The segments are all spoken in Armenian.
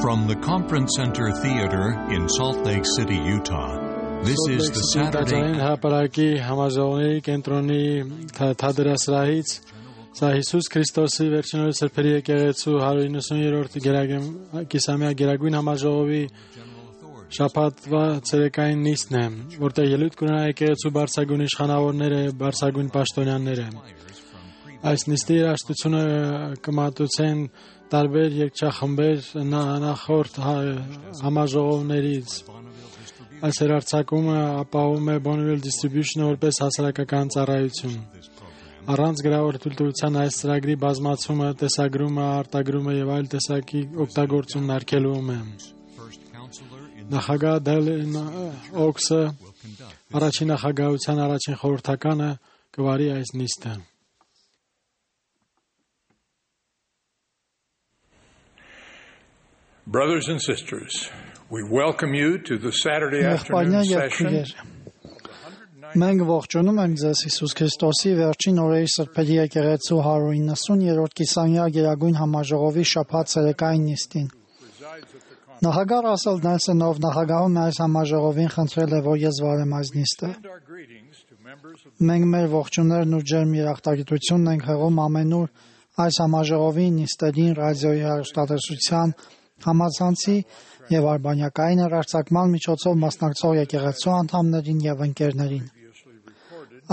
From the Conference Center Theater in Salt Lake City, Utah, this is the Saturday. Հապարակի համաժողովի կենտրոնի թադրասրահից սա Հիսուս Քրիստոսի վերջինորդ սրբերի եկեղեցու 190-րդ կիսամյա գերագույն համաժողովի շաբաթվա ցերեկային նիստն է, որտեղ ելույթ կունենա եկեղեցու բարձրագույն իշխանավորները, բարձրագույն պաշտոնյաները։ Այս նիստի երաժշտությունը կմատուցեն տարբեր երգչախմբեր նախորդ համաժողովներից։ Այս հեռարձակումը ապահովում է Bonneville Distribution-ը որպես հասարակական ծառայություն։ Առանց գրավոր թույլտվության այս ծրագրի բազմացումը, տեսագրումը, արտագրումը եւ այլ տեսակի օգտագործումն արգելվում է։ Նախագահ Դելին Օքսը առաջին նախագահության առաջին խորհրդականը կվարի այս նիստը։ Brothers and sisters, we welcome you to the Saturday afternoon session. Մենք ողջունում ենք ձեզ Հիսուս Քրիստոսի վերջին օրերի սրբերի եկեղեցու 190-րդ կիսամյա գերագույն համաժողովի շաբաթ ցերեկային նիստին։ Նախագահ Ռասել Նելսոնով նախագահում այս համաժողովին խնդրել է, որ ես վարեմ այս նիստը։ Մենք մեր ողջուններն ու ջերմ երախտագիտությունն ենք հղում ամենուր այս համաժողովի նիստերին, ռադիոյի հեռուստատեսության, համացանցի եւ արբանյակային հեռարձակման միջոցով մասնակցող եկեղեցու անդամներին եւ ընկերներին։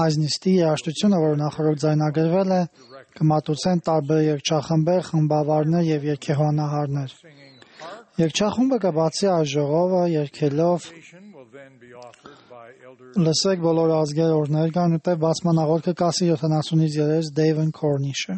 Այս նիստի երաժշտությունը, որը նախորդ ձայնագրվել է, կմատուցեն տարբեր երգչախմբեր, խմբավարներ եւ երգեհոնահարներ։ Երգչախումբը կբացի այս ժողովը երգելով լսեք բոլոր ազգեր օրներ կան, ուտե բացման աղոթքը կասի 70-ից 3 Դեյվեն Կորնիշը։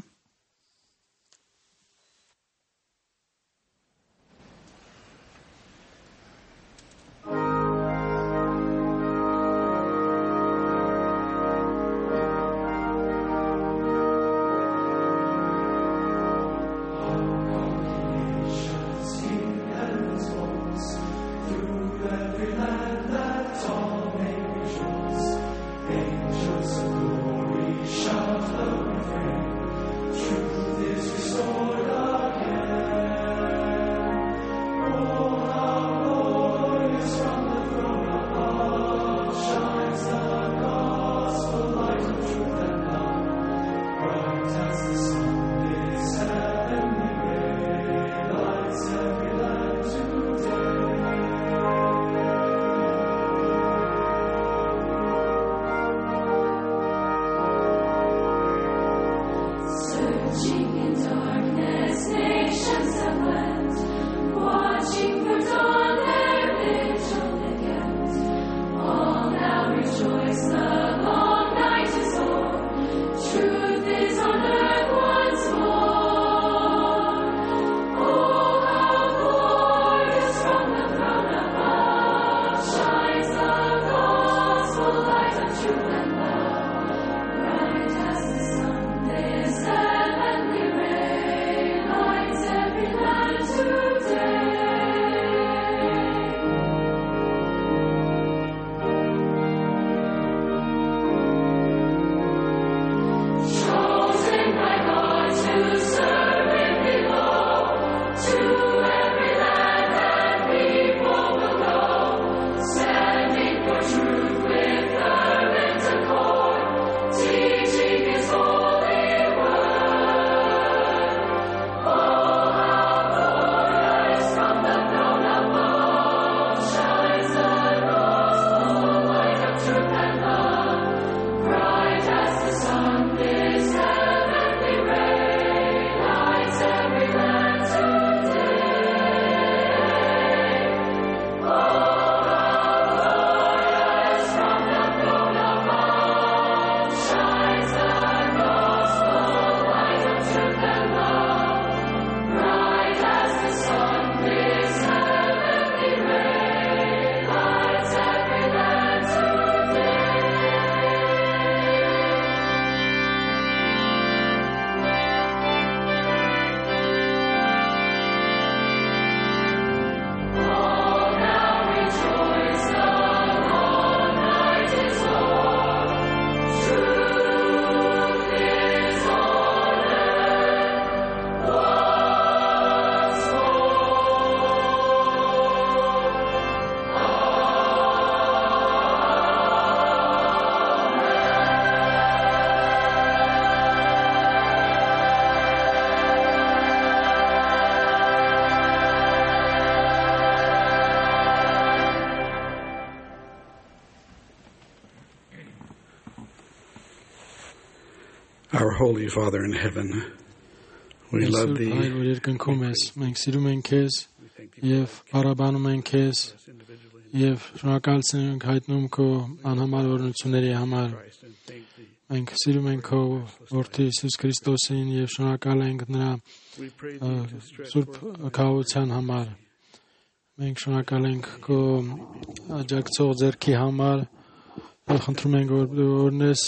To Our Holy Father in heaven, we love thee. Մենք սիրում ենք քեզ եւ բարաբանում ենք քեզ եւ շնորհակալություն ենք հայտնում քո անհամար օրհնությունների համար։ Մենք սիրում ենք քո Որդի Հիսուս Քրիստոսին եւ շնորհակալ ենք նրա սուրբ քահության համար։ Մենք շնորհակալ ենք քո աջակցող ձեռքի համար։ Խնդրում ենք որ օրնես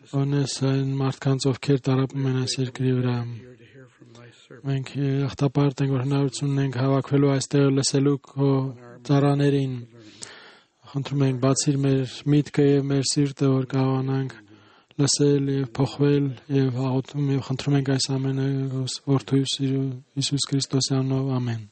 այն մարդկանց ովքեր տարապում են այս երկրի վրա։ Մենք ախտապարտ ենք որ հնարավորություն ունենք հավաքվելու այստեղ լսելու քո ծառաներին։ Խնդրում ենք բացիր մեր միտքը եւ մեր սիրտը որ կարողանանք լսել եւ փոխվել եւ աղոթում եւ խնդրում ենք այս ամենը Որդու Հիսուս Քրիստոսի անունով ամեն։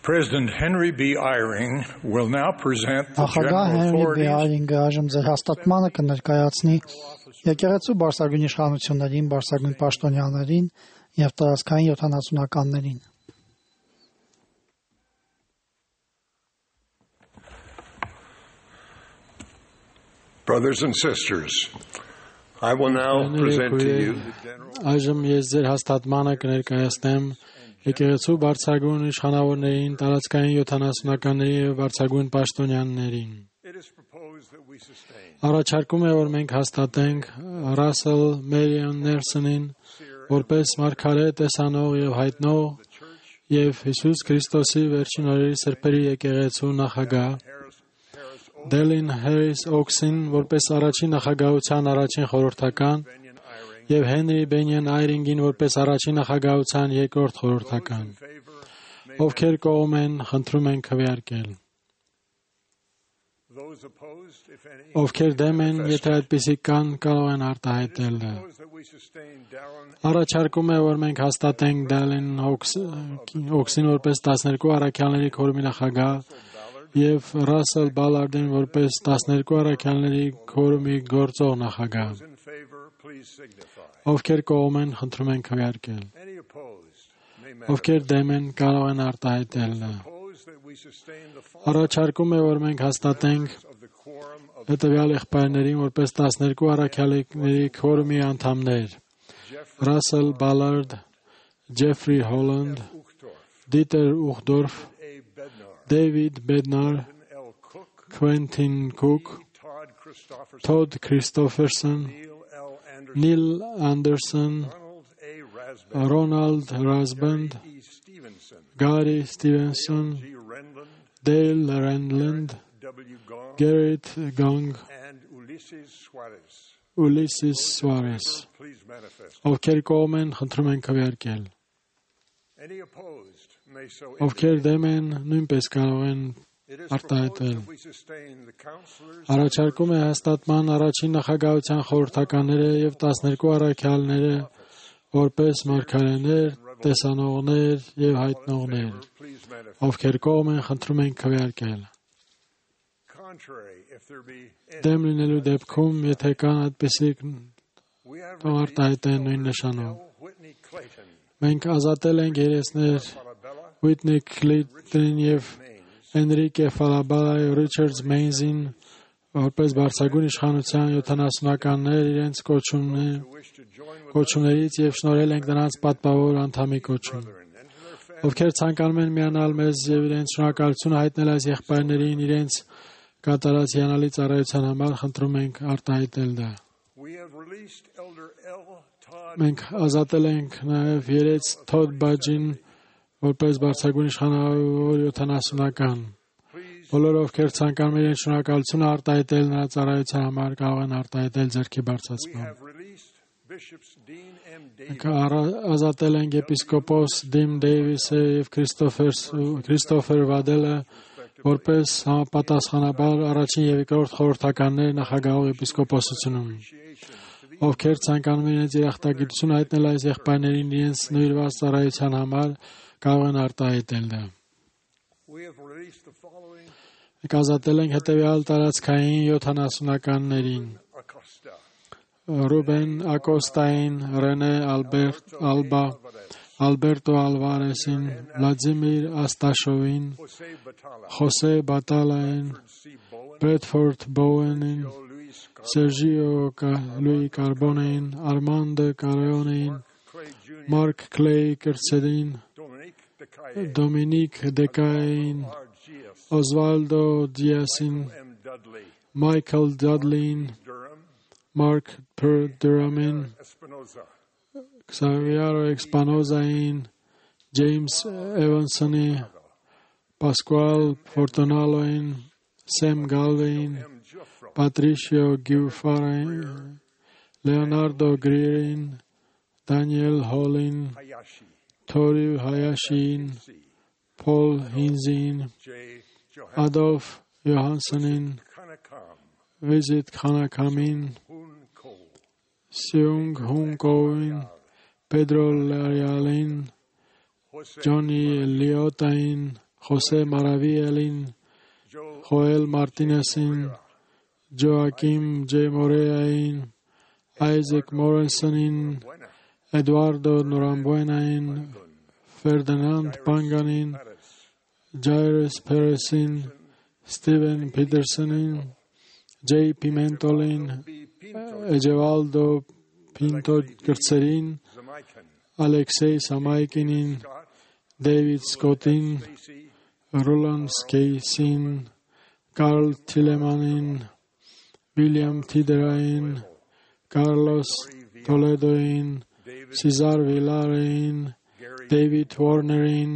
President Henry B. Eyring will now present the Նախագահ general Հենրի B. authorities Այրինգը այժմ ձեր հաստատմանը կներկայացնի եկեղեցու բարձրագույն իշխանություններին, բարձրագույն պաշտոնյաներին եւ տարածքային 70-ականներին։ Brothers and sisters, I will now present to you the general Այժմ ես ձեր հաստատմանը կներկայացնեմ եկեղեցու բարձրագույն իշխանավորներին, տարածքային 70-ականների եւ բարձրագույն պաշտոնյաներին։ Առաջարկում է որ մենք հաստատենք Ռասել Մերիոն Ներսոնին որպես մարգարե տեսանող եւ հայտնող եւ Հիսուս Քրիստոսի վերջին օրերի սրբերի եկեղեցու նախագահ, Դելին Հարիս Օքսին որպես առաջին նախագահության առաջին խորհրդական եւ Հենրի Բենյան Այրինգին որպես առաջին նախագահության երկրորդ խորհրդական։ Ովքեր կողմ են, խնդրում ենք քվեարկել։ Ովքեր դեմ են, եթե այդպիսի կան, կարող են արտահայտել։ Առաջարկում է, որ մենք հաստատենք Դելին Օքսին որպես 12 առաքյալների քորմի նախագահ եւ Ռասել Բալարդին որպես 12 առաքյալների քորմի գործող նախագահ։ Ովքեր կողմ են, խնդրում ենք քվեարկել։ Ովքեր դեմ են, կարող են արտահայտել։ Առաջարկում է, որ մենք հաստատենք հետևյալ եղբայրներին որպես 12 առաքյալների քորմի անդամներ. Ռասել Բալարդ, Ջեֆրի Հոլանդ, Դիտեր Ուխդորֆ, Դեյվիդ Բեդնար, Քվենտին Կուկ, Թոդ Քրիստոֆերսոն, Նիլ Անդերսոն, Ռոնալդ Ռազբենդ, Գարի Ստիվենսոն, Դեյլ Ռենլենդ, Գերիթ Գանգ, Ուլիսիս Սուարես։ Ովքեր կողմ են, խնդրում ենք քվեարկել։ Ովքեր դեմ են, նույնպես կարող են արտահայտել։ Առաջարկում է հաստատման առաջին նախագահության խորհրդականները եւ 12 առաքյալները որպես մարգարեներ, տեսանողներ եւ հայտնողներ։ Ովքեր կողմ են, խնդրում ենք քվեարկել։ Դեմ լինելու դեպքում, եթե կան այդպիսի արտահայտեն նույն նշանով։ Մենք ազատել ենք երեսներ Ուիթնի Քլինտոնին եւ Էնրիկե Ֆալաբալայի Ռիչարդս Մեյնզին որպես բարձրագույն իշխանության 70-ականներ իրենց կոչումներից եւ շնորհել ենք նրանց պատվավոր անդամի կոչում։ Ովքեր ցանկանում են միանալ մեզ եւ իրենց շնորհակալություն հայտնել այս եղբայրներին իրենց կատարած հիանալի ծառայության համար, խնդրում ենք արտահայտել դա։ Մենք ազատել ենք նաեւ երեց Թոդ Բաջին որպես բարձրագույն իշխանավոր 70-ական։ Բոլոր ովքեր ցանկանում են շնորհակալություն արտահայտել նրա ծառայության համար, կարող են արտահայտել ձեռքի բարձրացմամբ։ Մենք ազատել ենք եպիսկոպոս Դիմ Դեյվիսը եւ Քրիստոֆեր Վադելը որպես համապատասխանաբար առաջին եւ երկրորդ խորհրդականներ նախագահող եպիսկոպոսությունում։ Ովքեր ցանկանում են իրենց երախտագիտություն հայտնել այս եղբայրներին իրենց նվիրված ծառայության համար, կարող են արտահայտել դա։ Մենք ազատել ենք հետևյալ տարածքային 70-ականներին. Ռուբեն Ակոստային, Ռենե Ալբա, Ալբերտո Ալվարեսին, Վլադիմիր Աստաշովին, Խոսե Բատալային, Բրեդֆորդ Բոուենին, Սերժիո Լուի Կարբոնեին, Արմանդը Կարեոնեին, Մարկ Քլեյ Կրցերին, Դոմինիկ Դեկային, Օզվալդո Դիասին, Մայքլ Դադլին, Մարկ Դուրամին, Xavier Espinozaին, Ջեյմս Էվանսոնի, Պասկուալ Ֆորտոնալոին, Սեմ Գալվեին, Պատրիշիո Գյուֆարային, Լեոնարդո Գրիրին, Դանիել Հոլին, Թորի Հայաշին, Փոլ Հինզին, Ադոլֆ Յոհանսոնին, Վիզիտ Խանակամին, Սյունգ Հունկոին, Պեդրո Լարիալին, Ջոնի Լիոտային, Խոսե Մարավիելին, Խոել Մարտինեսին, Ջոակիմ Ջե Մորեային, Այզեկ Մորենսոնին, Էդուարդո Նորամբուենային, Ֆերդինանդ Պանգանին, Ջայրես Փերեսին, Ստիվեն Փիթերսոնին, Ջեյ Պիմենտոլին, Էջևալդո Պինտո Կրցերին, Ալեքսեյ Սամայկինին, Դեյվիդ Սկոտին, Ռոլանդ Սկեյսին, Կարլ Թիլեմանին, Վիլյամ Թիդերային, Կարլոս Տոլեդոին, Սիզար Վիլարեին, Դեյվիդ Վորներին,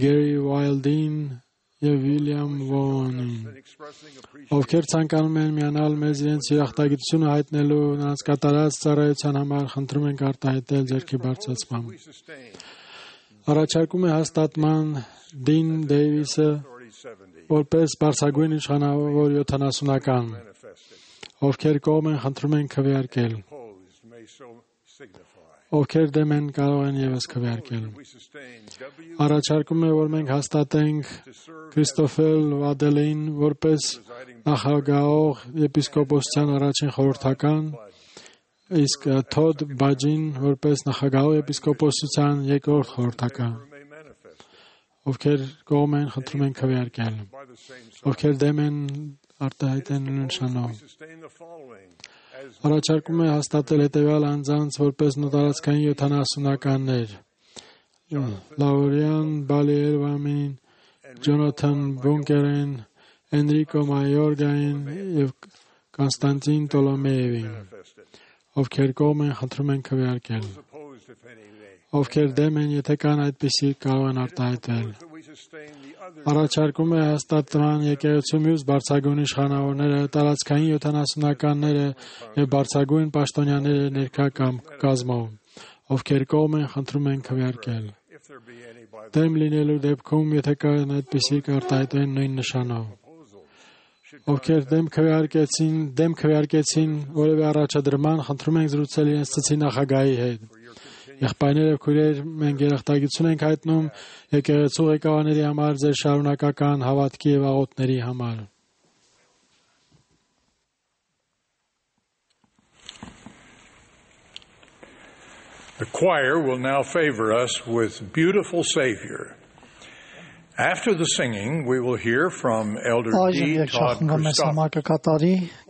Գերի Վայլդին և Վիլյամ Վոնին, ովքեր ցանկանում են միանալ մեզ իրենց երախտագիտությունը հայտնելու նրանց կատարած ծառայության համար, խնդրում ենք արտահայտել ձեռքի բարձրացմամբ։ Առաջարկում է հաստատման Դին Դեյվիսը որպես բարձրագույն իշխանավոր 70-ական, ովքեր կողմ են, խնդրում են քվեարկել, ովքեր դեմ են, կարող են ևս քվեարկել։ Առաջարկում է, որ մենք հաստատենք Քրիստոֆել Վադելին որպես նախագահող եպիսկոպոսության առաջին խորհրդական, իսկ Թոդ Բաջին որպես նախագահող եպիսկոպոսության երկրորդ խորհրդական, ովքեր կողմ են, խնդրում են քվեարկել, ովքեր դեմ են, արտահայտեն նշանով։ Առաջարկում է հաստատել հետևյալ անձանց որպես նոտարացքային 70-ականներ. Լաուրիան Բալիերվամին, Ջոնաթան Բունկերին, Էնրիկո Մայորգային և Կոնստանտին Տոլոմեևին, ովքեր կողմ են, խնդրում են քվեարկել, ովքեր դեմ են, եթե կան այդպիսի, կարող են արտահայտել։ Առաջարկում է հաստատման եկեղեցու մյուս բարձրագույն իշխանավորները, տարածքային 70-ականները և բարձրագույն պաշտոնյաները ներկա կազմով, ովքեր կողմ են, խնդրում են քվեարկել։ Դեմ լինելու դեպքում, եթե կան այդպիսի, կարտահայտվեն նույն նշանով։ Ովքեր դեմ քվեարկեցին որևէ առաջադրման, խնդրում ենք զրուցել իրենց ծծի նախագահի հետ։ Եղբայրներ և քույրեր, մենք երախտագիտություն ենք հայտնում եկեղեցու ղեկավարների համար, ձեր շարունակական հավատքի և աղոթների համար։ The choir will now favor us with Beautiful Savior. After the singing, we will hear from Elder D. Todd Christopher.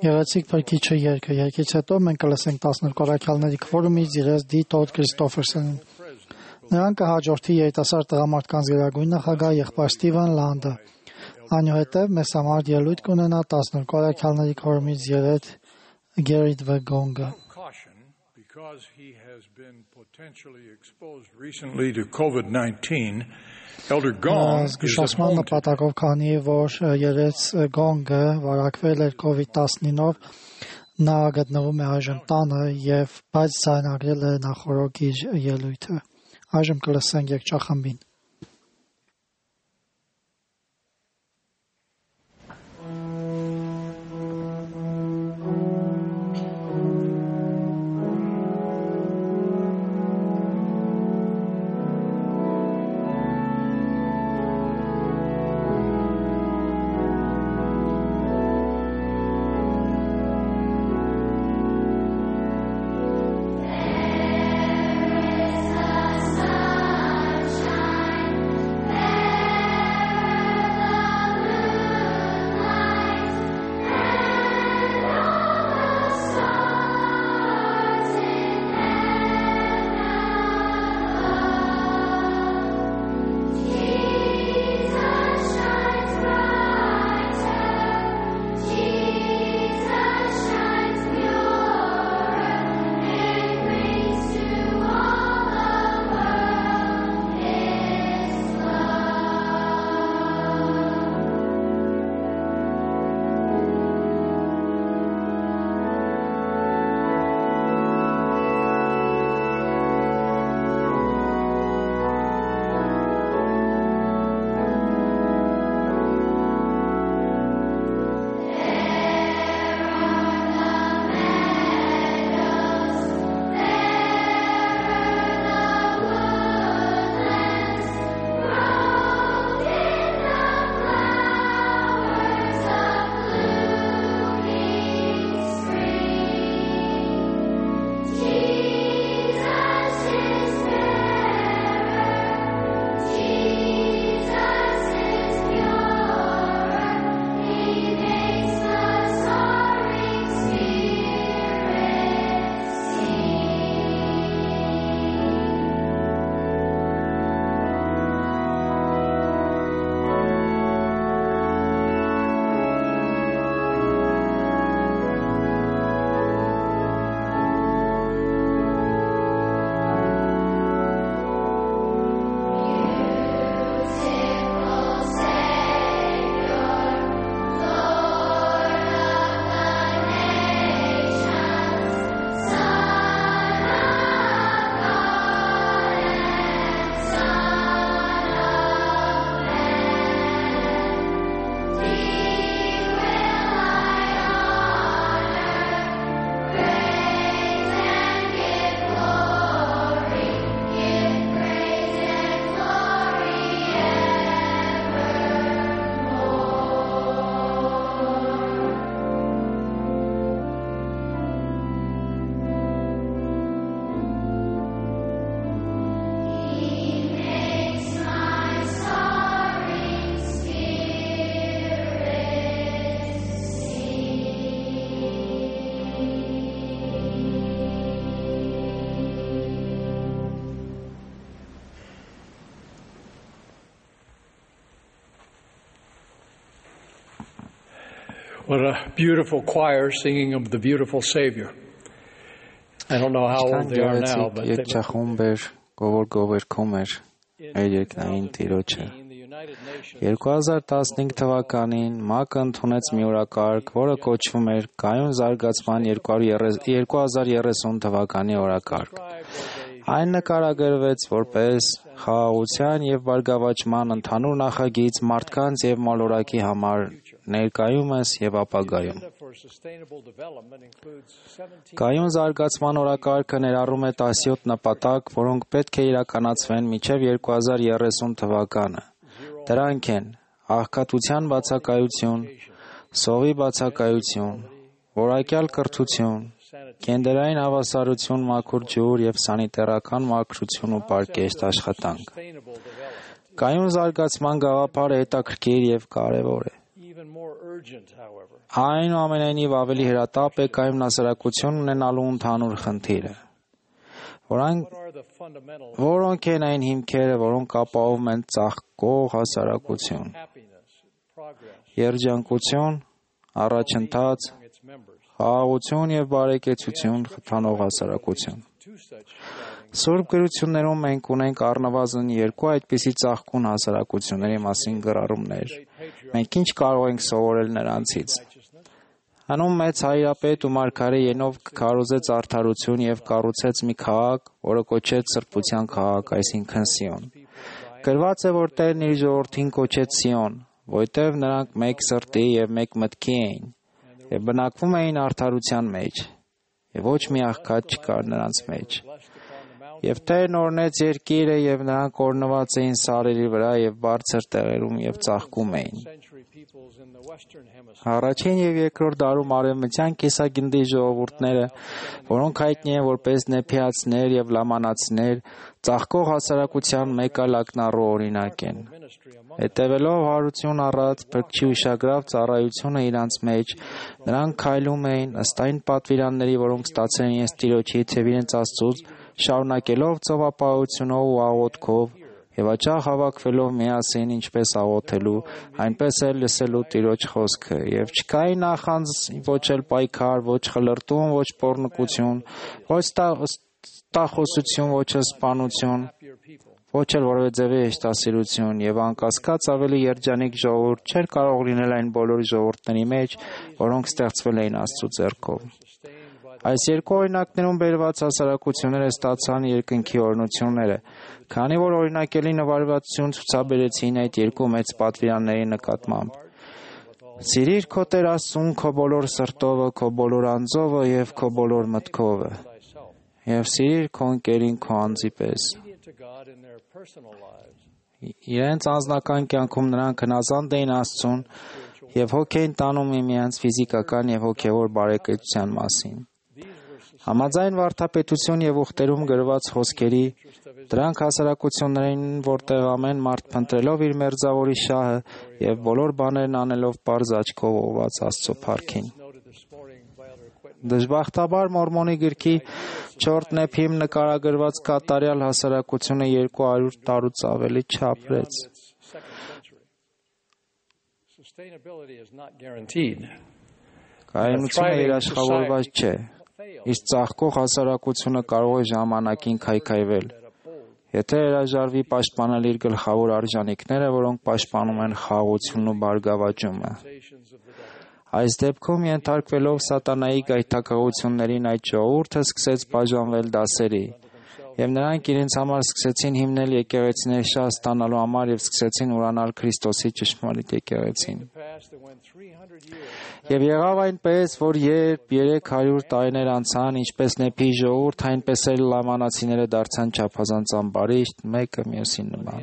Գեղեցիկ փրկիչը երգը, երգից հետո մենք կլսենք 12 առաքյալների քվորումից իրենց D. Todd Christopherson-ին։ Նրան կհաջորդի երիտասարդ տղամարդկանց գերագույն նախագահ եղբայր Ստիվեն Լանդը։ Այնուհետև մեզ համար ելույթ կունենա 12 առաքյալների քվորումից երեկ Գերիտ Վեգոնգը։ Because he has been potentially exposed recently to COVID-19, Elder Gong is at home. Նպատակով քանի որ երեց Գոնգը վարակվել էր COVID-19-ով, նա գտնվում է այժմ տանը եւ բայց ցանագրել է նախորդ իր ելույթը։ Այժմ կլսենք երգչախմբին։ Sa What a beautiful choir singing of the beautiful Savior. I don't know how old they are now, but they look 2015 թվականին ՄԱԿ-ը ընդունեց մի օրակարգ, որը կոչվում էր Կայուն զարգացման 2030 թվականի օրակարգ։ Այն նկարագրվեց որպես խաղաղության եւ բարգավաճման ընդհանուր նախագիծ մարդկանց եւ մոլորակի համար ներկայումս եւ ապագայում։ Կայուն զարգացման օրակարգը ներառում է 17 նպատակ, որոնք պետք է իրականացվեն մինչև 2030 թվականը։ Դրանք են աղքատության բացակայություն, սովի բացակայություն, որակյալ կրթություն, գենդերային հավասարություն, մաքուր ջուր եւ սանիտարական մաքրություն ու պարկեշտ աշխատանք։ Կայուն զարգացման գաղափարը հետաքրքիր եւ կարեւոր է։ Այնուամենայնիվ ավելի հրատապ է կայուն հասարակություն ունենալու ընդհանուր խնդիրը։ Որոնք են այն հիմքերը, որոնք ապահովում են ծաղկող հասարակություն, երջանկություն, առաջընթաց, խաղաղություն եւ բարեկեցություն խթանող հասարակություն։ Սուրբ գրություններում մենք ունենք առնվազն երկու այդպիսի ծաղկուն հասարակությունների մասին գրառումներ։ Մենք ինչ կարող ենք սովորել նրանցից։ Հանում մեծ հայրապետ ու մարգարե Ենով քարոզեց արդարություն եւ կառուցեց մի քաղաք, որը կոչեց սրբության քաղաք, այսինքն Սիոն։ Գրված է, որ Տերն իր ժողովրդին կոչեց Սիոն, որտեղ նրանք մեկ սրտի եւ մեկ մտքի էին եւ բնակվում էին արդարության մեջ, եւ ոչ մի աղքատ չկար նրանց մեջ։ Եվ Տերն օրնեց երկիրը եւ նրանք օրնված էին սարերի վրա եւ բարձր տեղերում եւ ծաղկում էին։ Առաջին եւ երկրորդ դարում արևմտյան կիսագնդի ժողովուրդները, որոնք հայտնի են որպես նեփիացիներ եւ լամանացիներ, ծաղկող հասարակության մեկ այլ ակնառու օրինակ են։ Հետևելով հարություն առած փրկչի ուշագրավ ծառայությունը իրանց մեջ, նրանք քայլում էին ըստ այն պատվիրանների, որոնք ստացել են իրենց Տիրոջից եւ իրենց Աստծուց, շարունակելով ծովապահությունով ու աղոթքով եւ աճաղ հավաքվելով միասին, ինչպես աղոթելու, այնպես էլ լսելու Տիրոջ խոսքը, եւ չկային նախանձ, ոչ էլ պայքար, ոչ խլրտում, ոչ պոռնկություն, ոչ տախոսություն, ոչ սպանություն, ոչ էլ որևէ ձևի հեշտասիրություն, եւ անկասկած ավելի երջանիկ ժողովուրդ չէր կարող լինել այն բոլոր ժողովուրդների մեջ, որոնք ստեղծվել էին Աստծո ձեռքով։ Այս երկու օրինակներում բերված հասարակությունները ստացան երկնքի օրհնությունները, քանի որ օրինակելի նվիրվածություն ցուցաբերեցին այդ երկու մեծ պատվիրանների նկատմամբ։ Սիրիր քո Տեր Աստծուն քո բոլոր սրտովը, քո բոլոր անձովը եւ քո բոլոր մտքովը, եւ սիրիր քո ընկերին քո անձի պես։ Իրենց անձնական կյանքում նրանք հնազանդ էին Աստծուն եւ հոգ էին տանում միմյանց ֆիզիկական եւ հոգեվոր բարեկեցության մասին։ Համաձայն վարդապետություն եւ ուխտերում գրված խոսքերի, դրանք հասարակություններ էին, որտեղ ամեն մարդ փնտրելով իր մերձավորի շահը եւ բոլոր բաներն անելով պարզ աչքով ուղղված Աստծո փառքին։ Դժբախտաբար Մորմոնի գրքի 4 նեփիմ նկարագրված կատարյալ հասարակությունը 200 տարուց ավելի չապրեց։ Կայունությունը երաշխավորված չէ։ Իսկ ծաղկող հասարակությունը կարող է ժամանակին քայքայվել, եթե հրաժարվի պաշտպանել իր գլխավոր արժանինքները, որոնք պաշտպանում են խաղաղությունն ու բարգավաճումը։ Այս դեպքում ենթարկվելով սատանայի գայթակղություններին այդ ժողովուրդը սկսեց բաժանվել դասերի, եւ նրանք իրենց համար սկսեցին հիմնել եկեղեցիներ շատ ստանալու համար եւ սկսեցին ուրանալ Քրիստոսի ճշմարիտ եկեղեցին։ Եվ եղավ այնպես, որ երբ 300 տարիներ անցան, ինչպես Նեփի ժողովուրդ, այնպես էլ լամանացիները դարձան չափազանց ամբարիշտ, մեկը մյուսին նման։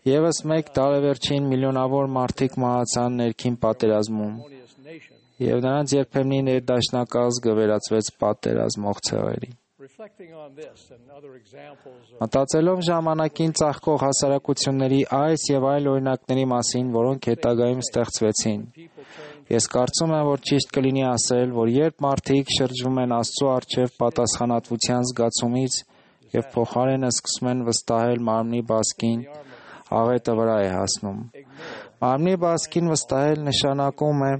Եվս մեկ տարեվերջին միլիոնավոր մարդիկ մահացան ներքին պատերազմում, եւ նրանց երբեմնի ներդաշնակազգը վերածվեց պատերազմող ցեղերի։ Մտածելով ժամանակին ծաղկող հասարակությունների այս եւ այլ օրինակների մասին, որոնք հետագայում ստեղծվեցին, ես կարծում եմ, որ ճիշտ կլինի ասել, որ երբ մարդիկ շրջվում են Աստծո առջև պատասխանատվության զգացումից եւ փոխարենը սկսում են վստահել մարմնի բասկին, աղետը վրա է հասնում։ Մարմնի բասկին վստահել նշանակում է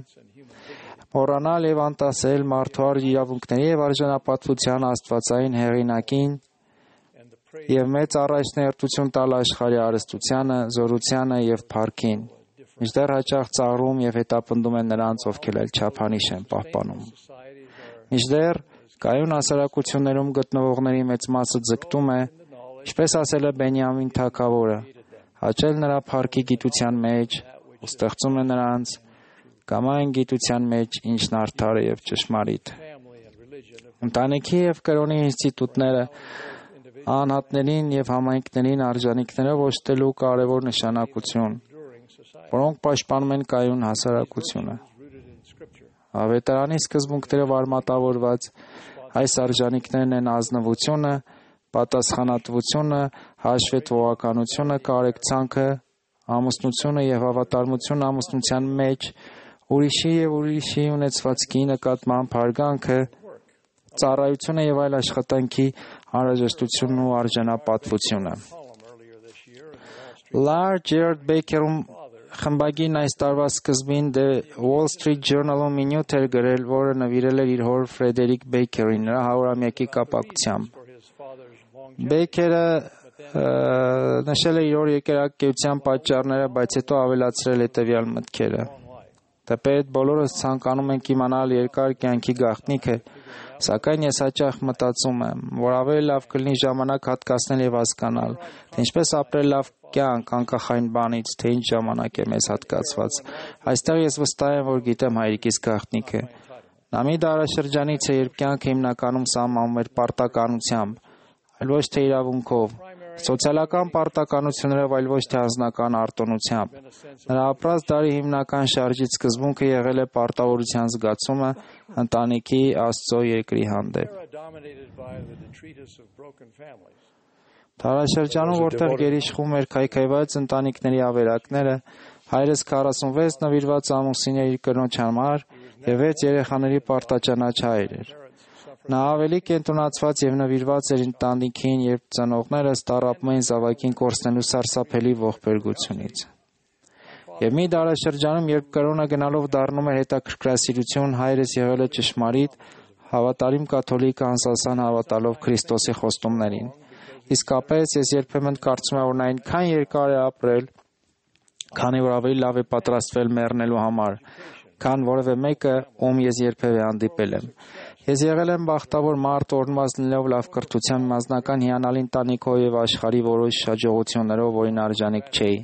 մոռանալ եւ անտասել մարդու իրավունքների եւ արժանապատվության աստվածային հեղինակին եւ մեծ առաջնահերթություն տալ աշխարհի հարստությանը, զորությանը եւ փառքին, մինչդեռ հաճախ ծաղրում եւ հետապնդում են նրանց, ովքեր էլ չափանիշ են պահպանում։ Մինչդեռ կայուն հասարակություններում գտնվողների մեծ մասը ձգտում է, ինչպես ասել է Բենյամին թագավորը, հաճել նրա փառքի գիտության մեջ ու ստեղծում է նրանց կամ այն գիտության մեջ, ինչն արդար է եւ ճշմարիտ։ Ընտանիքի եւ կրոնի ինստիտուտները անհատներին եւ համայնքներին արժանինքներով օժտելու կարևոր նշանակություն, որոնք պաշտպանում են կայուն հասարակությունը։ Ավետարանի սկզբունքներով արմատավորված այս արժանինքներն են ազնվությունը, պատասխանատվությունը, հաշվետվողականությունը, կարեկցանքը, ամուսնությունը եւ հավատարմությունը ամուսնության մեջ, ուրիշի եւ ուրիշի ունեցվածքի նկատմամբ հարգանքը, ծառայությունը եւ այլ աշխատանքի անհրաժեշտությունն ու արժանապատվությունը։ Լար Ջերարդ Բեյքերում խմբագիրն այս տարվա սկզբին The Wall Street Journal-ում մի նյութ էր գրել, որը նվիրել էր իր հոր Ֆրեդերիկ Բեյքերին նրա 100-ամյակի կապակցությամբ։ Բեյքերը նշել է իր հոր եկեղեցական պատճառները, բայց հետո ավելացրել հետևյալ մտքերը. Թեպետ բոլորս ցանկանում ենք իմանալ երկար կյանքի գաղտնիքը, սակայն ես հաճախ մտածում եմ, որ ավելի լավ կլինի ժամանակ հատկացնել եւ հասկանալ, թե ինչպես ապրել լավ կյանք անկախ այն բանից, թե ինչ ժամանակ է մեզ հատկացված։ Այստեղ ես վստահ եմ, որ գիտեմ հայրիկիս գաղտնիքը։ Նա մի դարաշրջանից է, երբ կյանքը հիմնականում սահմանում էր պարտականությամբ, այլ ոչ թե իրավունքով, սոցիալական պարտականություններով, այլ ոչ թե անձնական արտոնությամբ։ Նրա ապրած դարի հիմնական շարժիչ սկզբունքը եղել է պարտավորության զգացումը ընտանիքի, Աստծո, երկրի հանդեպ։ Դարաշրջանում, որտեղ գերիշխում էր քայքայված ընտանիքների ավերակները, հայրս 46 նվիրված ամուսին էր իր կնոջ համար եւ 6 երեխաների պարտաճանաչ հայր էր։ Նա ավելի կենտրոնացված եւ նվիրված էր ընտանիքին, երբ ծնողներս տառապում էին զավակին կորցնելու սարսափելի ողբերգությունից։ Եվ մի դարաշրջանում, երբ կրոնը գնալով դառնում էր հետաքրքրասիրություն, հայրս եղել է ճշմարիտ, հավատարիմ կաթոլիկ անսասան հավատալով Քրիստոսի խոստումներին։ Իսկապես ես երբեմն կարծում եմ, որ նա այնքան երկար է ապրել, քանի որ ավելի լավ է պատրաստվել մեռնելու համար, քան որևէ մեկը, ում ես երբևէ հանդիպել եմ։ Ես եղել եմ բախտավոր մարդ, օրնված լինելով լավ կրթության, մասնական հիանալի ընտանիքով եւ աշխարհի որոշ հաջողություններով, որին արժանիք չէի։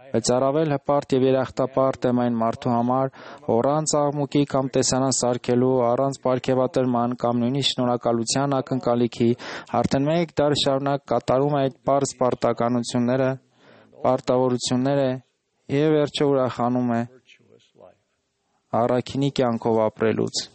Բայց առավել հպարտ եւ երախտապարտ եմ այն մարդու համար, առանց աղմուկի կամ տեսանան սարքելու, առանց պարգևատրման կամ նույնիսկ շնորհակալության ակնկալիքի, արդեն մեկ դար շարունակ կատարում է այդ պարզ պարտականությունները, պարտավորությունները եւ վերջը ուրախանում է առաքինի կյանքով ապրելուց։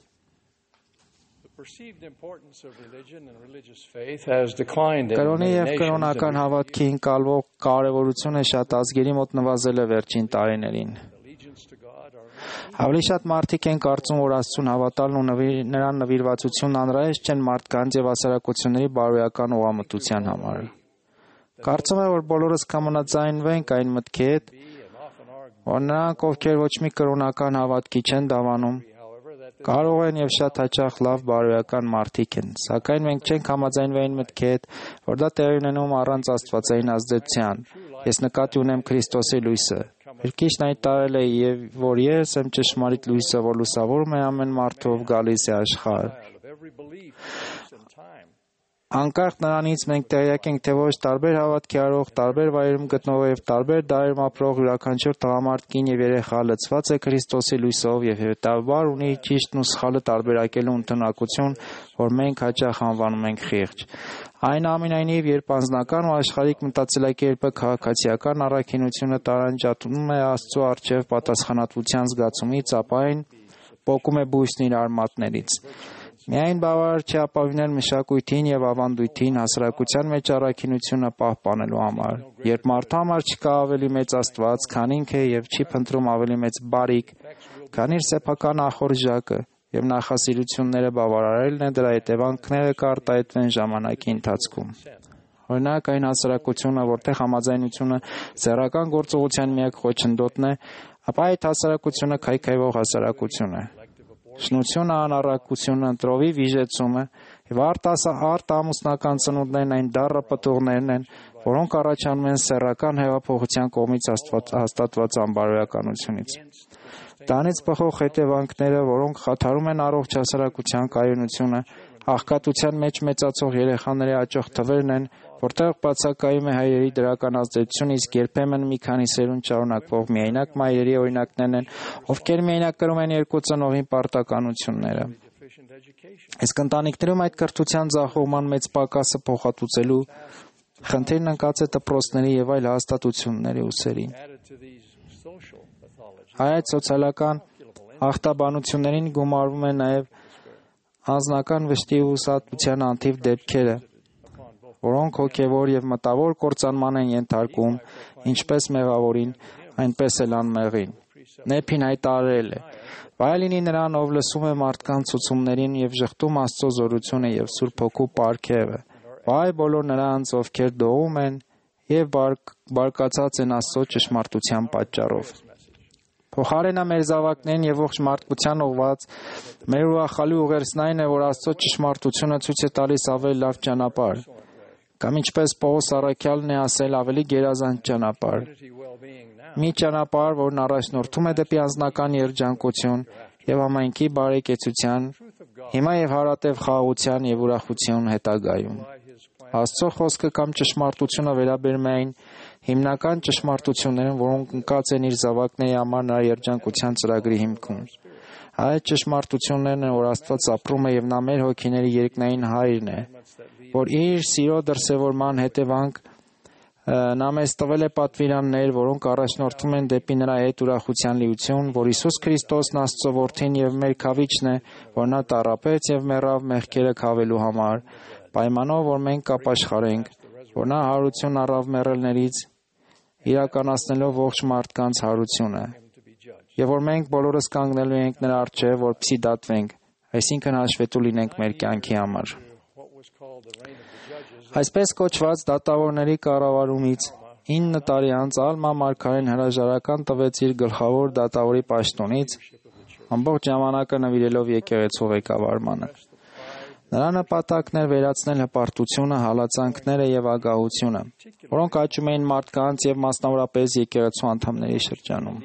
Կրոնի եւ կրոնական հավատքի ընկալվող կարևորությունը շատ ազգերի մոտ նվազել է վերջին տարիներին։ Ավելի շատ մարդիկ են կարծում, որ Աստծուն հավատալն ու նրան նվիրվածությունն անհրաժեշտ չեն մարդկանց եւ հասարակությունների բարոյական ուղղամտության համար։ Կարծում եմ, որ բոլորս կհամաձայնվենք այն մտքի հետ, որ նրանք, ովքեր ոչ մի կրոնական հավատքի չեն դավանում, կարող են եւ շատ հաճախ լավ բարոյական մարդիկ են, սակայն մենք չենք համաձայնվի այն մտքի հետ, որ դա տեղի ունենում առանց աստվածային ազդեցության։ Ես նկատի ունեմ Քրիստոսի լույսը։ Քրիստոսն հայտարարել է, որ ես եմ ճշմարիտ լույսը, որ լուսավորում է ամեն մարդով գալիս է աշխարհ։ Անկախ նրանից մենք տեղյակ ենք, թե ոչ տարբեր հավատքի առող, տարբեր վայրում գտնվող եւ տարբեր դարերում ապրող յուրաքանչյուր տղամարդ, կին եւ երեխա լցված է Քրիստոսի լույսով եւ հետեւաբար ունի ճիշտն ու սխալը տարբերակելու ընդունակություն, որ մենք հաճախ անվանում ենք խիղճ։ Այնուամենայնիվ, երբ անձնական ու աշխարհիկ մտածելակերպը քաղաքացիական առաքինությունը տարանջատում է Աստծո առջև պատասխանատվության զգացումից, ապա այն պոկում է բույսն իր արմատներից։ Միայն բավարար չէ ապավինել մշակույթին եւ ավանդույթին հասարակության մեջ առաքինությունը պահպանելու համար։ Երբ մարդու համար չկա ավելի մեծ Աստված, քան ինքը եւ չի փնտրում ավելի մեծ բարիք, քան իր սեփական ախորժակը եւ նախասիրությունները բավարարելն է, դրա հետևանքները կարտահայտվեն ժամանակի ընթացքում։ Օրինակ, այն հասարակությունը, որտեղ համաձայնությունը սեռական գործողության միակ խոչընդոտն է, ապա այդ հասարակությունը քայքայվող հասարակություն է։ Շնությունը, անառակությունը, ընտրովի վիժեցումը եւ արտամուսնական ծնունդներն այն դառը պտուղներն են, որոնք առաջանում են սեռական հեղափոխության կողմից հաստատված անբարոյականությունից։ Դրանից բխող հետևանքները, որոնք խաթարում են առողջ հասարակության կայունությունը, աղքատության մեջ մեծացող երեխաների աճող թվերն են, որտեղ բացակայում է հայրերի դրական ազդեցությունը, իսկ երբեմն մի քանի սերունդ շարունակվող միայնակ մայրերի օրինակներն են, ովքեր միայնակ կրում են երկու ծնողին պարտականությունները։ Իսկ ընտանիքներում այդ կրթության ձախողման մեծ պակասը փոխհատուցելու խնդիրն ընկած է դպրոցների եւ այլ հաստատությունների ուսերին։ Այդ սոցիալական ախտաբանություններին գումարվում է նաեւ անձնական վշտի ու հուսահատության անթիվ դեպքերը, որոնք հոգևոր եւ մտավոր կործանման են ենթարկում, ինչպես մեղավորին, այնպես էլ անմեղին։ Նեփին հայտարարել է. «Վայ լինի նրան, ով լսում է մարդկանց ցուցումներին եւ ժխտում Աստծո զորությունը եւ Սուրբ Հոգու պարգևը։ Վայ բոլոր նրանց, ովքեր դողում են եւ բարկացած են Աստծո ճշմարտության պատճառով»։ Փոխարենը մեր զավակներին եւ ողջ մարդկության ուղված մեր ուրախալի ուղերձն այն է, որ Աստծո ճշմարտությունը ցույց է տալիս ավելի լավ ճանապարհ, կամ ինչպես Պողոս առաքյալն է ասել, ավելի գերազանց ճանապարհ։ Մի ճանապարհ, որն առաջնորդում է դեպի անձնական երջանկություն եւ համայնքի բարեկեցության, հիմա եւ հարատև խաղաղության եւ ուրախություն հետագայում։ Աստծո խոսքը կամ ճշմարտությունը վերաբերում է այն հիմնական ճշմարտություններին, որոնք ընկած են իր զավակների համար նրա երջանկության ծրագրի հիմքում։ Այդ ճշմարտություններն են, որ Աստված ապրում է եւ նա մեր հոգիների երկնային հայրն է, որ իր սիրո դրսևորման հետևանք նա մեզ տվել է պատվիրաններ, որոնք առաջնորդում են դեպի նրա հետ ուրախության լիություն, որ Հիսուս Քրիստոսն Աստծո որդին եւ մեր քավիչն է, որ նա տառապեց եւ մեռավ մեղքերը քավելու համար, պայմանով, որ մենք կապաշխարենք, որ նա հարություն առավ մեռելներից, իրականացնելով ողջ մարդկանց հարությունը, եւ որ մենք բոլորս կանգնելու ենք նրա առջև, որպեսզի դատվենք, այսինքն հաշվետու լինենք մեր կյանքի համար։ Այսպես կոչված դատավորների կառավարումից 9 տարի անց Ալմա մարգարեն հրաժարական տվեց իր գլխավոր դատավորի պաշտոնից, ամբողջ ժամանակը նվիրելով եկեղեցու ղեկավարմանը։ Նրա նպատակն էր վերացնել հպարտությունը, հալածանքները եւ ագահությունը, որոնք աճում էին մարդկանց եւ մասնավորապես եկեղեցու անդամների շրջանում։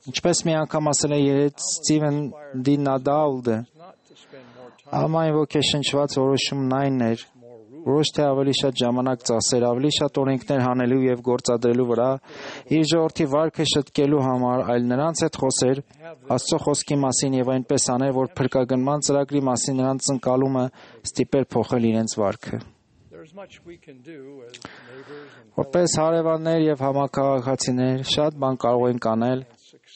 Ինչպես մի անգամ ասել է երեց Ստիվեն Դի Նադալդը, Ալմայի ոգեշնչված որոշումն այն էր, ոչ թե ավելի շատ ժամանակ ծախսեր, ավելի շատ օրենքներ հանելու եւ գործադրելու վրա, իր ժողովրդի վարքը շտկելու համար, այլ նրանց հետ խոսեր Աստծո խոսքի մասին եւ այնպես աներ, որ փրկագնման ծրագրի մասին նրանց ընկալումը ստիպեր փոխել իրենց վարքը։ Որպես հարևաններ եւ համակարգացիներ շատ բան կարող ենք անել,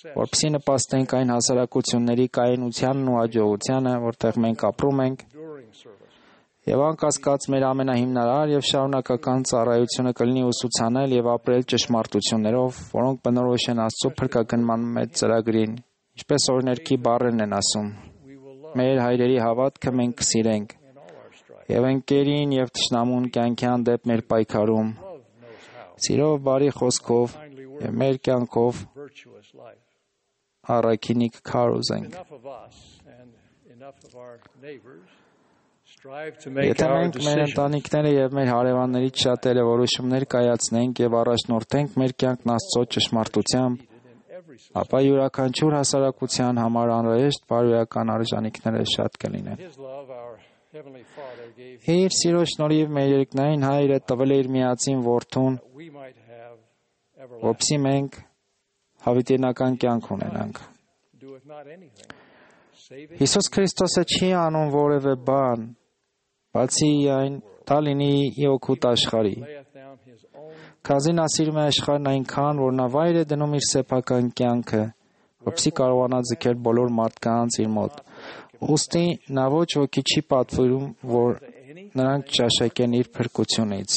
որպեսզի նպաստենք այն հասարակությունների կայունությանն ու հաջողությանը, որտեղ մենք ապրում ենք, եւ անկասկած մեր ամենահիմնարար եւ շարունակական ծառայությունը կլինի ուսուցանել եւ ապրել ճշմարտություններով, որոնք բնորոշ են Աստծո փրկագնման մեծ ծրագրին, ինչպես օրինակի բառերն են ասում. մեր հայրերի հավատքը մենք կսիրենք եւ ընկերին եւ թշնամուն կյանքի հանդեպ մեր պայքարում, սիրով բարի խոսքով եւ մեր կյանքով առաքինի կքարոզենք։ Եթե մենք մեր ընտանիքները եւ մեր հարևաններից շատերը որոշումներ կայացնենք եւ առաջնորդենք մեր կյանքն Աստծո ճշմարտությամբ, ապա յուրաքանչյուր հասարակության համար անհրաժեշտ բարոյական արժանինքները շատ կլինեն։ Իր սիրո շնորհիվ մեր երկնային Հայրը տվել է իր միածին որդուն, որպեսզի մենք հավիտենական կյանք ունենանք։ Հիսուս Քրիստոսը չի անում որևէ բան, բացի այն դա լինի ի օգուտ աշխարհի։ Քանզի նա սիրում է աշխարհն այնքան, որ նա վայր է դնում իր սեփական կյանքը, որպեսզի կարողանա ձգել բոլոր մարդկանց իր մոտ։ Ուստի նա ոչ ոքի չի պատվիրում, որ նրանք ճաշակեն իր փրկությունից։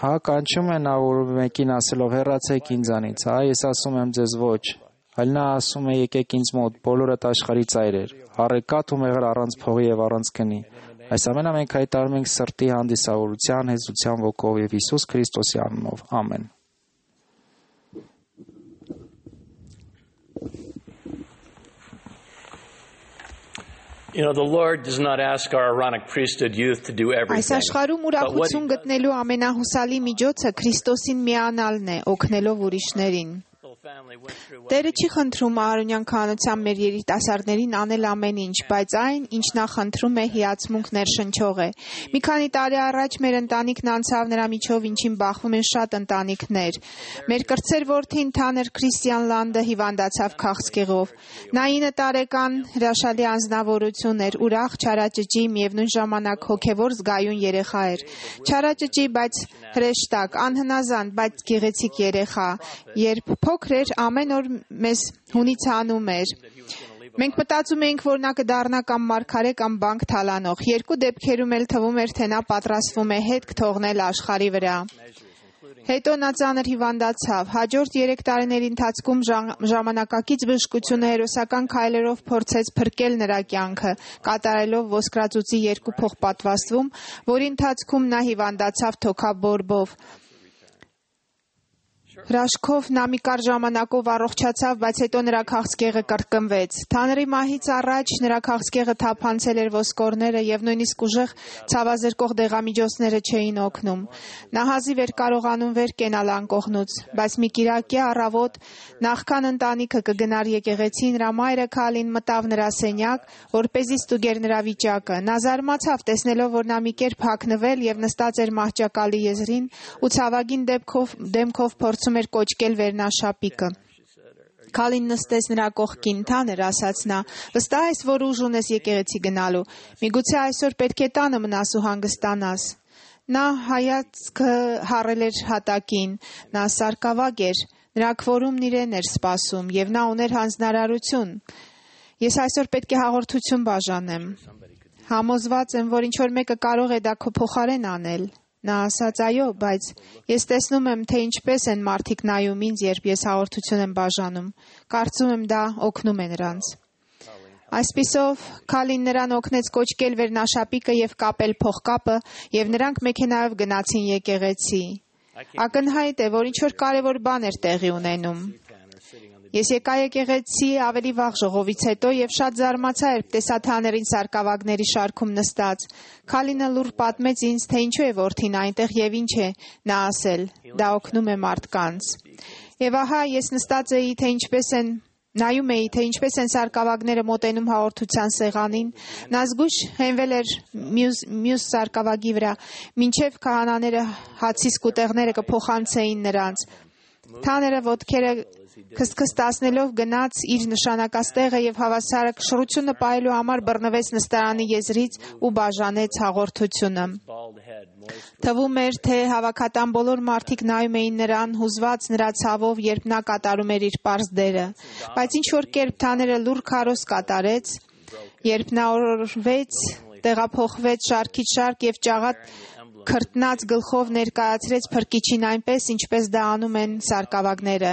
Հա կանչում է նա որ մեկին ասելով հեռացեք ինձանից, ես ասում եմ ձեզ ոչ, այլ նա ասում է եկեք ինձ մոտ բոլորդ աշխարհի ծայրեր, առեկատ ու մեղր առանց փողի եւ առանց գնի։ Այս ամենը մենք հայտարարում ենք սրտի հանդիսավորության, հեզության ոգով եւ Հիսուս Քրիստոսի անունով։ Ամեն։ The Lord does not ask our Aaronic priesthood youth to do everything. Այս աշխարհում ուրախություն գտնելու ամենահուսալի միջոցը Քրիստոսին միանալն է, օգնելով ուրիշներին։ Տերը չի խնդրում Ահարոնյան քահանության մեր երիտասարդներին անել ամեն ինչ, բայց այն, ինչ նա խնդրում է, հիացմունք ներշնչող է։ Մի քանի տարի առաջ մեր ընտանիքն անցավ նրա միջով, ինչին բախվում են շատ ընտանիքներ։ Մեր կրտսեր որդին Թաներ Քրիստիան Լանդը հիվանդացավ քաղցկեղով։ Նա 9 տարեկան հրաշալի անձնավորություն էր, ուրախ, չարաճճի, միևնույն ժամանակ հոգևոր զգայուն երեխա էր։ Չարաճճի, բայց հրեշտակ, անհնազանդ, բայց գեղեցիկ երեխա։ Երբ փոքր էր, ամեն օր մեզ հունից հանում էր։ Մենք մտածում էինք, որ նա կդառնա կամ մարգարե կամ բանկ թալանող։ Երկու դեպքերում էլ թվում էր, թե նա պատրաստվում է հետք թողնել աշխարհի վրա։ Հետո նա ծանր հիվանդացավ։ Հաջորդ 3 տարիների ընթացքում ժամանակակից բժշկությունը հերոսական քայլերով փորձեց փրկել նրա կյանքը, կատարելով ոսկրածուծի 2 փոխպատվաստում, որի ընթացքում նա հիվանդացավ թոքաբորբով։ Հրաշքով նա մի կարճ ժամանակով առողջացավ, բայց հետո նրա քաղցկեղը կրկնվեց։ Թաների մահից առաջ նրա քաղցկեղը թափանցել էր ոսկորները եւ նույնիսկ ուժեղ ցավազրկող դեղամիջոցները չէին օգնում։ Նա հազիվ էր կարողանում վեր կենալ անկողնուց, բայց մի կիրակի առավոտ նախքան ընտանիքը կգնար եկեղեցի, նրա մայրը Քալին մտավ նրա սենյակ, որպեսզի ստուգեր նրա վիճակը։ Նա զարմացավ, տեսնելով, որ նա մի կերպ հագնվել եւ նստած էր մահճակալի եզրին ու ցավագին դեմքով փորձում էր կոչկել վերնաշապիկը։ Քալին նստեց նրա կողքին, Թաներ, ասաց նա, վստահ ես, որ ուժ ունես եկեղեցի գնալու։ Միգուցե այսօր պետք է տանը մնաս ու հանգստանաս։ Նա հայացքը հառել էր հատակին, նա սարկավագ էր, նրա քվորումն իրեն էր սպասում եւ նա ուներ հանձնարարություն։ Ես այսօր պետք է հաղորդություն բաժանեմ։ Համոզված եմ, որ ինչ որ մեկը կարող է դա քո փոխարեն անել։ Նա ասաց, այո, բայց ես տեսնում եմ, թե ինչպես են մարդիկ նայում ինձ, երբ ես հաղորդություն եմ բաժանում։ Կարծում եմ դա օգնում է նրանց։ Այսպիսով, Քալին նրան օգնեց կոչկել վերնաշապիկը եւ կապել փողկապը, եւ նրանք մեքենայով գնացին եկեղեցի։ Ակնհայտ է, որ ինչ որ կարևոր բան էր տեղի ունենում։ Ես եկա եկեղեցի ավելի վաղ ժողովից հետո եւ շատ զարմացա, երբ տեսա Թաներին սարկավագների շարքում նստած։ Քալինը լուր պատմեց ինձ, թե ինչու է որդին այնտեղ եւ ինչ է նա ասել։ Դա օգնում է մարդկանց։ Եվ ահա ես նստած էի, նայում էի, թե ինչպես են սարկավագները մոտենում հաղորդության սեղանին։ Նա զգույշ հենվել էր մյուս սարկավագի վրա, մինչև քահանաները հացի սկուտեղները կփոխանցեին նրանց։ Թաները ոտքերը քստքստացնելով գնաց իր նշանակած տեղը եւ հավասարը շռությունը պահելու համար բռնվեց նստարանի եզրից ու բաժանեց հաղորդությունը։ Թվում էր, թե հավաքատան բոլոր մարդիկ նայում էին նրան, հուզված նրա ցավով, երբ նա կատարում էր իր պարզ դերը։ Բայց ինչ որ կերպ Թաները լուր քարոզ կատարեց, երբ նա օրորվեց, տեղափոխվեց շարքից շարք եւ ճաղատ քրտնած գլխով ներկայացրեց փրկիչին այնպես, ինչպես դա անում են սարկավագները։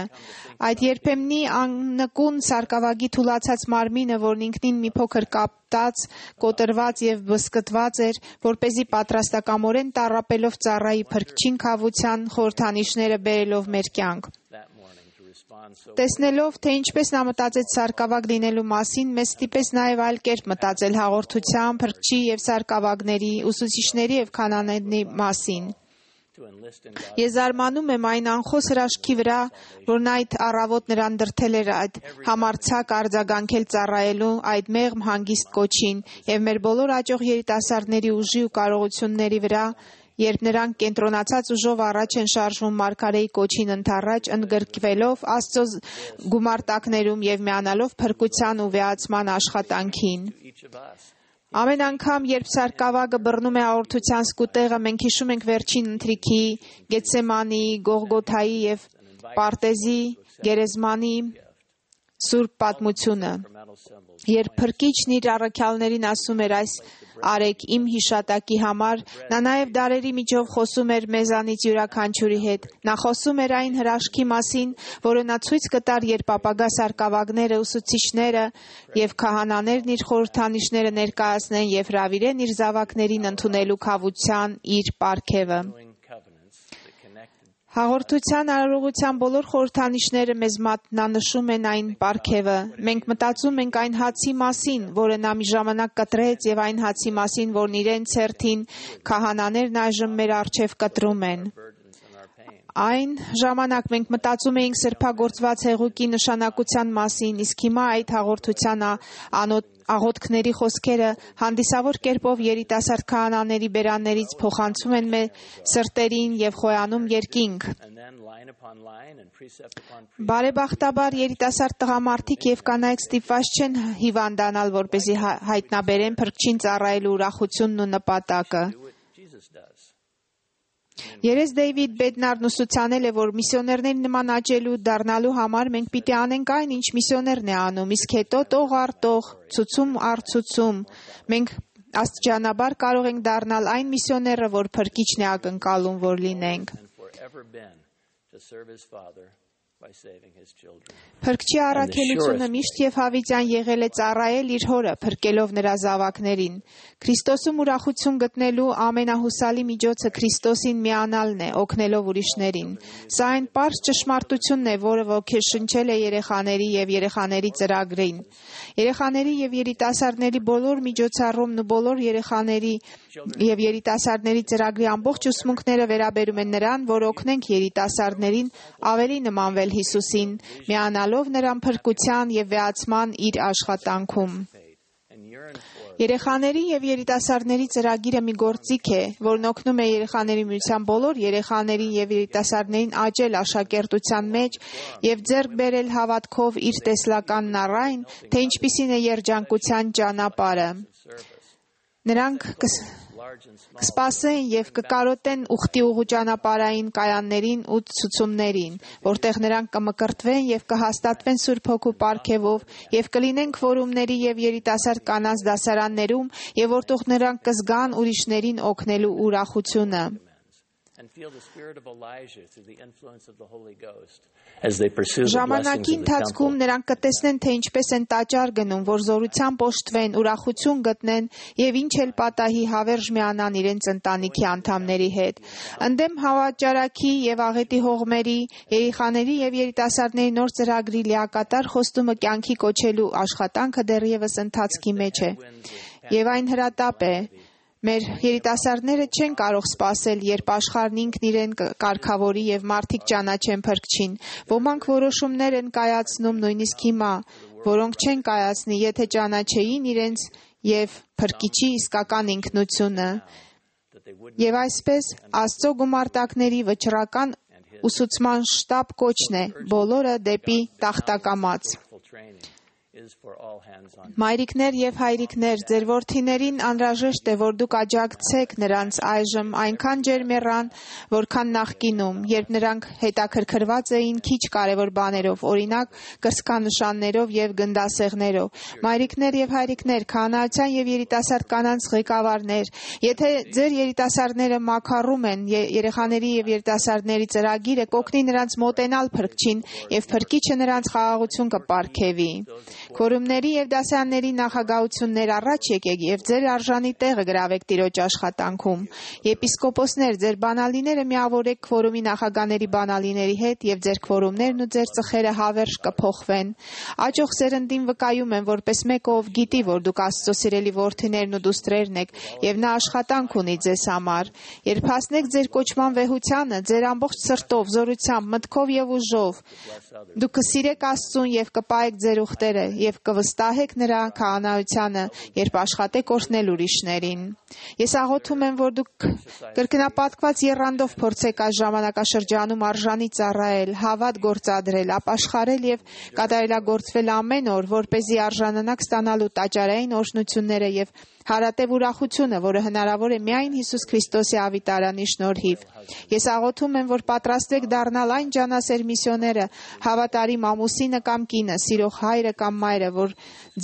Այդ երբեմնի աննկուն սարկավագի թուլացած մարմինը, որն ինքնին մի փոքր կապտած, կոտրված եւ բսկտված էր, որպեսզի պատրաստակամորեն տառապելով ծառայի փրկչին քավության խորհրդանիշները բերելով մեր կյանք։ Տեսնելով, թե ինչպես նա մտածեց սարկավագ լինելու մասին, մեզ ստիպեց նաև այլ կերպ մտածել հաղորդության, փրկչի եւ սարկավագների, ուսուցիչների եւ քահանաների մասին։ Ես զարմանում եմ այն անխոս հրաշքի վրա, որն այդ առավոտ նրան դրդել էր այդ համարձակ արձագանքել ծառայելու այդ մեղմ հանգիստ կոչին եւ մեր բոլոր աճող երիտասարդների ուժի ու կարողությունների վրա, երբ նրանք կենտրոնացած ուժով առաջ են շարժվում Մարգարեի կոչին ընդառաջ, ընդգրկվելով Աստծո գումարտակներում եւ միանալով փրկության ու վեհացման աշխատանքին։ Ամեն անգամ, երբ սարկավագը բռնում է հաղորդության սկուտեղը, մենք հիշում ենք վերջին ընթրիքի, Գեթսեմանի, Գողգոթայի եւ Պարտեզի գերեզմանի սուրբ պատմությունը։ Երբ Փրկիչն իր առաքյալներին ասում էր այս արեք իմ հիշատակի համար, նա նաև դարերի միջով խոսում էր մեզանից յուրաքանչյուրի հետ։ Նա խոսում էր այն հրաշքի մասին, որը նա ցույց կտար, երբ ապագա սարկավագները, ուսուցիչները եւ քահանաներն իր խորհրդանիշները ներկայացնեն եւ հրավիրեն իր զավակներին ընդունելու քավության իր պարգևը։ Հաղորդության արարողության բոլոր խորհրդանիշները մեզ մատնանշում են այն պարգևը։ Մենք մտածում ենք այն հացի մասին, որը նա մի ժամանակ կտրեց, եւ այն հացի մասին, որն իրենց հերթին քահանաներն այժմ մեր առջև կտրում են։ Այն ժամանակ մենք մտածում էինք սրբագործված հեղուկի նշանակության մասին, իսկ հիմա այդ հաղորդության աղոթքների խոսքերը հանդիսավոր կերպով երիտասարդ քահանաների բերաններից փոխանցում են մեր սրտերին եւ խոյանում երկինք։ Բարեբախտաբար երիտասարդ տղամարդիկ եւ կանայք ստիպված չեն հիվանդանալ, որպեսզի հայտնաբերեն Փրկչին ծառայելու ուրախությունն ու նպատակը։ Երես Դեյվիդ Բեդնարն ուսուցանել է, որ միսիոներների նման աճելու դառնալու համար մենք պիտի անենք այն, ինչ միսիոներն է անում, իսկ հետո տող առ տող, ցուցում առ ցուցում մենք աստիճանաբար կարող ենք դառնալ այն միսիոները, որ Փրկիչն է ակնկալում, որ լինենք։ Փրկչի առաքելությունը միշտ եւ հավիտյան եղել է ծառայել իր հորը, փրկելով նրա զավակներին։ Քրիստոսում ուրախություն գտնելու ամենահուսալի միջոցը Քրիստոսին միանալն է, օգնելով ուրիշներին։ Սա այն պարզ ճշմարտությունն է, որը ոգեշնչել է երեխաների եւ երեխաների ծրագրին։ Երեխաների եւ երիտասարդների բոլոր միջոցառումն ու բոլոր երեխաների եւ երիտասարդների ծրագրի ամբողջ ուսմունքները վերաբերում են նրան, որ օգնենք երիտասարդներին ավելի նմանվել Հիսուսին, միանալով նրան փրկության եւ վեհացման իր աշխատանքում։ Երեխաների եւ երիտասարդների ծրագիրը մի գործիք է, որն օգնում է երեխաների միության բոլոր երեխաներին եւ երիտասարդներին աճել աշակերտության մեջ եւ ձեռք բերել հավատքով իր տեսլականն առայն, թե ինչպիսին է երջանկության ճանապարհը։ Նրանք կսպասեն եւ կկարոտեն ուխտի ուղու ճանապարհային կայաններին ու ցուցումներին, որտեղ նրանք կմկրտվեն եւ կհաստատվեն Սուրբ Հոգու պարգևով եւ կլինեն քվորումների եւ երիտասարդ կանանց դասարաններում եւ որտեղ նրանք կզգան ուրիշներին օգնելու ուրախությունը։ Ժամանակի ընթացքում նրանք կտեսնեն, թե ինչպես են տաճար գնում, որ զորությամբ օժտվեն, ուրախություն գտնեն եւ ինչ էլ պատահի հավերժ միանան իրենց ընտանիքի անդամների հետ։ Ընդդեմ հավաճարակի եւ աղետի հողմերի, երեխաների եւ երիտասարդների նոր ծրագրի լիակատար խոստումը կյանքի կոչելու աշխատանքը դեռևս ընթացքի մեջ է։ Եվ այն հրատապ է։ Մեր երիտասարդները չեն կարող սպասել, երբ աշխարհն ինքն իրեն կարգավորի եւ մարդիկ ճանաչեն Փրկչին։ Ոմանք որոշումներ են կայացնում նույնիսկ հիմա, որոնք չեն կայացնի, եթե ճանաչեին իրենց եւ Փրկիչի իսկական ինքնությունը։ Եվ այսպես Աստծո գումարտակների վճռական ուսուցման շտապ կոչն է բոլորը դեպի տախտակամաց։ Մայրիկներ եւ հայրիկներ, ձեր որդիներին անհրաժեշտ է, որ դուք աջակցեք նրանց այժմ այնքան ջերմեռան, որքան նախկինում, երբ նրանք հետաքրքրված էին քիչ կարևոր բաներով, օրինակ կրծքանշաններով եւ գնդասեղներով։ Մայրիկներ եւ հայրիկներ, քահանայության եւ երիտասարդ կանանց ղեկավարներ, եթե ձեր երիտասարդները մաքարում են երեխաների եւ երիտասարդների ծրագիրը, կօգնի նրանց մոտենալ Փրկչին եւ Փրկիչը նրանց խաղաղություն կպարգևի։ Քորումների եւ դասարանների նախագահություններ առաջ եկեք եւ ձեր արժանի տեղը գրավեք Տիրոջ աշխատանքում։ Եպիսկոպոսներ, ձեր բանալիները միավորեք քվորումի նախագաների բանալիների հետ եւ ձեր քվորումներն ու ձեր ծխերը հավերժ կփոխվեն։ Աճող սերնդին վկայում են, որպես մեկը, ով գիտի, որ դուք Աստծո սիրելի որդիներն ու դուստրերն եք եւ նա աշխատանք ունի ձեզ համար։ Երբ հասնեք ձեր կոչման վեհությանը, ձեր ամբողջ սրտով, զորությամբ, մտքով եւ ուժով, դուք կսիրեք Աստծուն եւ կպահեք ձեր ուխտերը եւ կվստահեք նրա քահանայությանը, երբ աշխատեք օրհնել ուրիշներին։ Ես աղոթում եմ, որ դուք կրկնապատկված եռանդով փորձեք այս ժամանակաշրջանում արժանի ծառայել, հավատ գործադրել, ապաշխարել եւ կատարելագործվել ամեն օր, որպեսզի արժանանաք ստանալու տաճարային օրհնությունները եւ հարատև ուրախությունը, որը հնարավոր է միայն Հիսուս Քրիստոսի ավիտարանի շնորհիվ։ Ես աղոթում եմ, որ պատրաստվեք դառնալ այն ջանասեր միսիոները, հավատարիմ ամուսինը կամ կինը, սիրող հայրը կամ մայրը, որ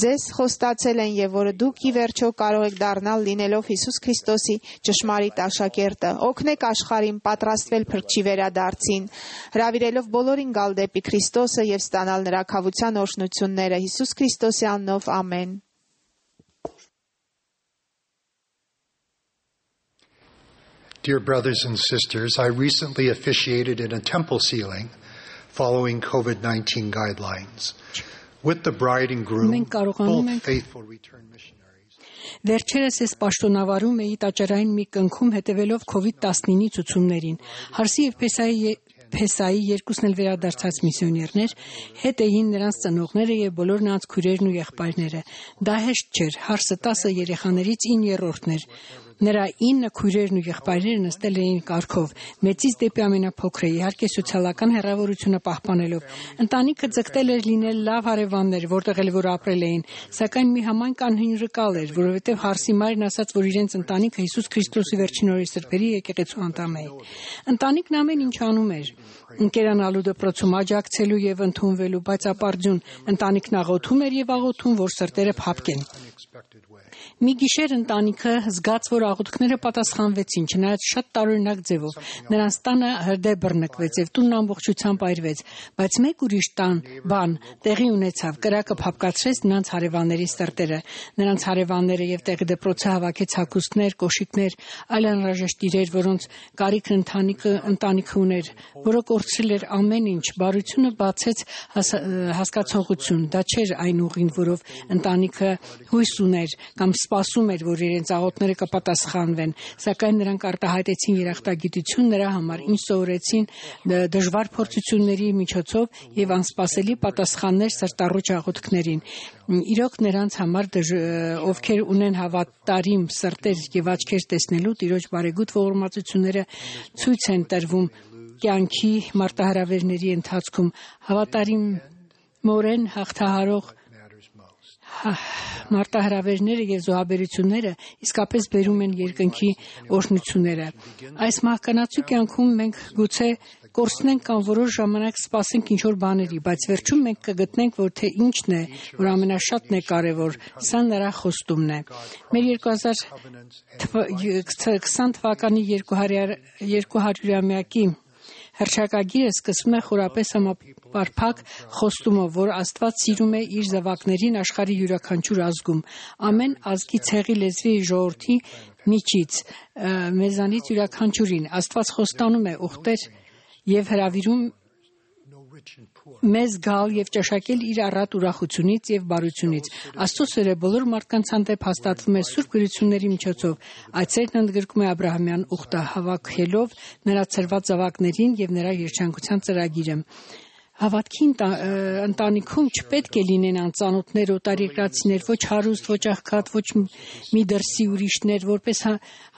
ձեզ խոստացել են եւ որը դուք ի վերջո կարող եք դառնալ լինելով Հիսուս Քրիստոսի ճշմարիտ աշակերտը։ Օգնեք աշխարհին պատրաստվել փրկչի վերադարձին, հրավիրելով բոլորին գալ դեպի Քրիստոսը եւ ստանալ նրա քավության օրհնությունները Հիսուս Քրիստոսի անունով, ամեն։ Dear brothers and sisters, I recently officiated in a temple sealing following COVID-19 guidelines. With the bride and groom, both faithful return missionaries. Վերջերս ես պաշտոնավարում էի տաճարային մի կնքում հետևելով COVID-19-ի ցուցումներին։ Հարսի եւ Փեսայի երկուսն էլ վերադարձած միսիոներներ, հետ էին նրանց ծնողները եւ բոլոր նրանց քույրերն ու եղբայրները։ Դա հեշտ չէր, Հարսը 10 երեխաներից 9-րդն էր։ Նրա 9 քույրերն ու եղբայրները նստել էին կարգով, մեծից դեպի ամենափոքրը, իհարկե սոցիալական հեռավորությունը պահպանելով։ Ընտանիքը ձգտել էր լինել լավ հարևաններ, որտեղ էլ որ ապրել էին, սակայն մի համայն կանհյուրկալ էր, որովհետև Հարսի մայրն ասաց, որ իրենց ընտանիքը Հիսուս Քրիստոսի վերջին օրերի սրբերի եկեղեցու անդամ է։ Ընտանիքն ամեն ինչ անում էր, ընկերանալու դպրոցում աջակցելու եւ ընդունվելու, բայց ապարդյուն ընտանիքն աղոթում էր եւ աղոթում, որ սրտերը փափկեն։ Մի գիշեր ընտանիքը զգաց, որ աղոթքները պատասխանվեցին, չնայած շատ տարօրինակ ձևով։ Նրանց տանը հրդեհ բռնկվեց եւ տունն ամբողջությամբ այրվեց, բայց մեկ ուրիշ բան տեղի ունեցավ, կրակը փափկացրեց նրանց հարևանների սրտերը։ Նրանց հարևանները եւ տեղի դպրոցը հավաքեց հագուստներ, կոշիկներ, այլ անհրաժեշտ իրեր, որոնց կարիքն ընտանիքը ուներ, որը կորցրել էր ամեն ինչ, բարությունը բացեց հասկացողություն։ Դա չէր այն ուղին, որով ընտանիքը հույս ուներ կամ սպասում էր, որ իրենց աղոթները կպատասխանվեն, սակայն նրանք արտահայտեցին երախտագիտություն նրա համար, ինչ սովորեցին դժվար փորձությունների միջոցով եւ անսպասելի պատասխաններ սրտառուչ աղոթքներին։ Իրոք նրանց համար, ովքեր ունեն հավատարիմ սրտեր եւ աչքեր տեսնելու, Տիրոջ բարեգութ ողորմածությունները ցույց են տրվում կյանքի մարտահրավերների ընթացքում, հավատարիմորեն հաղթահարող մարտահրավերները եւ զոհաբերությունները իսկապես բերում են երկնքի օրհնությունները։ Այս մահկանացու կյանքում մենք գուցե կորցնենք կամ որոշ ժամանակ սպասենք ինչ-որ բաների, բայց վերջում մենք կգտնենք, որ թե ինչն է, որ ամենաշատն է կարևոր, սա նրա խոստումն է։ Մեր 2020 թվականի 200-ամյակի հռչակագիրը սկսվում է խորապես համապարփակ խոստումով, որ Աստված սիրում է իր զավակներին աշխարհի յուրաքանչյուր ազգում, ամեն ազգի ցեղի լեզվի ժողովրդի միջից, մեզանից յուրաքանչյուրին։ Աստված խոստանում է ուխտեր եւ հրավիրում մեզ գալ եւ ճաշակել իր առատ ուրախությունից եւ բարությունից։ Աստծո սերը բոլոր մարդկանց հանդեպ հաստատվում է սուրբ գրությունների միջոցով։ Այդ սերն ընդգրկում է Աբրահամյան ուխտը, հավաքելով նրա ծրված զավակներին եւ նրա երջանկության ծրագիրը։ Հավատքի ընտանիքում չպետք է լինեն անծանոթներ, օտարերկրացիներ, ոչ հարուստ, ոչ աղքատ, ոչ մի դրսի ուրիշներ, որպես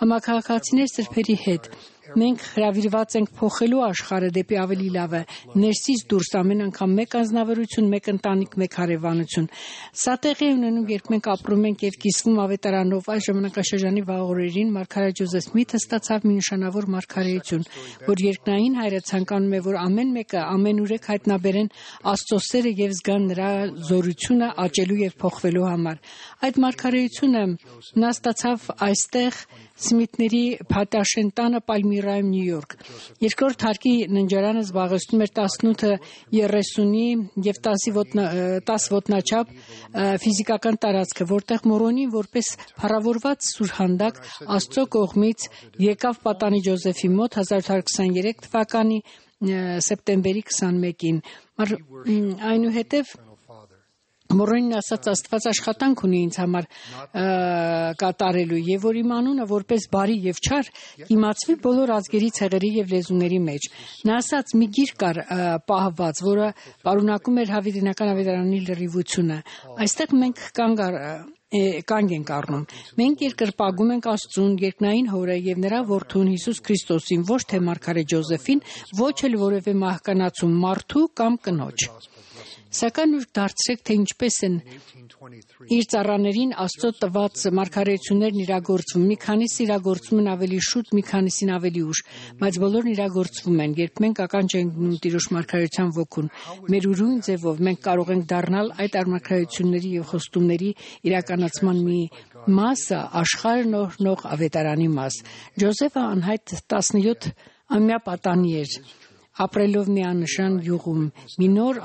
համաքաղաքացիներ սրբերի հետ։ Մենք հրավիրված ենք փոխելու աշխարհը դեպի ավելի լավը, ներսից դուրս ամեն անգամ մեկ անձնավորություն, մեկ ընտանիք, մեկ հարևանություն։ Սա տեղի է ունենում, երբ մենք ապրում ենք եւ կիսվում ավետարանով։ Այս ժամանակաշրջանի վաղօրերին մարգարե Ջոզեֆ Սմիթը ստացավ մի նշանավոր մարգարեություն, որ երկնային հայրը ցանկանում է, որ ամեն մեկը ամենուրեք հայտնաբերեն Աստծո սերը եւ զգան նրա զորությունը աճելու եւ փոխվելու համար։ Այդ մարգարեությունը նա ստացավ այստեղ Սմիթների Փատաշեն տանը Պալմիրի Միրայում, Նյու Յորք։ Երկրորդ հարկի ննջարանը զբաղեցնում էր 18-ը 30-ի եւ 10 ոտնաչափ ֆիզիկական տարածքը, որտեղ Մորոնին որպես փառավորված սուրհանդակ Աստծո կողմից եկավ պատանի Ջոզեֆի մոտ 1823 թվականի սեպտեմբերի 21-ին։ Այնուհետև Մորոնին ասաց Աստված աշխատանք ունի ինձ համար կատարելու եւ որ իմ անունը որպես բարի եւ չար իմացվի բոլոր ազգերի ցեղերի եւ լեզուների մեջ։ Նա ասաց մի գիր կար պահված, որը պարունակում էր հավիտենական ավետարանի լրիվությունը։ Այստեղ մենք կանգ ենք առնում։ Մենք երկրպագում ենք Աստծուն, երկնային Հորը եւ նրա որդուն Հիսուս Քրիստոսին, ոչ թե մարգարե Ջոզեֆին, ոչ էլ որևէ մահկանացու մարդու կամ կնոջ։ Սակայն ուր դարձրեք, թե ինչպես են իր ծառաներին Աստծո տված մարգարեություններն իրագործվում։ Մի քանիսը իրագործվում են ավելի շուտ, մի քանիսին ավելի ուշ, բայց բոլորն իրագործվում են, երբ մենք ականջ ենք դնում Տիրոջ մարգարեության ոգուն։ Մեր ուրույն ձևով մենք կարող ենք դառնալ այդ մարգարեությունների եւ խոստումների իրականացման մի մասը, աշխարհն օրհնող ավետարանի մաս։ Ջոզեֆը անհայտ 17-ամյա պատանի էր, ապրելով մի աննշան յուղում, մի նոր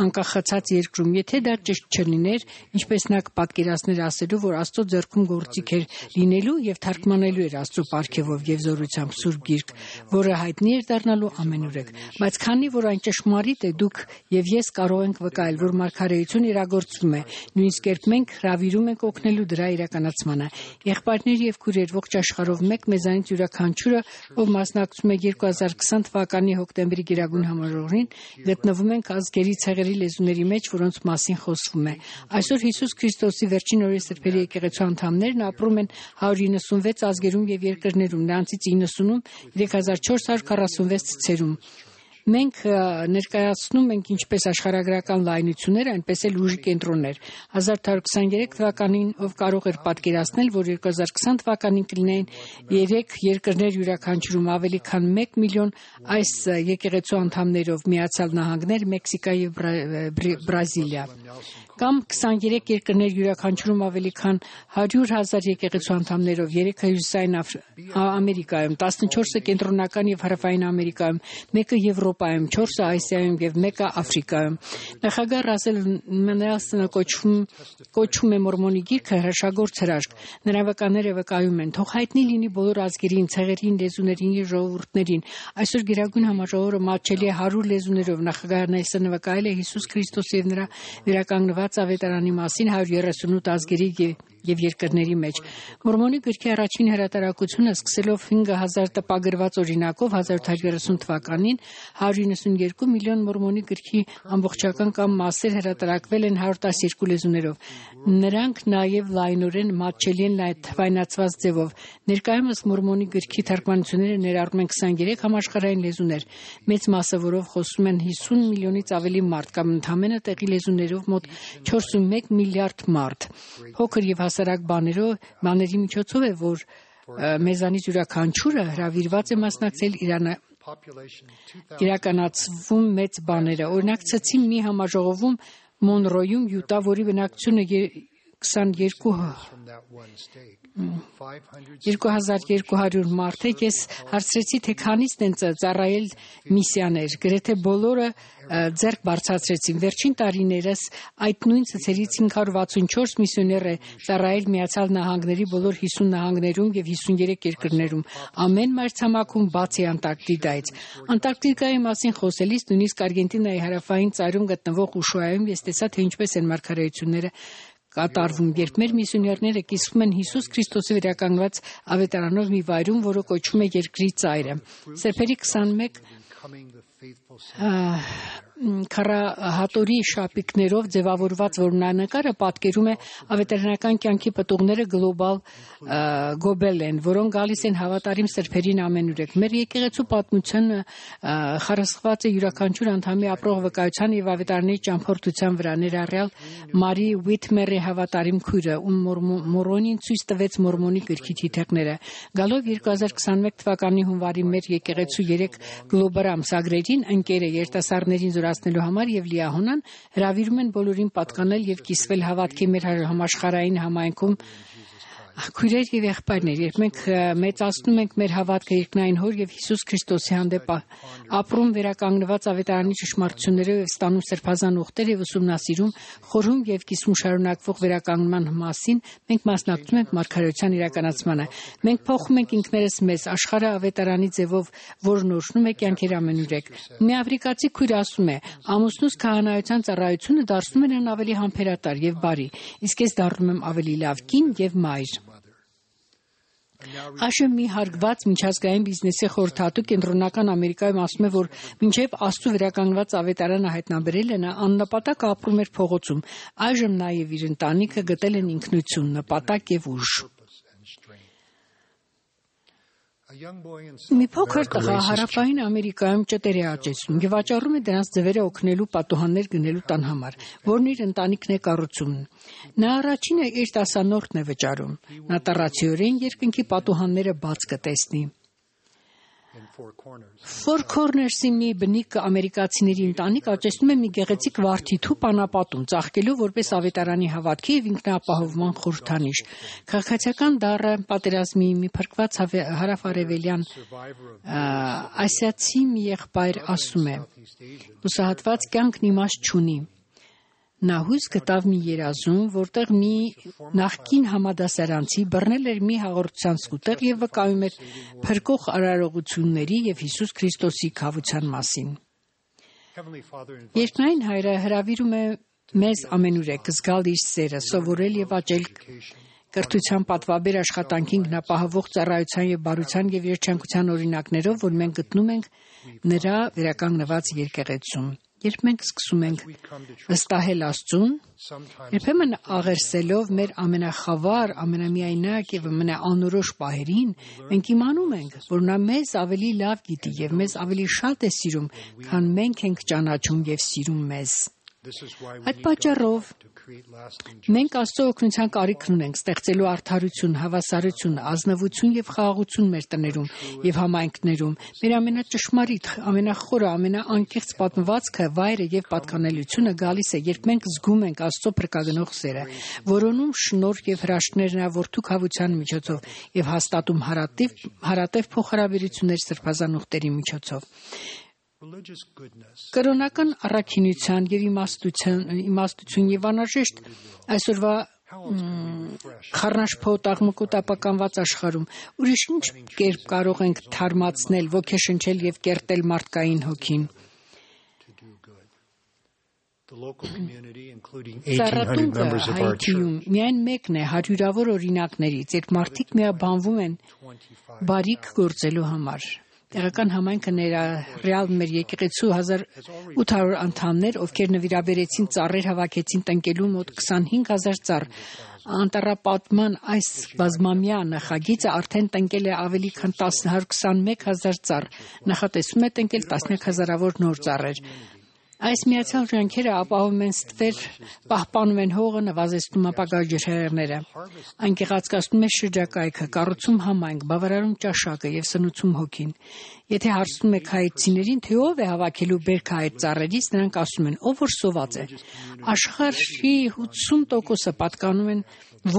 անկախացած երկրում։ Եթե դա ճիշտ չլիներ, ինչպես նա կպատկերացներ ասելու, որ Աստծո ձեռքում գործիք էր լինելու եւ թարգմանելու էր Աստծո պարգևով եւ զորությամբ Սուրբ Գիրք, որը հայտնի էր դառնալու ամենուրեք։ Բայց քանի որ այն ճշմարիտ է, դուք եւ ես կարող ենք վկայել, որ մարգարեություն իրագործվում է, նույնիսկ երբ մենք հravirում ենք օգնելու դրա իրականացմանը։ Եղբայրներ եւ քույրեր, ողջ աշխարհով մեկ մեզանից յուրաքանչյուրը, ով մասնակցում է 2020 թվականի հոկտեմբերի Գերագույն համաժողովին, գտնվում ենք ազգերի ցեղերի լեզուների մեջ, որոնց մասին խոսվում է։ Այսօր Հիսուս Քրիստոսի վերջին օրերի սրբերի եկեղեցու անդամներն ապրում են 196 ազգերում եւ երկրներում, նրանցից 90-ում 3446 ցեղերում։ Մենք ներկայացնում ենք ինչպես աշխարհագրական լայնություններ, այնպես էլ ուժի կենտրոններ։ 1823 թվականին ով կարող էր պատկերացնել, որ 2020 թվականին կլինեն 3 երկրներ յուրաքանչյուրում ավելի քան 1 միլիոն այս եկեղեցու անդամներով Միացյալ Նահանգներ, Մեքսիկա եւ Բրազիլիա, կամ 23 երկրներ յուրաքանչյուրում ավելի քան 100,000 եկեղեցու անդամներով, 3-ը Հյուսիսային Ամերիկայում, 14-ը Կենտրոնական եւ Հարավային Ամերիկայում, 1-ը Եվրոպայում, 4-ը Ասիայում եւ 1-ը Աֆրիկայում։ Նախագահ Ռասել Մենդելսոնը կոչում է Մորմոնի գիրքը հրաշագործ հրաշք։ Նրա վկաները վկայում են. թող հայտնի լինի բոլոր ազգերին, ցեղերին, լեզուներին եւ ժողովուրդներին։ Այսօր Գերագույն համաժողովը մատչելի է 100 լեզուներով։ Նախագահ Նելսոնը վկայել է Հիսուս Քրիստոսի եւ նրա վերականգնված ավետարանի մասին 138 ազգերի եւ երկրների մեջ։ Մորմոնի գրքի առաջին հրատարակությունը սկսելով 5000 տպագրված օրինակով 1830 թվականին 192 միլիոն Մորմոնի գրքի ամբողջական կամ մասեր հրատարակվել են 112 լեզուներով։ Նրանք նաև լայնորեն մատչելի են թվայնացված ձևով։ Ներկայումս Մորմոնի գրքի թարգմանությունները ներառում են 23 համաշխարհային լեզուներ, մեծ մասը որով խոսում են 50 միլիոնից ավելի մարդ կամ ընդամենը տեղի լեզուներով մոտ 41 միլիարդ մարդ։ Փոքր եւ հասարակ բաների միջոցով է, որ մեզանից յուրաքանչյուրը հravirված է մասնակցել իրականացվում մեծ բաները։ Օրինակ ցցի մի համաժողովում Մոնրոյում, Յուտա, որի բնակչությունը 2200 մարդ է, ես հարցրեցի, թե քանիսն են ծառայել միսիաներ, գրեթե բոլորը ձեռք բարձրացրեցին։ Վերջին տարիներս այդ նույն ցցերից 564 միսիոներ է ծառայել Միացյալ Նահանգների բոլոր 50 նահանգներում եւ 53 երկրներում, ամեն մայրցամաքում բացի Անտարկտիդայից։ Անտարկտիկայի մասին խոսելիս նույնիսկ Արգենտինայի հարավային ծայրում գտնվող Ուշուայում ես տեսա, թե ինչպես են մարգարեությունները կատարվում, երբ մեր միսիոներները կիսվում են Հիսուս Քրիստոսի վերականգնված ավետարանով մի վայրում, որը կոչվում է Երկրի ծայրը։ Սրբերի 21 քարահատորի շապիկներով ձևավորված որմնանկարը պատկերում է ավետարանական կյանքի պտուղները գոբել են, որոնք գալիս են հավատարիմ սրբերին ամենուրեք։ Մեր եկեղեցու պատմությունը խարսխված է յուրաքանչյուր անդամի ապրող վկայության եւ ավետարանների ճամփորդության վրա, ներառյալ Մարի Ուիթմերի հավատարիմ քույրը, ում Մորոնին ցույց տվեց Մորմոնի գրքի թիթեղները։ Գալով 2021 թվականի հունվարի մեր եկեղեցու 3 գլոբալ ամսագրերին ընկերը երիտասարդներին զորացնելու համար եւ լիահոնան հravirում են բոլորին պատկանել եւ կիսվել հավատքի մեր համաշխարհային համայնքում Քույրեր եւ եղբայրներ, երբ մենք մեծացնում ենք մեր հավատքը երկնային Հոր եւ Հիսուս Քրիստոսի հանդեպ, ապրում վերականգնված ավետարանի ճշմարտություններով եւ ստանում սրբազան ուխտեր եւ ուսումնասիրում, խորհում եւ կիսում շարունակվող վերականգնման մասին, մենք մասնակցում ենք մարգարեության իրականացմանը։ Մենք փոխում ենք ինքներս մեզ, աշխարհը ավետարանի ձևով, որն օրհնում է կյանքեր ամենուրեք։ Մի աֆրիկացի քույր ասում է. ամուսնուս քահանայության ծառայությունը դարձնում է նրան ավելի համբերատար եւ բարի, իսկ ես դառնում եմ ավելի լավ կին եւ մայր։ Այժմ մի հարգված միջազգային բիզնեսի խորհրդատու Կենտրոնական Ամերիկայում ասում է, որ մինչև Աստծո վերականգնված ավետարանը հայտնաբերելը նա աննպատակ ապրում էր փողոցում, այժմ նա եւ իր ընտանիքը գտել են ինքնություն, նպատակ եւ ուժ։ Մի փոքր տղա հարավային Ամերիկայում ճտեր է աճեցնում եւ վաճառում է դրանց ձևերը օգնելու պատուհաններ գնելու տան համար, որն իր ընտանիքն է կառուցում։ Նա առաջինը իր տասանորդն է վճարում։ Նա տառացիորեն երկնքի պատուհանները բաց կտեսնի։ Four Corners-ի մի բնիկ ամերիկացիների ընտանիք աճեցնում է մի գեղեցիկ վարդիթու պանապատում, ծաղկելու որպես ավետարանի հավատքի եւ ինքնապահովման խորհրդանիշ։ Քաղաքացիական դառը պատերազմի մի փրկված հարավարևելյան ասիացի մի եղբայր ասում է. «Լուսահատված կյանքն իմաստ չունի»։ Նա հույս գտավ մի երազում, որտեղ մի նախկին համադասարանցի բռնել էր մի հաղորդության սկուտեղ եւ վկայում էր փրկող արարողությունների եւ Հիսուս Քրիստոսի քավության մասին։ Երկնային Հայրը հրավիրում է մեզ ամենուրեք զգալ իր սերը, սովորել եւ աճել կրթության պատվաբեր աշխատանքի ինքնապահովող ծառայության եւ բարության եւ երջանկության օրինակներով, որ մենք գտնում ենք նրա վերականգնված եկեղեցում։ Երբ մենք սկսում ենք վստահել Աստծուն, երբեմն աղերսելով մեր ամենախավար, ամենամիայնակ եւ ամենաանորոշ պահերին, մենք իմանում ենք, որ նա մեզ ավելի լավ գիտի եւ մեզ ավելի շատ է սիրում, քան մենք ենք ճանաչում եւ սիրում մեզ։ Այդ պատճառով մենք Աստծո օգնության կարիք ունենք ստեղծելու արդարություն, հավասարություն, ազնվություն եւ խաղաղություն մեր տներում եւ համայնքներում։ Մեր ամենաճշմարիտ, ամենախորը, ամենաանկեղծ պատմվածքը, վայրը եւ պատկանելությունը գալիս է, երբ մենք զգում ենք Աստծո փրկագնող սերը, որոնում շնորհ եւ հրաշքներ նրա որդու քավության միջոցով եւ հաստատում հարատև փոխհարաբերություններ սրբազան ուխտերի միջոցով։ Կրոնական առաքինության եւ իմաստություն եւ անհրաժեշտ այսօրվա խառնաշփոթ աղմկոտապականված աշխարհում ուրիշ ինչ կերպ կարող ենք թարմացնել, ոգեշնչել եւ կերտել մարդկային հոգին։ Ծառատունկը Հայիթիում միայն մեկն է հարյուրավոր օրինակներից, երբ մարդիկ միաբանվում են բարիք գործելու համար։ Տեղական համայնքը ներառյալ մեր եկեղեցու 1800 անդամներ, ովքեր նվիրաբերեցին ծառեր հավաքեցին տնկելու մոտ 25000 ծառ։ Անտառապատման այս բազմամյա նախագիծը արդեն տնկել է ավելի քան 121000 ծառ։ Նախատեսվում է տնկել տասնյակ հազարավոր նոր ծառեր։ Այս միացյալ ջանքերը ապահովում են ստվեր, պահպանում են հողը, նվազեցնում ապագա ջրհեղեղները։ Այն գեղեցկացնում է շրջակայքը, կառուցում համայնք, բավարարում ճաշակը եւ սնուցում հոգին։ Եթե հարցնում եք հայեցիներին, թե ով է հավաքելու բերքը այդ ծառերից, նրանք ասում են, ով որ սոված է։ Աշխարհի 80%-ը պատկանում են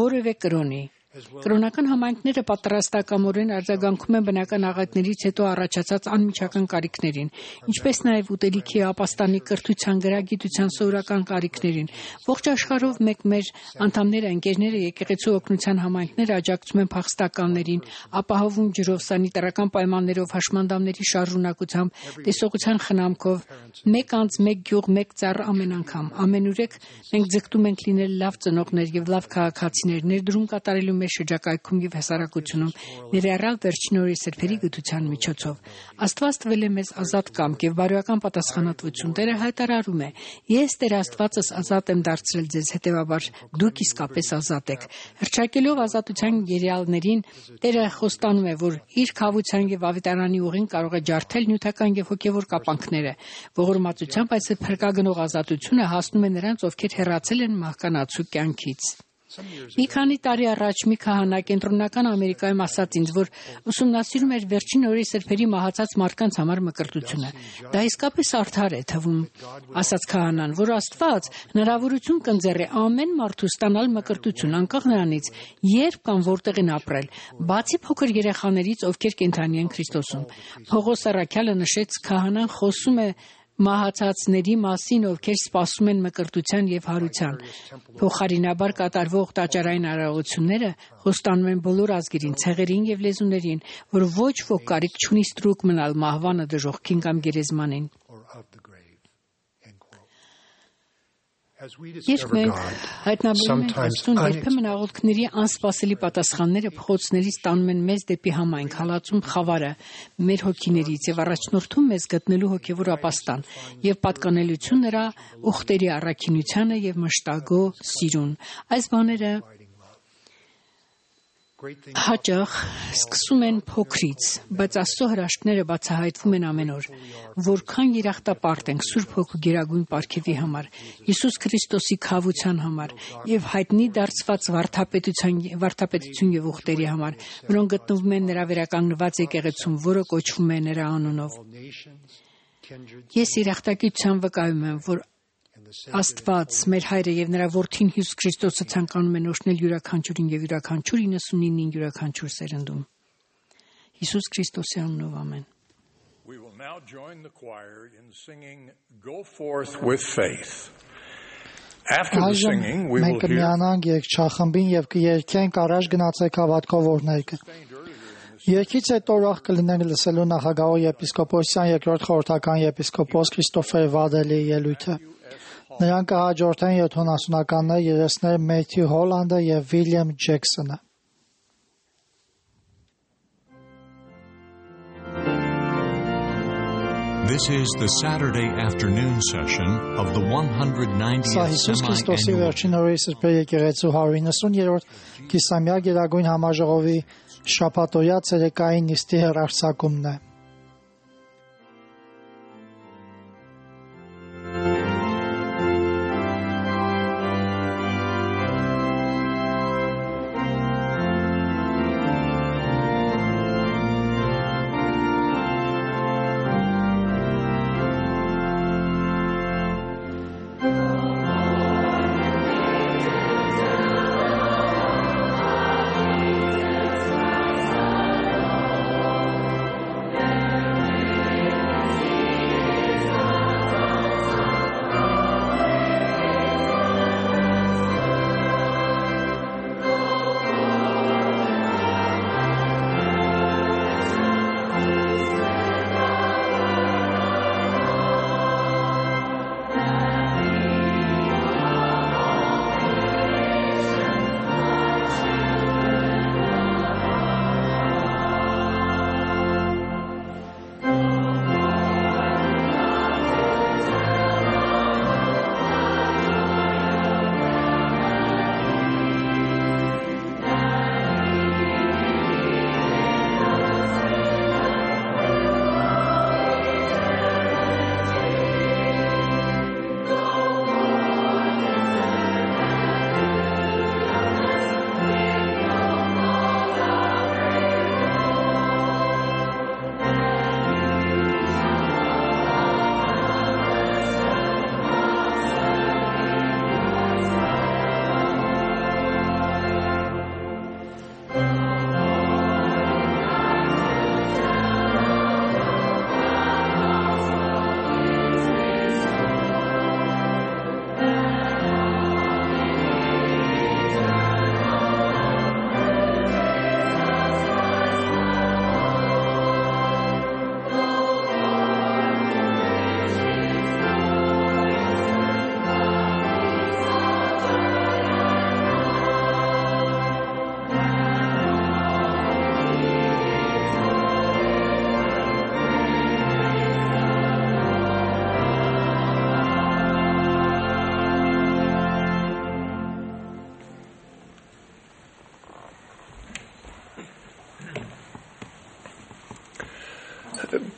որևէ կրոնի։ Կրոնական համայնքները պատրաստակամորեն արձագանքում են բնական աղետներից հետո առաջացած անմիջական կարիքներին, ինչպես նաև ուտելիքի, ապաստանի, կրթության, գրագիտության սովորական կարիքներին։ Ողջ աշխարհով մեկ մեր անդամները, ընկերները, եկեղեցու օգնության համայնքները աջակցում են փախստականներին, ապահովում ջրով, սանիտարական պայմաններով, հաշմանդամների շարժունակությամբ, տեսողության խնամքով, մեկ անձ, մեկ գյուղ, մեկ ծառ ամեն անգամ։ Ամենուրեք մենք ձգտում ենք լինել լավ ծնողներ եւ լավ քաղաքացիներ, ներդրում կատարելու մեր շրջակայքում եւ հասարակությունում ներառյալ վերջին օրերի սրբերի գթության միջոցով։ Աստված տվել է մեզ ազատ կամք եւ բարոյական պատասխանատվություն։ Տերը հայտարարում է. «Ես Տեր Աստվածս ազատ եմ դարձրել ձեզ, հետեւաբար դուք իսկապես ազատ եք»։ Հռչակելով ազատության երեալներին, Տերը խոստանում է, որ իր քավության եւ ավետարանի ուղին կարող է ջարդել նյութական եւ հոգեվոր կապանքները։ Ողորմածությամբ այս փրկագնող ազատությունը հասնում է նրանց, ովքեր հեռացել են մահկանացու կյանքից։ Մի քանի տարի առաջ մի քահանա Կենտրոնական Ամերիկայում ասաց ինձ, որ ուսումնասիրում էր վերջին օրերի սրբերի մահացած մարդկանց համար մկրտությունը։ Դա իսկապես արդար է թվում, ասաց քահանան, որ Աստված հնարավորություն կընձեռի ամեն մարդու ստանալ մկրտություն, անկախ նրանից, երբ կամ որտեղ են ապրել, բացի փոքր երեխաներից, ովքեր կենդանի են Քրիստոսում։ Պողոս առաքյալը նշեց, քահանան խոսում է մահացածների մասին, ովքեր սպասում են մկրտության եւ հարության։ Փոխարինաբար կատարվող տաճարային արարողությունները խոստանում են բոլոր ազգերին, ցեղերին եւ լեզուներին, որ ոչ ոք կարիք չունի ստրուկ մնալ մահվանը, դժոխքին կամ գերեզմանին։ Երբ մենք հայտնաբերում ենք Աստծուն, երբեմն աղոթքների անսպասելի պատասխանները փողոցներից տանում են մեզ դեպի համայնք, հալածում խավարը մեր հոգիներից եւ առաջնորդում մեզ գտնելու հոգեվոր ապաստան եւ պատկանելություն նրա ուխտերի առաքինությանը եւ մշտագո սիրուն։ Այս բաները հաճախ սկսում են փոքրից, բայց Աստծո հրաշքները բացահայտվում են ամեն օր։ Որքան երախտապարտ ենք Սուրբ Հոգու գերագույն պարգևի համար, Հիսուս Քրիստոսի քավության համար եւ հայտնի դարձված վարդապետություն եւ ուխտերի համար, որոնք գտնվում են նրա վերականգնված եկեղեցում, որը կոչվում է նրա անունով։ Ես երախտագիտությամբ վկայում եմ, որ Աստված, մեր Հայրը եւ նրա Որդին Հիսուս Քրիստոսը ցանկանում են օրհնել յուրաքանչյուրին եւ յուրաքանչյուր 99-ին յուրաքանչյուր սերնդում։ Հիսուս Քրիստոսի անունով ամեն։ We will now join the choir in singing Go Forth with Faith. After the singing we will hear. Մենք միանանք երգչախմբին եւ կերկենք առաջ գնացեք հավատքով օրներկը։ Երկից հետո ուրախ կլինենք լսելու նախագահ եպիսկոպոսյան երկրորդ խորհրդական եպիսկոպոս Քրիստոֆեր Վադելի ելույթը։ Նրան կհաջորդեն 70-ականներ երեսներ Մեթյու Հոլանդը եւ Վիլյամ Ջեքսոնը։ This is the Saturday afternoon session of the 190th Հիսուս Քրիստոսի վերջին օրերի սրբերի եկեղեցու 190-րդ կիսամյակ գերագույն համաժողովի շաբաթօրյա ցերեկային նիստի հեռարձակումն է։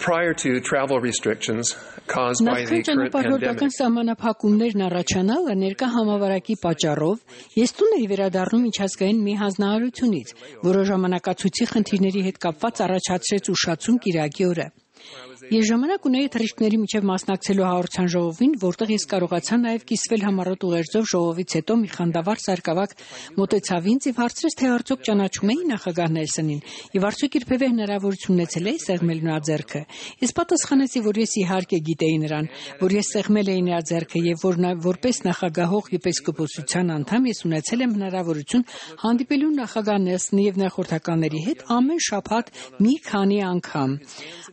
Prior to travel restrictions, caused by the current pandemic. Սահմանափակումներն առաջանալը ներկա համավարակի պատճառով ես տուն էի վերադառնում միջազգային մի հանձնարարությունից, որը ժամանակացույցի խնդիրների հետ կապված առաջացրեց ուշացում կիրակի օրը։ Ես ժամանակ ունեի թռիչքների միջև մասնակցելու հաղորդության ժողովին, որտեղ ես կարողացա նաև կիսվել համառոտ ուղերձով ժողովից հետո մի խանդավառ սարկավակ մոտեցավ ինձ եւ հարցրեց, թե արդյոք ճանաչում էի նախագահ Նելսոնին եւ արդյոք երբևէ հնարավորություն ունեցել էի սեղմել նրա ձեռքը։ Ես պատասխանեցի, որ ես իհարկե գիտեի նրան, որ ես սեղմել էի նրա ձեռքը եւ որ որպես նախագահող եպիսկոպոսության անդամ ես ունեցել եմ հնարավորություն հանդիպելու նախագահ Նելսոնի եւ նրա խորհրդականների հետ ամեն շաբաթ մի քանի անգամ։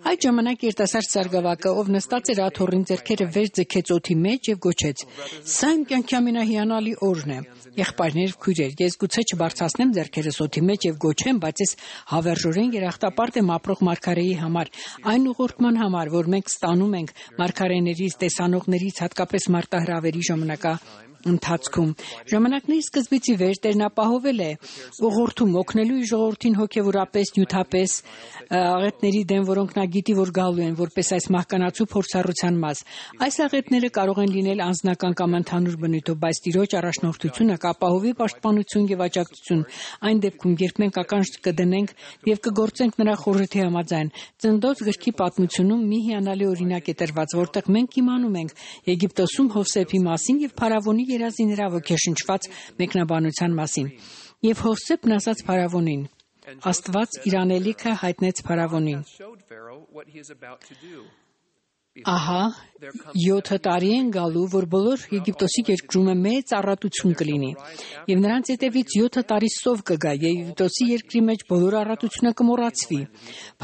Այդ ժամանակ երիտասարդ սարգսակը, ով նստած էր աթոռին, ձեռքերը վեր ձգեց օդի մեջ եւ գոչեց. «Սա իմ կյանքի ամենահիանալի օրն է»։ Եղբայրներ, քույրեր, ես գուցե չբարձրացնեմ ձեռքերս օդի մեջ եւ գոչեմ, բայց ես հավերժորեն երախտապարտ եմ ապրող մարգարեի համար, այն ուղղորդման համար, որ մենք ստանում ենք մարգարեներից, տեսանողներից, հատկապես մարտահրավերի ընթացքում ժամանակների սկզբից ի վեր Տերն ապահովել է ուղղորդում օգնելու իր ժողովրդին հոգևորապես, նյութապես աղետների դեմ, որոնք նա գիտի, որ գալու են որպես այս մահկանացու փորձառության մաս։ Այս աղետները կարող են լինել անձնական կամ ընդհանուր բնույթով, բայց Տիրոջ առաջնորդությունը կապահովի պաշտպանություն եւ աջակցություն այն դեպքում, երբ մենք ականջ կդնենք եւ կգործենք նրա խորհրդի համաձայն։ Ծննդոց գրքի պատմությունում մի հիանալի օրինակ է տրված, որտեղ մենք իմանում ենք Եգիպտոսում Հովսեփի մասին եւ Փարավոնի երազի նրա ոգեշնչված մեկնաբանության մասին։ Եվ Հովսեփն ասաց Փարավոնին. Աստված իր անելիքը հայտնեց Փարավոնին. Ահա 7 տարի են գալու, որ բոլոր Եգիպտոսի երկրում մեծ առատություն կլինի, եւ նրանց հետևից 7 տարի սով կգա, եւ Եգիպտոսի երկրի մեջ բոլոր առատությունը կմոռացվի։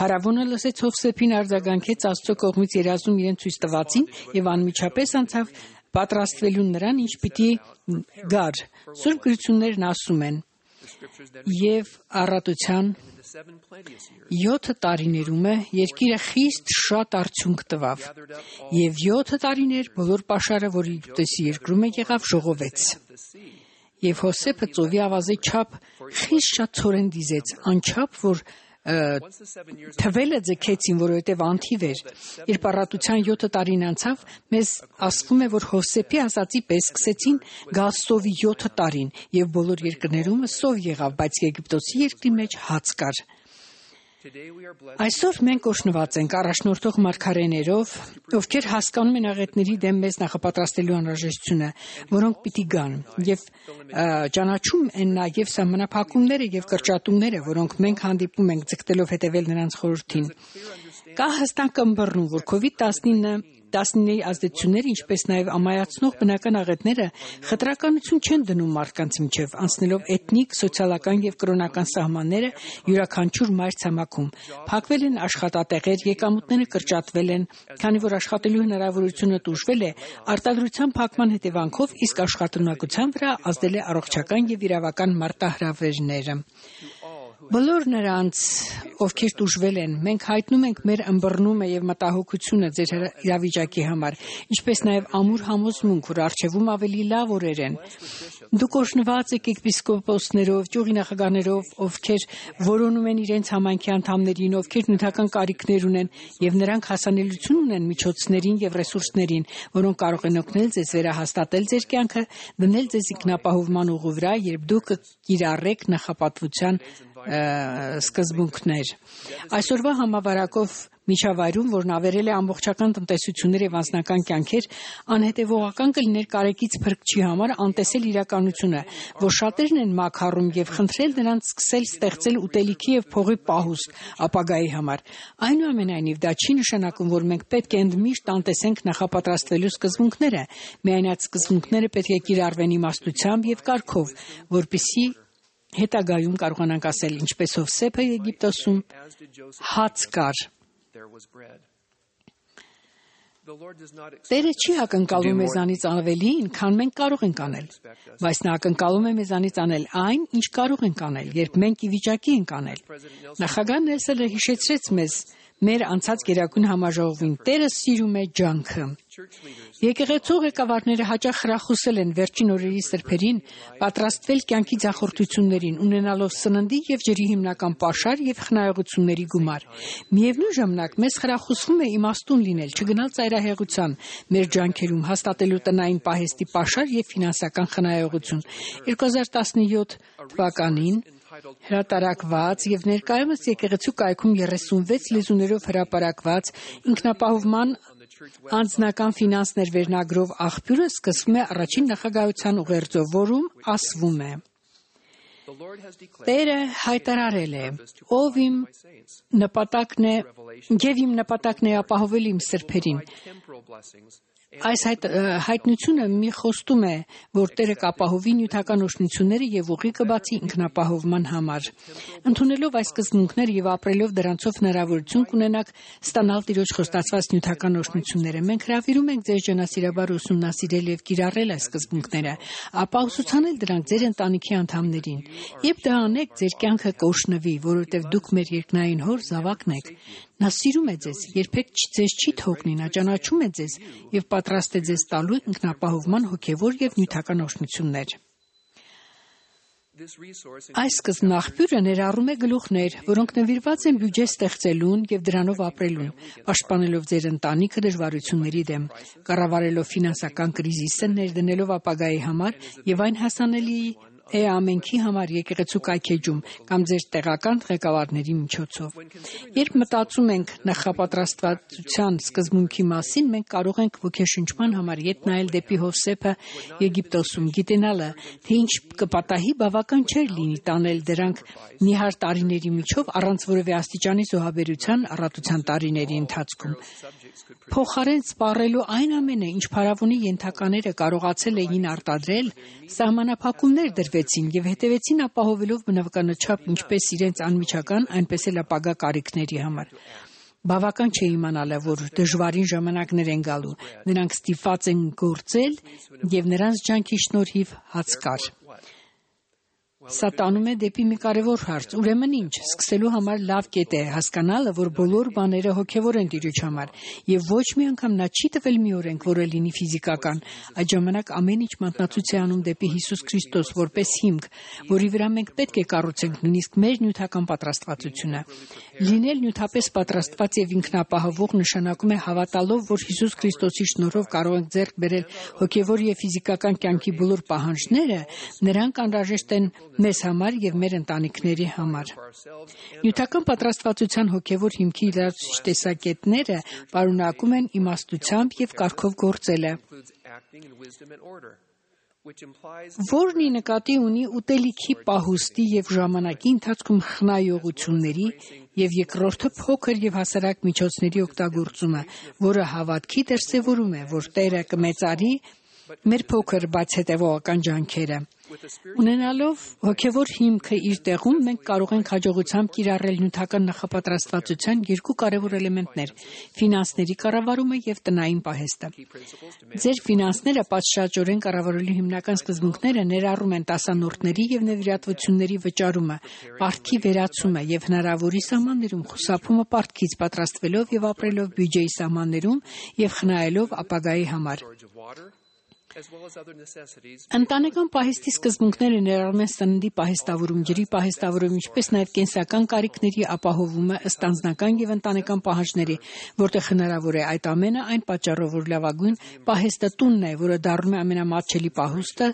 Փարավոնը լսեց Հովսեփին արձագանքեց Աստծո կողմից երազում իրեն ցույց տվածին եւ անմիջապես անցավ պատրաստվելուն նրան, ինչ պիտի գար։ Սուրբ գրություններն ասում են. եւ առատության 7 տարիներում երկիրը խիստ շատ արդյունք տվավ, եւ 7 տարիներ բոլոր պաշարը, որ Եգիպտոսի երկրում եղավ, ժողովեց։ Եվ Հովսեփը ծովի ավազի չափ խիստ շատ ցորեն դիզեց, անչափ որ թվելը ձգեցին, որովհետև անթիվ էր։ Երբ առատության 7 տարին անցավ, մեզ ասվում է, որ Հովսեփի ասացի պես սկսեցին գալ սովի 7 տարին, եւ բոլոր երկրներում սով եղավ, բայց Եգիպտոսի երկրի մեջ հաց կար։ Այսօր մենք օրհնված ենք առաջնորդող մարգարեներով, ովքեր հասկանում են աղետների դեմ մեզ նախապատրաստելու անհրաժեշտությունը, որոնք պիտի գան, եւ ճանաչում են նաեւ սահմանափակումները եւ կրճատումները, որոնք մենք հանդիպում ենք ձգտելով հետևել նրանց խորհրդին։ Կա հստակ ըմբռնում, որ COVID-19-ի ազդեցությունները, ինչպես նաև ամայացնող բնական աղետները խտրականություն չեն դնում մարդկանց միջև, անցնելով էթնիկ, սոցիալական եւ կրոնական սահմանները յուրաքանչյուր մայր ցամաքում։ Փակվել են աշխատատեղեր, եկամուտները կրճատվել են, քանի որ աշխատելու հնարավորությունը տուժվել է, արտադրության փակման հետևանքով, իսկ աշխատունակության վրա ազդել է առողջական եւ իրավական մարտահրավերները։ Բոլոր նրանց, ովքեր տուժվել են, մենք հայտնում ենք մեր ըմբռնումը եւ մտահոգությունը ձեր իրավիճակի համար, ինչպես նաեւ ամուր համոզմունք, որ արժևում ավելի լավ օրեր են։ Դուք օրհնված եք եպիսկոպոսներով, ճյուղի նախագահներով, ովքեր որոնում են իրենց համայնքի անդամներին, ովքեր նյութական կարիքներ ունեն եւ նրանք հասանելիություն ունեն միջոցներին եւ ռեսուրսներին, որոնք կարող են օգնել ձեզ վերահաստատել ձեր կյանքը, դնել ձեզ ինքնապահովման ուղու վրա, երբ դուք կիրառեք նախապատվության սկզբունքներ։ Այսօրվա համավարակով միջավայրում, որն ավերել է ամբողջական տնտեսություններ եւ անձնական կյանքեր, անհետեւողական կլիներ կարեկից փրկչի համար անտեսել իրականությունը, որ շատերն են մաքարում եւ խնդրել նրանց սկսել ստեղծել ուտելիքի եւ փողի պահուստ ապագայի համար։ Այնուամենայնիվ, դա չի նշանակում, որ մենք պետք է ընդմիշտ անտեսենք նախապատրաստվելու սկզբունքները, միայն այդ սկզբունքները պետք է կիրառվեն իմաստությամբ եւ կարգով, որպեսզի հետագայում կարողանանք ասել, ինչպես Հովսեփը Եգիպտոսում հաց կար։ Տերը չի ակնկալում մեզանից ավելին, քան մենք կարող ենք անել, բայց նա ակնկալում է մեզանից անել այն, ինչ կարող ենք անել, երբ մենք ի վիճակի ենք անել։ Նախագահ Նելսոնը հիշեցրեց մեզ մեր անցած գերագույն համաժողովին։ Տերը սիրում է ջանքը։ Եկեղեցու ղեկավարները հաճախ խրախուսել են վերջին օրերի սրբերին պատրաստվել կյանքի ձախորդություններին, ունենալով սննդի եւ ջրի հիմնական պաշար եւ խնայողությունների գումար։ Միևնույն ժամանակ մեզ խրախուսվում է իմաստուն լինել, չգնալ ծայրահեղության մեր ջանքերում, հաստատելու տնային պահեստի պաշար եւ ֆինանսական խնայողություն։ 2017 թվականին հրատարակված եւ ներկայումս եկեղեցու կայքում 36 լեզուներով հրապարակված ինքնապահովման անձնական ֆինանսներ վերնագրով աղբյուրը սկսվում է առաջին նախագահության ուղերձով, որում ասվում է. Տերը հայտարարել է. ով իմ նպատակն է ապահովել իմ սրբերին։ Այս հայտնությունը մի խոստում է, որ Տերը կապահովի նյութական օժնությունները եւ ուղի կբացի ինքնապահովման համար։ Ընդունելով այս սկզբունքները եւ ապրելով դրանցով հնարավորություն կունենաք ստանալ Տիրոջ խոստացված նյութական օժնությունները։ Մենք հրավիրում ենք ձեզ ջանասիրաբար ուսումնասիրել եւ կիրառել այս սկզբունքները, ապա ուսուցանել դրանք ձեր ընտանիքի անդամներին։ Երբ դա անեք, ձեր կյանքը կօժնվի, որովհետեւ դուք մեր երկնային Հոր զավակն եք։ Նա սիրում է ձեզ, երբեք ձեզ չի թողնի, նա ճանաչում է ձեզ եւ պատրաստ է ձեզ տալու ինքնապահովման հոգեվոր եւ նյութական օժնություններ։ Այս սկզբնաղբյուրը ներառում է գլուխներ, որոնք նվիրված են բյուջե ստեղծելուն եւ դրանով ապրելուն, պաշտպանելով ձեր ընտանիքը դժվարությունների դեմ, կառավարելով ֆինանսական կրիզիսը, ներդնելով ապագայի համար եւ այն հասանելի է ամենքի համար եկեղեցու կայքեջում կամ ձեր տեղական ղեկավարների միջոցով։ Երբ մտածում ենք նախապատրաստվածության սկզբունքի մասին, մենք կարող ենք ոգեշնչման համար ետ նայել դեպի Հովսեփը Եգիպտոսում, գիտենալը, թե ինչ կպատահի բավական չէր լինի տանել դրանք նիհար տարիների միջով առանց որևէ աստիճանի զոհաբերության առատության տարիների ընթացքում։ Փոխարեն սպառելու այն ամենը, ինչ փարավոնի ենթակաները կարողացել էին արտադրել, սահմանափակումներ դրվեցին եւ հետևեցին ապահովելով բնականաչափ ինչպես իրենց անմիջական, այնպես էլ ապագա կարիքների համար։ Բավական չէ իմանալը, որ դժվարին ժամանակներ են գալու, նրանք ստիպված են գործել եւ նրանց ջանքի շնորհիվ հաց կար։ Սա տանում է դեպի մի կարևոր հարց, ուրեմն ինչ, սկսելու համար լավ կետ է հասկանալը, որ բոլոր բաները հոգևոր են Տիրոջ համար, եւ ոչ մի անգամ նա չի տվել մի օրենք, որը լինի ֆիզիկական, այդ ժամանակ ամեն ինչ մատնացույց է անում դեպի Հիսուս Քրիստոս որպես հիմք, որի վրա մենք պետք է կառուցենք նույնիսկ մեր նյութական պատրաստվածությունը։ Լինել նյութապես պատրաստված եւ ինքնապահովող նշանակում է հավատալով, որ Հիսուս Քրիստոսի շնորհով կարող ենք ձեռք բերել հոգևոր եւ ֆիզիկական կյանքի բոլոր պահանջները, նրանք անհրաժեշտ են մեզ համար եւ մեր ընտանիքների համար։ Նյութական պատրաստվածության հոգեվոր հիմքի լրացուցիչ տեսակետները պարունակում են իմաստությամբ եւ կարգով գործելը, որն ի նկատի ունի ուտելիքի պահուստի եւ ժամանակի ընթացքում խնայողությունների եւ երկրորդը փոքր եւ հասարակ միջոցների օգտագործումը, որը հավատքի դրսեւորում է, որ Տերը կմեծարի մեր փոքր բայց հետևողական ջանքերը։ Ունենալով հոգևոր հիմքը իր տեղում, մենք կարող ենք հաջողությամբ կիրառել նյութական նախապատրաստվածության երկու կարևոր էլեմենտներ՝ ֆինանսների կառավարումը եւ տնային պահեստը։ Ձեր ֆինանսները պատշաճորեն կառավարելու հիմնական սկզբունքները ներառում են տասանորդների եւ նվիրատվությունների վճարումը, պարտքի վերացումը եւ հնարավորի սահմաններում խուսափումը պարտքից, պատրաստվելով եւ ապրելով բյուջեի սահմաններում եւ խնայելով ապագայի համար։ Ընտանեկան պահեստի սկզբունքները ներառում են սննդի պահեստավորում, ջրի պահեստավորում, ինչպես նաև կենսական կարիքների ապահովումը ըստ անձնական եւ ընտանեկան պահանջների, որտեղ հնարավոր է այդ ամենը այն պատճառով, որ լավագույն պահեստը տունն է, որը դառնում է ամենամատչելի պահուստը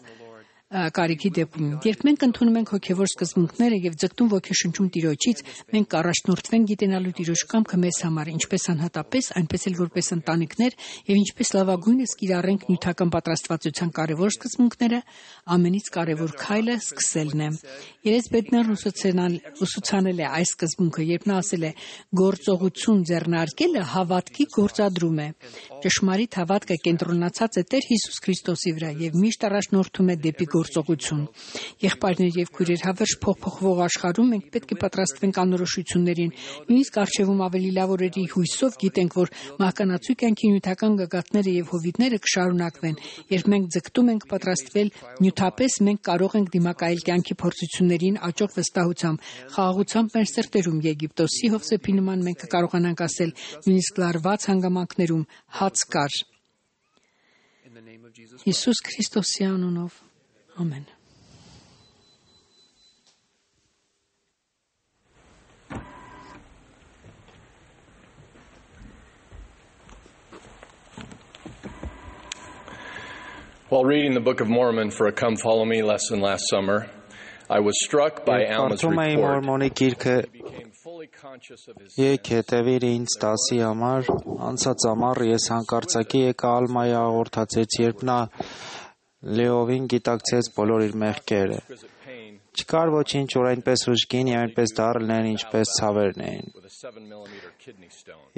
կարիքի դեպքում։ Երբ մենք ընդունում ենք հոգևոր սկզբունքները եւ ձգտում ոգեշնչում Տիրոջից, մենք կառաջնորդվենք գիտենալու Տիրոջ կամքը մեզ համար, ինչպես անհատապես, այնպես էլ որպես ընտանիքներ եւ ինչպես լավագույնս կիրառենք նյութական պատրաստվածության կարևոր սկզբունքները, ամենից կարևոր քայլը սկսելն է։ Երեսպետներն ուսուցանել է այս սկզբունքը, երբ նա ասել է. «Գործողություն ձեռնարկելը հավատքի գործադրում է»։ Ճշմարիտ հավատքը կենտրոնացած է Տեր Հիսուս Քրիստոսի վրա եւ միշտ առաջնորդում է դեպի գործողություն։ Եղբայրներ եւ քույրեր, հավերժ փոխփոխվող աշխարհում մենք պետք է պատրաստվենք անորոշություններին։ Նույնիսկ արժևում ավելի լավ օրերի հույսով գիտենք, որ մահկանացու կյանքի նյութական գագաթները եւ հովիտները կշարունակվեն։ Երբ մենք ձգտում ենք պատրաստվել նյութապես, մենք կարող ենք դիմակայել կյանքի փորձություններին աճող վստահությամբ, խաղաղությամբ մեր սրտերում Եգիպտոսի Հովսեփի նման մենք կկարողանանք ասել նույնիսկ լարված հանգամանքներում հաց կար։ Հիսուս Քրիստոսի անունով։ Ամեն։ While reading the Book of Mormon for a Come Follow Me lesson last summer, I was struck by Alma's report. Եկ հետևիր ինձ տասի համար, անցած ամառ ես հանկարծակի եկա Ալմայի աղորդացեց, երբ նա լեովին գիտակցեց բոլոր իր մեղքերը։ Չկար ոչինչ, որ այնպես ուժգին և այնպես դառն են, ինչպես ցավերն էին։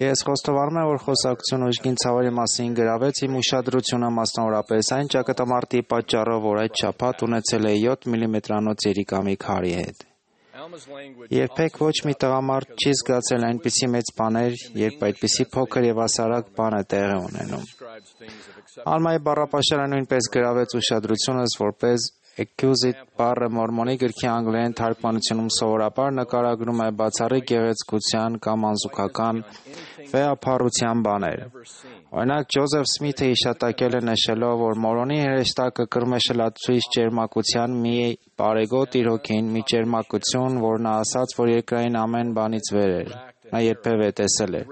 Ես խոստովանում եմ, որ խոսակցություն ուժգին ցավերի մասին գրավեց իմ ուշադրությունը մասնավորապես այն ճակատամարտի պատճառով, որ այդ շաբաթ ունեցել է 7 մմ-անոց երիկամի քարի հետ։ Երբեք ոչ մի տղամարդ չի զգացել այնպիսի մեծ բաներ, երբ այդպիսի փոքր և հասարակ բան է տեղի ունենում։ Ալմայի բառապաշարը նույնպես գրավեց ուշադրությունս, որպես accused բառը մորմոնի գրքի անգլերեն թարգմանությունում սովորաբար նկարագրում է բացառիկ գեղեցկության կամ անզուգական վեհափառության բաներ։ Օրինակ, Ջոզեֆ Սմիթը հիշատակել է նշելով, որ Մորոնի հրեշտակը կրում է շլացուցիչ ճերմակության մի բարեգոտ իր հոգին, մի ճերմակություն, որ նա ասաց, որ երկրային ամեն բանից վեր էր։ Նա երբևէ տեսել էր։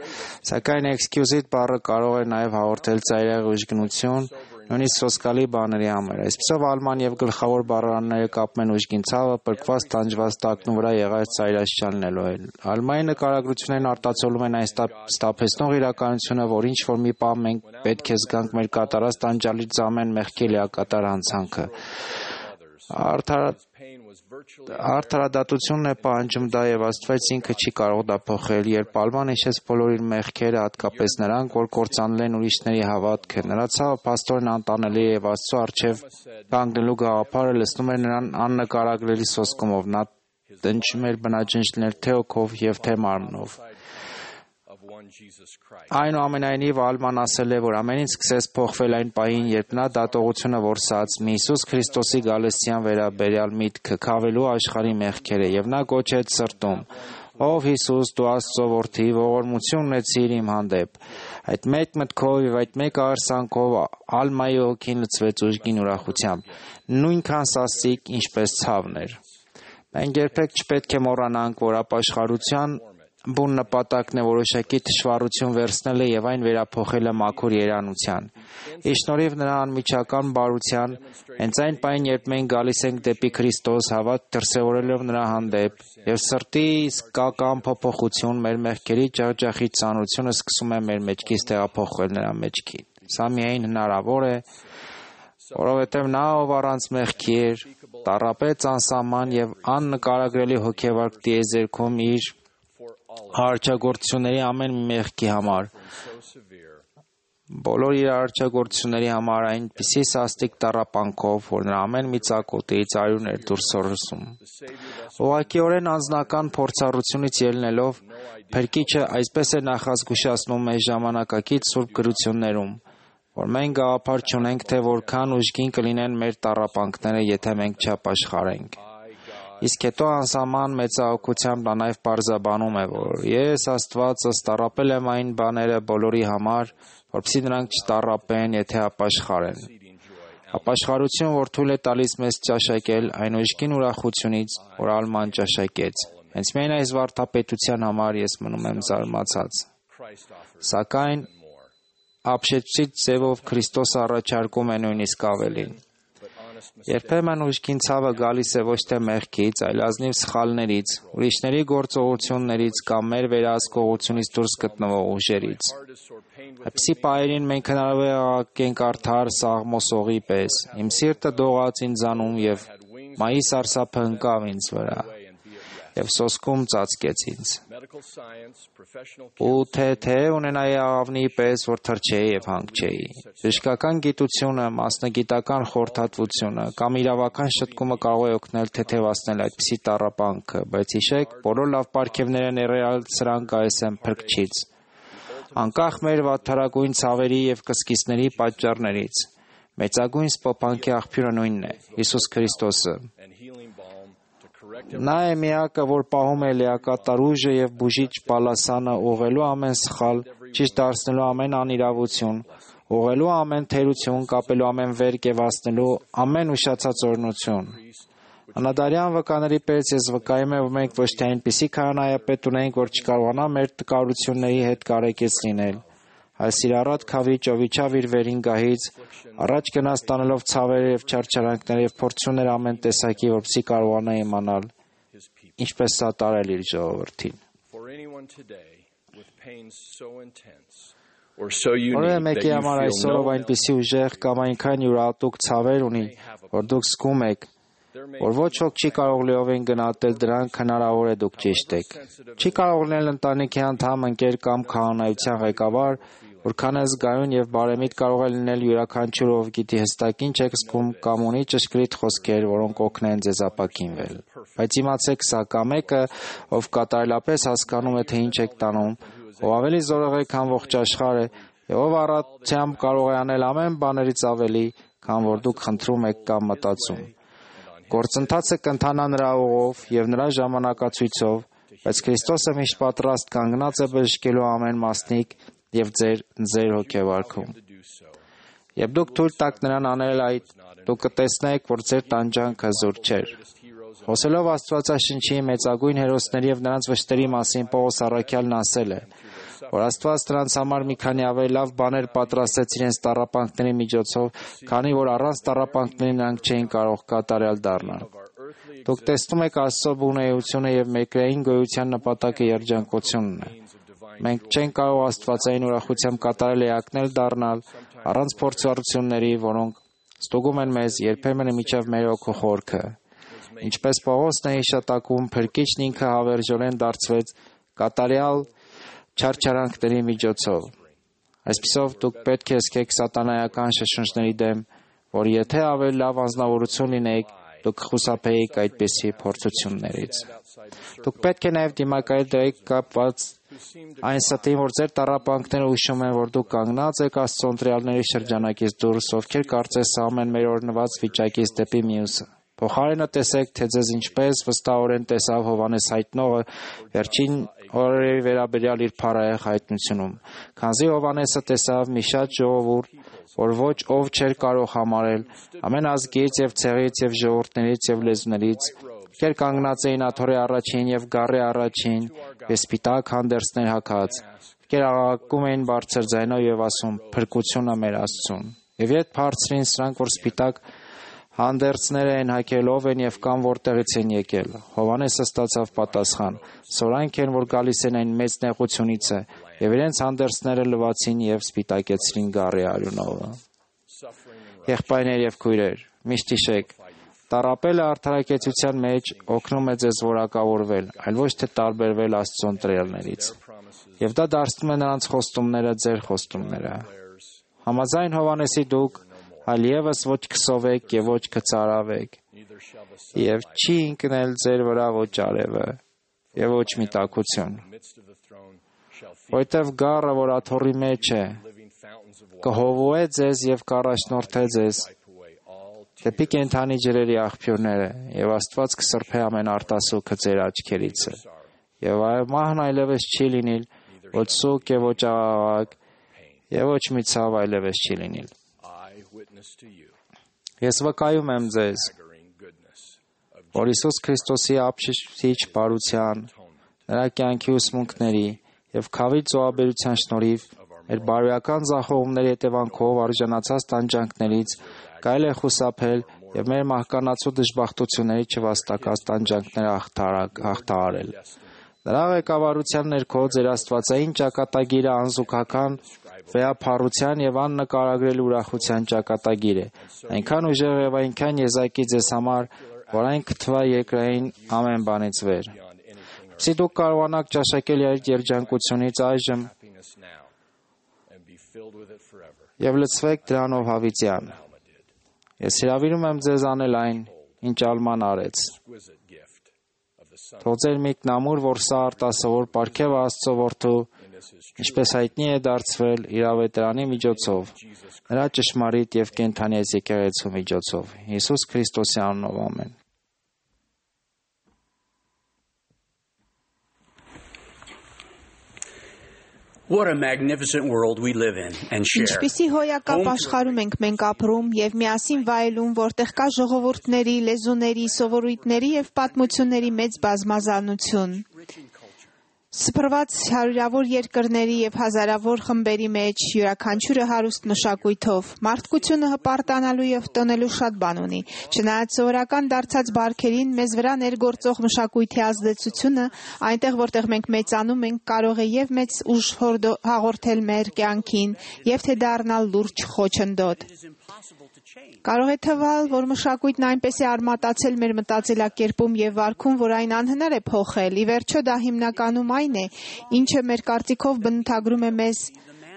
Սակայն excused բառը կարող է նաև հաղորդել ծայրահեղ ուժգնություն, նույնիսկ սոսկալի բաների համար։ Այսպիսով Ալման եւ գլխավոր բառարանները կապում են ուժգին ցավը, պրկված տանջված տակնու վրա եղած ծայրաշչալնելու են։ Ալմայի նկարագրություններն արտացոլում են այն ստապեցնող իրականությունը, որ ինչ որ մի պահ մենք պետք է զգանք մեր կատարած տանջալից ամեն մեղքի լիակատար հանցանքը։ Արդարադատությունն է պահանջում դա եւ Աստված ինքը չի կարող դա փոխել, երբ Ալման հիշեց բոլոր իր մեղքերը, հատկապես նրանք, որ կործանել են ուրիշների հավատքը։ Նրա ցավը փաստորեն անտանելի է եւ Աստծո առջև կանգնելու գաղափարը լցնում էր նրան աննկարագրելի սոսկումով։ Նա տնջում էր բնաջնջներ թե հոգով եւ թե մարմնով։ Այնուամենայնիվ Ալման ասել է, որ ամեն ինչ սկսեց փոխվել այն պահին, երբ նա դատողությունը որսաց մի Հիսուս Քրիստոսի գալստյան վերաբերյալ միտքը քավելու աշխարհի մեղքերը եւ նա գոչեց սրտում. Ով Հիսուս, դու Աստծո որդի, ողորմություն ունեցիր իմ հանդեպ։ Այդ մեկ մտքով եւ այդ մեկ արձանքով Ալմայի հոգին լցվեց ուժգին ուրախությամբ, նույնքան սաստիկ, ինչպես ցավն էր։ Մենք երբեք չպետք է մոռանանք, որ ապաշխարության բուն նպատակն է որոշակի թշվառություն վերցնելը եւ այն վերափոխելը մաքուր երանության։ Ի շնորհիվ նրա անմիջական բարության, հենց այն պահին, երբ մենք գալիս ենք դեպի Քրիստոս, հավատ դրսևորելով նրա հանդեպ, եւ սրտի իսկական փոփոխություն, մեր մեղքերի ջախջախի ծանրությունը սկսում է մեր մեջքից տեղափոխվել նրա մեջքին։ Սա միայն հնարավոր է, որովհետեւ նա, ով առանց մեղքի էր, տառապեց անսահման եւ աննկարագրելի հոգեվարք տիեզերքում իր արարչագործությունների ամեն մեղքի համար, բոլոր իր արարչագործությունների համար այնպիսի սաստիկ տառապանքով, որ նրա ամեն մի ծակոտից արյուն էր դուրս սորսում։ Ուղղակիորեն անձնական փորձառությունից ելնելով, Փրկիչը այսպես է նախազգուշացնում մեզ ժամանակակից սուրբ գրություններում, որ մենք գաղափար չունենք, թե որքան ուժգին կլինեն մեր տառապանքները, եթե մենք չապաշխարենք։ Իսկ հետո անսահման մեծահոգությամբ նա նաև պարզաբանում է, որ ես Աստվածս տառապել եմ այն բաները բոլորի համար, որպեսզի նրանք չտառապեն, եթե ապաշխարեն։ Ապաշխարություն, որ թույլ է տալիս մեզ ճաշակել այն ուժգին ուրախությունից, որ Ալման ճաշակեց։ Հենց միայն այս վարդապետության համար ես մնում եմ զարմացած։ Սակայն ապշեցուցիչ ձևով Քրիստոսը առաջարկում է նույնիսկ ավելին։ Երբեմն ուժգին ցավը գալիս է ոչ թե մեղքից, այլ ազնիվ սխալներից, ուրիշների գործողություններից կամ մեր վերահսկողությունից դուրս գտնվող ուժերից։ Այդպիսի պահերին մենք հնարավոր է աղաղակենք արդար սաղմոսողի պես. Իմ սիրտը դողաց ինձանում և մայի սարսափը ընկավ ինձ վրա և սոսկում ծածկեց ինձ։ ու թե ունենայի աղավնի պես, որ թրջեի եւ հանգչեի։ Բժշկական գիտությունը, մասնագիտական խորհրդատվությունը կամ իրավական շտկումը կարող է օգնել թեթևացնել այդպիսի տառապանքը, բայց հիշեք, բոլոր լավ պարգևները ներառյալ սրանք այս են փրկչից։ Անկախ մեր վատթարագույն ցավերի եւ կսկիցների պատճառներից, մեծագույն սփոփանքի աղբյուրը նույնն է՝ Հիսուս Քրիստոսը։ Նա է միակը, որ պահում է լիակատար ուժը եւ բուժիչ պալասանը, ուղղելու ամեն սխալ, ճիշտ դարձնելու ամեն անիրավություն, ուղղելու ամեն թերություն, կապելու ամեն վերք եւ հասնելու ամեն ուշացած օրհնություն։ Անադարյան վկաների պես ես վկայում եմ, որ մենք ոչ թե այնպիսի քահանայապետ ունենք, որ չկարողանա մեր տկարությունների հետ կարեկից լինել, այլ սիրառատ քավի ճովիչավ իր վերին գահից, առաջ գնաց տանելով ցավերը եւ չարչարանքները եւ փորձություններ ամեն տեսակի, որպեսզի կարողանա իմանալ, ինչպես սատարել իր ժողովրդին։ Որևէ մեկի համար այսօրով այնպիսի ուժեղ կամ այնքան յուրահատուկ ցավեր ունի, որ դուք զգում եք, որ ոչ ոք չի կարող լիովին գնահատել դրանք, հնարավոր է դուք ճիշտ եք։ Չի կարող լինել ընտանիքի անդամ, ընկեր կամ քահանայության ղեկավար, որքան է զգայուն եւ բարեմիտ կարող է լինել յուրաքանչյուր, ով գիտի հստակ ինչ եք զգում կամ ունի ճշգրիտ խոսքեր, որոնք կօգնեն ձեզ ապաքինվել։ Բայց իմացեք սա, կա մեկը, ով կատարելապես հասկանում է, թե ինչ եք տանում, ով ավելի զորեղ է, քան ողջ աշխարհը, եւ ով առատությամբ կարող է անել ամեն բաներից ավելի, քան որ դուք խնդրում եք կամ մտածում։ Գործընթացը կընթանա նրա ուղով եւ նրա ժամանակացույցով, բայց Քրիստոսը միշտ պատրաստ կանգնած է բժշկելու ամեն մասնիկ եւ ձեր հոգեվարքում։ Երբ դուք թույլ տաք նրան անել այդ, դուք կտեսնեք, որ ձեր տանջանքը զուր չէ։ Խոսելով Աստվածաշնչի մեծագույն հերոսների եւ նրանց վշտերի մասին, Պողոս առաքյալն ասել է, որ Աստված նրանց համար մի քանի ավելի լավ բաներ պատրաստեց իրենց տառապանքների միջոցով, քանի որ առանց տառապանքների նրանք չէին կարող կատարյալ դառնալ։ Դուք տեսնում եք Աստծո բունեությունը եւ մեկրային գոյության նպատակը երջանկությունն է։ Մենք չենք կարող աստվածային ուրախությամբ կատարել էակնել դառնալ առանց փորձառությունների, որոնք ստուգում են մեզ երբեմն միջև մեր օգու խորքը։ Ինչպես Պողոսն է հիշատակում, փրկիչն ինքը հավերժորեն դարձվեց կատարյալ չարչարանքների միջոցով։ Այսպիսով դուք պետք է զգեք սատանայական շշնջների դեմ, որ եթե ավելի լավ անձնավորություն լինեիք, դուք կխուսափեիք այդպիսի փորձություններից։ Դուք պետք է նաև դիմակայել դրեք կապված այն ստին, որ ձեր տառապանքները ուշում են, որ դուք կանգնած եք Աստծո ընտրյալների շրջանակից դուրս, ովքեր կարծես սահում են մեր օրհնված վիճակից դեպի մյուսը։ Փոխարենը տեսեք, թե ձեզ ինչպես վստահորեն տեսավ Հովհաննես հայտնողը վերջին օրերի վերաբերյալ իր փառահեղ հայտնությունում, քանզի Հովհաննեսը տեսավ մի շատ ժողովուրդ, որ ոչ ով չէր կարող համարել, ամեն ազգից եւ ցեղից եւ ժողովուրդներից եւ լեզուներից, ովքեր կանգնած էին աթոռի առաջին եւ գառի առաջին, սպիտակ հանդերձներ հագած, ովքեր աղաղակում էին բարձր ձայնով եւ ասում. «Փրկությունը մեր Աստծուն»։ Եվ երբ բարձրին սրանք, որ սպիտակ հանդերձները են հագել, ով են եւ կամ որտեղից են եկել, Հովհաննեսը ստացավ պատասխան. «Սորանք են, որ գալիս են այն մեծ նեղությունից է», եւ իրենց հանդերձները լվացին եւ սպիտակեցրին գառի արյունովը։ Եղբայրներ եւ քույրեր, միշտ հիշեք, տառապելը արդարակեցության մեջ օգնում է ձեզ որակավորվել, այլ ոչ թե տարբերվել Աստծո ընտրյալներից։ Եվ դա դարձնում է նրանց խոստումները ձեր խոստումները։ Համաձայն Հովհաննեսի դուք այլևս ոչ կսովեք եւ ոչ կծարավեք, եւ չի ընկնել ձեր վրա ոչ արևը եւ ոչ մի տաքություն, որտեւ գառը, որ աթոռի մեջ է, կհովուե ձեզ եւ կառաջնորդե ձեզ դեպի կենդանի ջրերի աղբյուրները, եւ Աստված կսրբե ամեն արտասուքը ձեր աչքերիցը, եւ մահն այլևս չի լինիլ, ոչ սուկ եւ ոչ աղաղակ, եւ ոչ մի ցավ այլևս չի լինիլ։ Ես վկայում եմ ձեզ, որ Հիսուս Քրիստոսի ապշեցիչ բարության, նրա կյանքի ուսմունքների եւ քավի ծոաբերության շնորհիվ մեր բարոյական ձախողումների հետևանքով արժանացած տանջանքներից կարելի է խուսափել եւ մեր մահկանացու դժբախտությունների չվաստակած տանջանքները հաղթահարել։ Նրա ղեկավարության ներքո ձեր աստվածային ճակատագիրը անզուգական վեհափառության եւ աննկարագրել ուրախության ճակատագիր է, այնքան ուժեղ եւ այնքան եզակի ձեզ համար, որ այն կթվա երկրային ամեն բանից վեր։ Որպեսզի դուք կարողանաք ճաշակել այդ երջանկությունից այժմ եւ լցվեք դրանով հավիտյան։ Ես հրավիրում եմ ձեզ անել այն, ինչ Ալման արեց։ Թող ձեր միտքն ամուր, որ սա արտասովոր պարգև Աստծո որդու, ինչպես հայտնի է դարձվել իր ավետարանի միջոցով, նրա ճշմարիտ եւ կենդանի այս եկեղեցու միջոցով։ Հիսուս Քրիստոսի անունով ամեն։ What a magnificent world we live in and share. Ինչպիսի հոյակապ աշխարհում ենք մենք ապրում եւ միասին վայելում, որտեղ կա ժողովուրդների, լեզուների, սովորույթների եւ պատմությունների մեծ բազմազանություն։ Սփռված հարյուրավոր երկրների եւ հազարավոր խմբերի մեջ յուրաքանչյուրը հարուստ մշակույթով մարդկությունը հպարտանալու եւ տոնելու շատ բան ունի։ Չնայած սովորական դարձած բարքերին մեզ վրա ներգործող մշակույթի ազդեցությունը այնտեղ որտեղ մենք մեծանում ենք կարող է եւ մեծ ուժ հաղորդել մեր կյանքին եւ թե դառնալ լուրջ խոչընդոտ։ Կարող է թվալ, որ մշակույթն այնպես է արմատացել մեր մտածելակերպում եւ վարքում, որ այն անհնար է փոխել։ Ի վերջո դա հիմնականում այն է, ինչը մեր կարծիքով բնութագրում է մեզ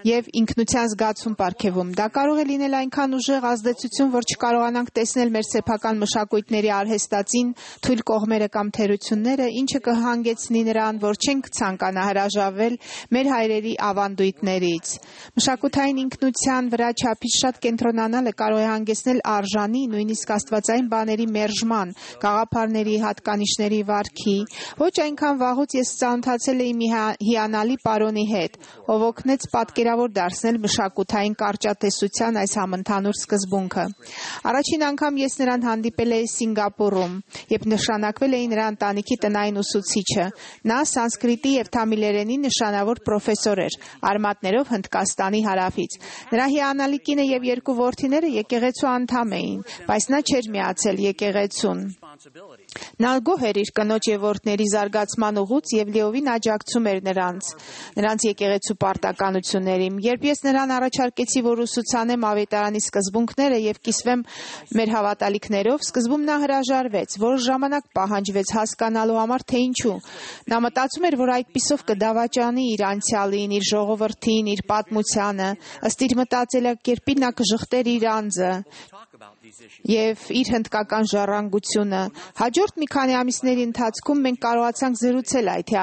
եւ ինքնության զգացում պարգևում։ Դա կարող է լինել այնքան ուժեղ ազդեցություն, որ չկարողանանք տեսնել մեր սեփական մշակույթների արհեստածին թույլ կողմերը կամ թերությունները, ինչը կհանգեցնի նրան, որ չենք ցանկանա հրաժարվել մեր հայրերի ավանդույթներից։ Մշակութային ինքնության վրա չափից շատ կենտրոնանալը կարող է հանգեցնել արժանի, նույնիսկ աստվածային բաների մերժման, գաղափարների, հատկանիշների վարքի։ Ոչ այնքան վաղուց ես ծանոթացել էի մի հիանալի պարոնի հետ, ով օգնեց պատկերավոր դարձնել մշակութային կարճատեսության այս համընդհանուր սկզբունքը։ Առաջին անգամ ես նրան հանդիպել էի Սինգապուրում, երբ նշանակվել էի նրա ընտանիքի տնային ուսուցիչը։ Նա սանսկրիտի եւ թամիլերենի նշանավոր պրոֆեսոր էր, արմատներով Հնդկաստանի հարավից։ Նրա հիանալի կինը եւ երկու որդիները եկեղեցու անդամ էին, բայց նա չէր միացել եկեղեցուն։ Նա գոհ էր իր կնոջ եւ որդների զարգացման ուղուց եւ լիովին աջակցում էր նրանց եկեղեցու պարտականություններին։ Երբ ես նրան առաջարկեցի, որ ուսուցանեմ ավետարանի սկզբունքները եւ կիսվեմ մեր հավատալիքներով, սկզբում նա հրաժարվեց, որոշ ժամանակ պահանջվեց հասկանալու համար, թե ինչու։ Նա մտածում էր, որ այդպիսով կդավաճանի իր անցյալին, իր ժողովրդին, իր պատմությանը, ըստ իր մտածելակերպի նա կժխտեր իր անձը եւ իր հնդկական ժառանգությունը։ Հաջորդ մի քանի ամիսների ընթացքում մենք կարողացանք զրուցել այդ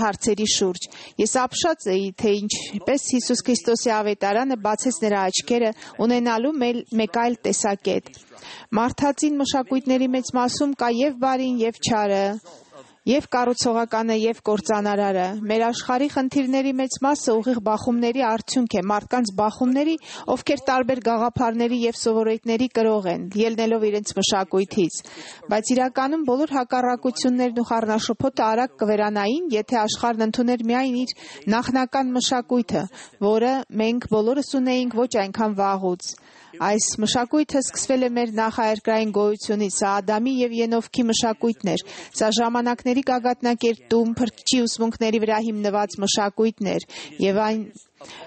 հարցերի շուրջ։ Ես ապշած էի, թե ինչպես Հիսուս Քրիստոսի ավետարանը բացեց նրա աչքերը ունենալու մեկ այլ տեսակետ։ Մարդածին մշակույթների մեծ մասում կա եւ բարին, եւ չարը, եւ կառուցողականը, եւ կործանարարը։ Մեր աշխարհի խնդիրների մեծ մասը ուղիղ բախումների արդյունք է, մարդկանց բախումների, ովքեր տարբեր գաղափարների եւ սովորույթների կրող են, ելնելով իրենց մշակույթից։ Բայց իրականում բոլոր հակառակություններն ու խառնաշփոթը արագ կվերանային, եթե աշխարհն ընդուներ միայն իր նախնական մշակույթը, որը մենք բոլորս ունեինք ոչ այնքան վաղուց։ Այս մշակույթը սկսվել է մեր նախաերկրային գոյությունից, սա Ադամի եւ Ենովքի մշակույթն էր։ Սա ժամանակների գագաթնակերտում, փրկչի ուսմունքների վրա հիմնված մշակույթն էր, եւ այն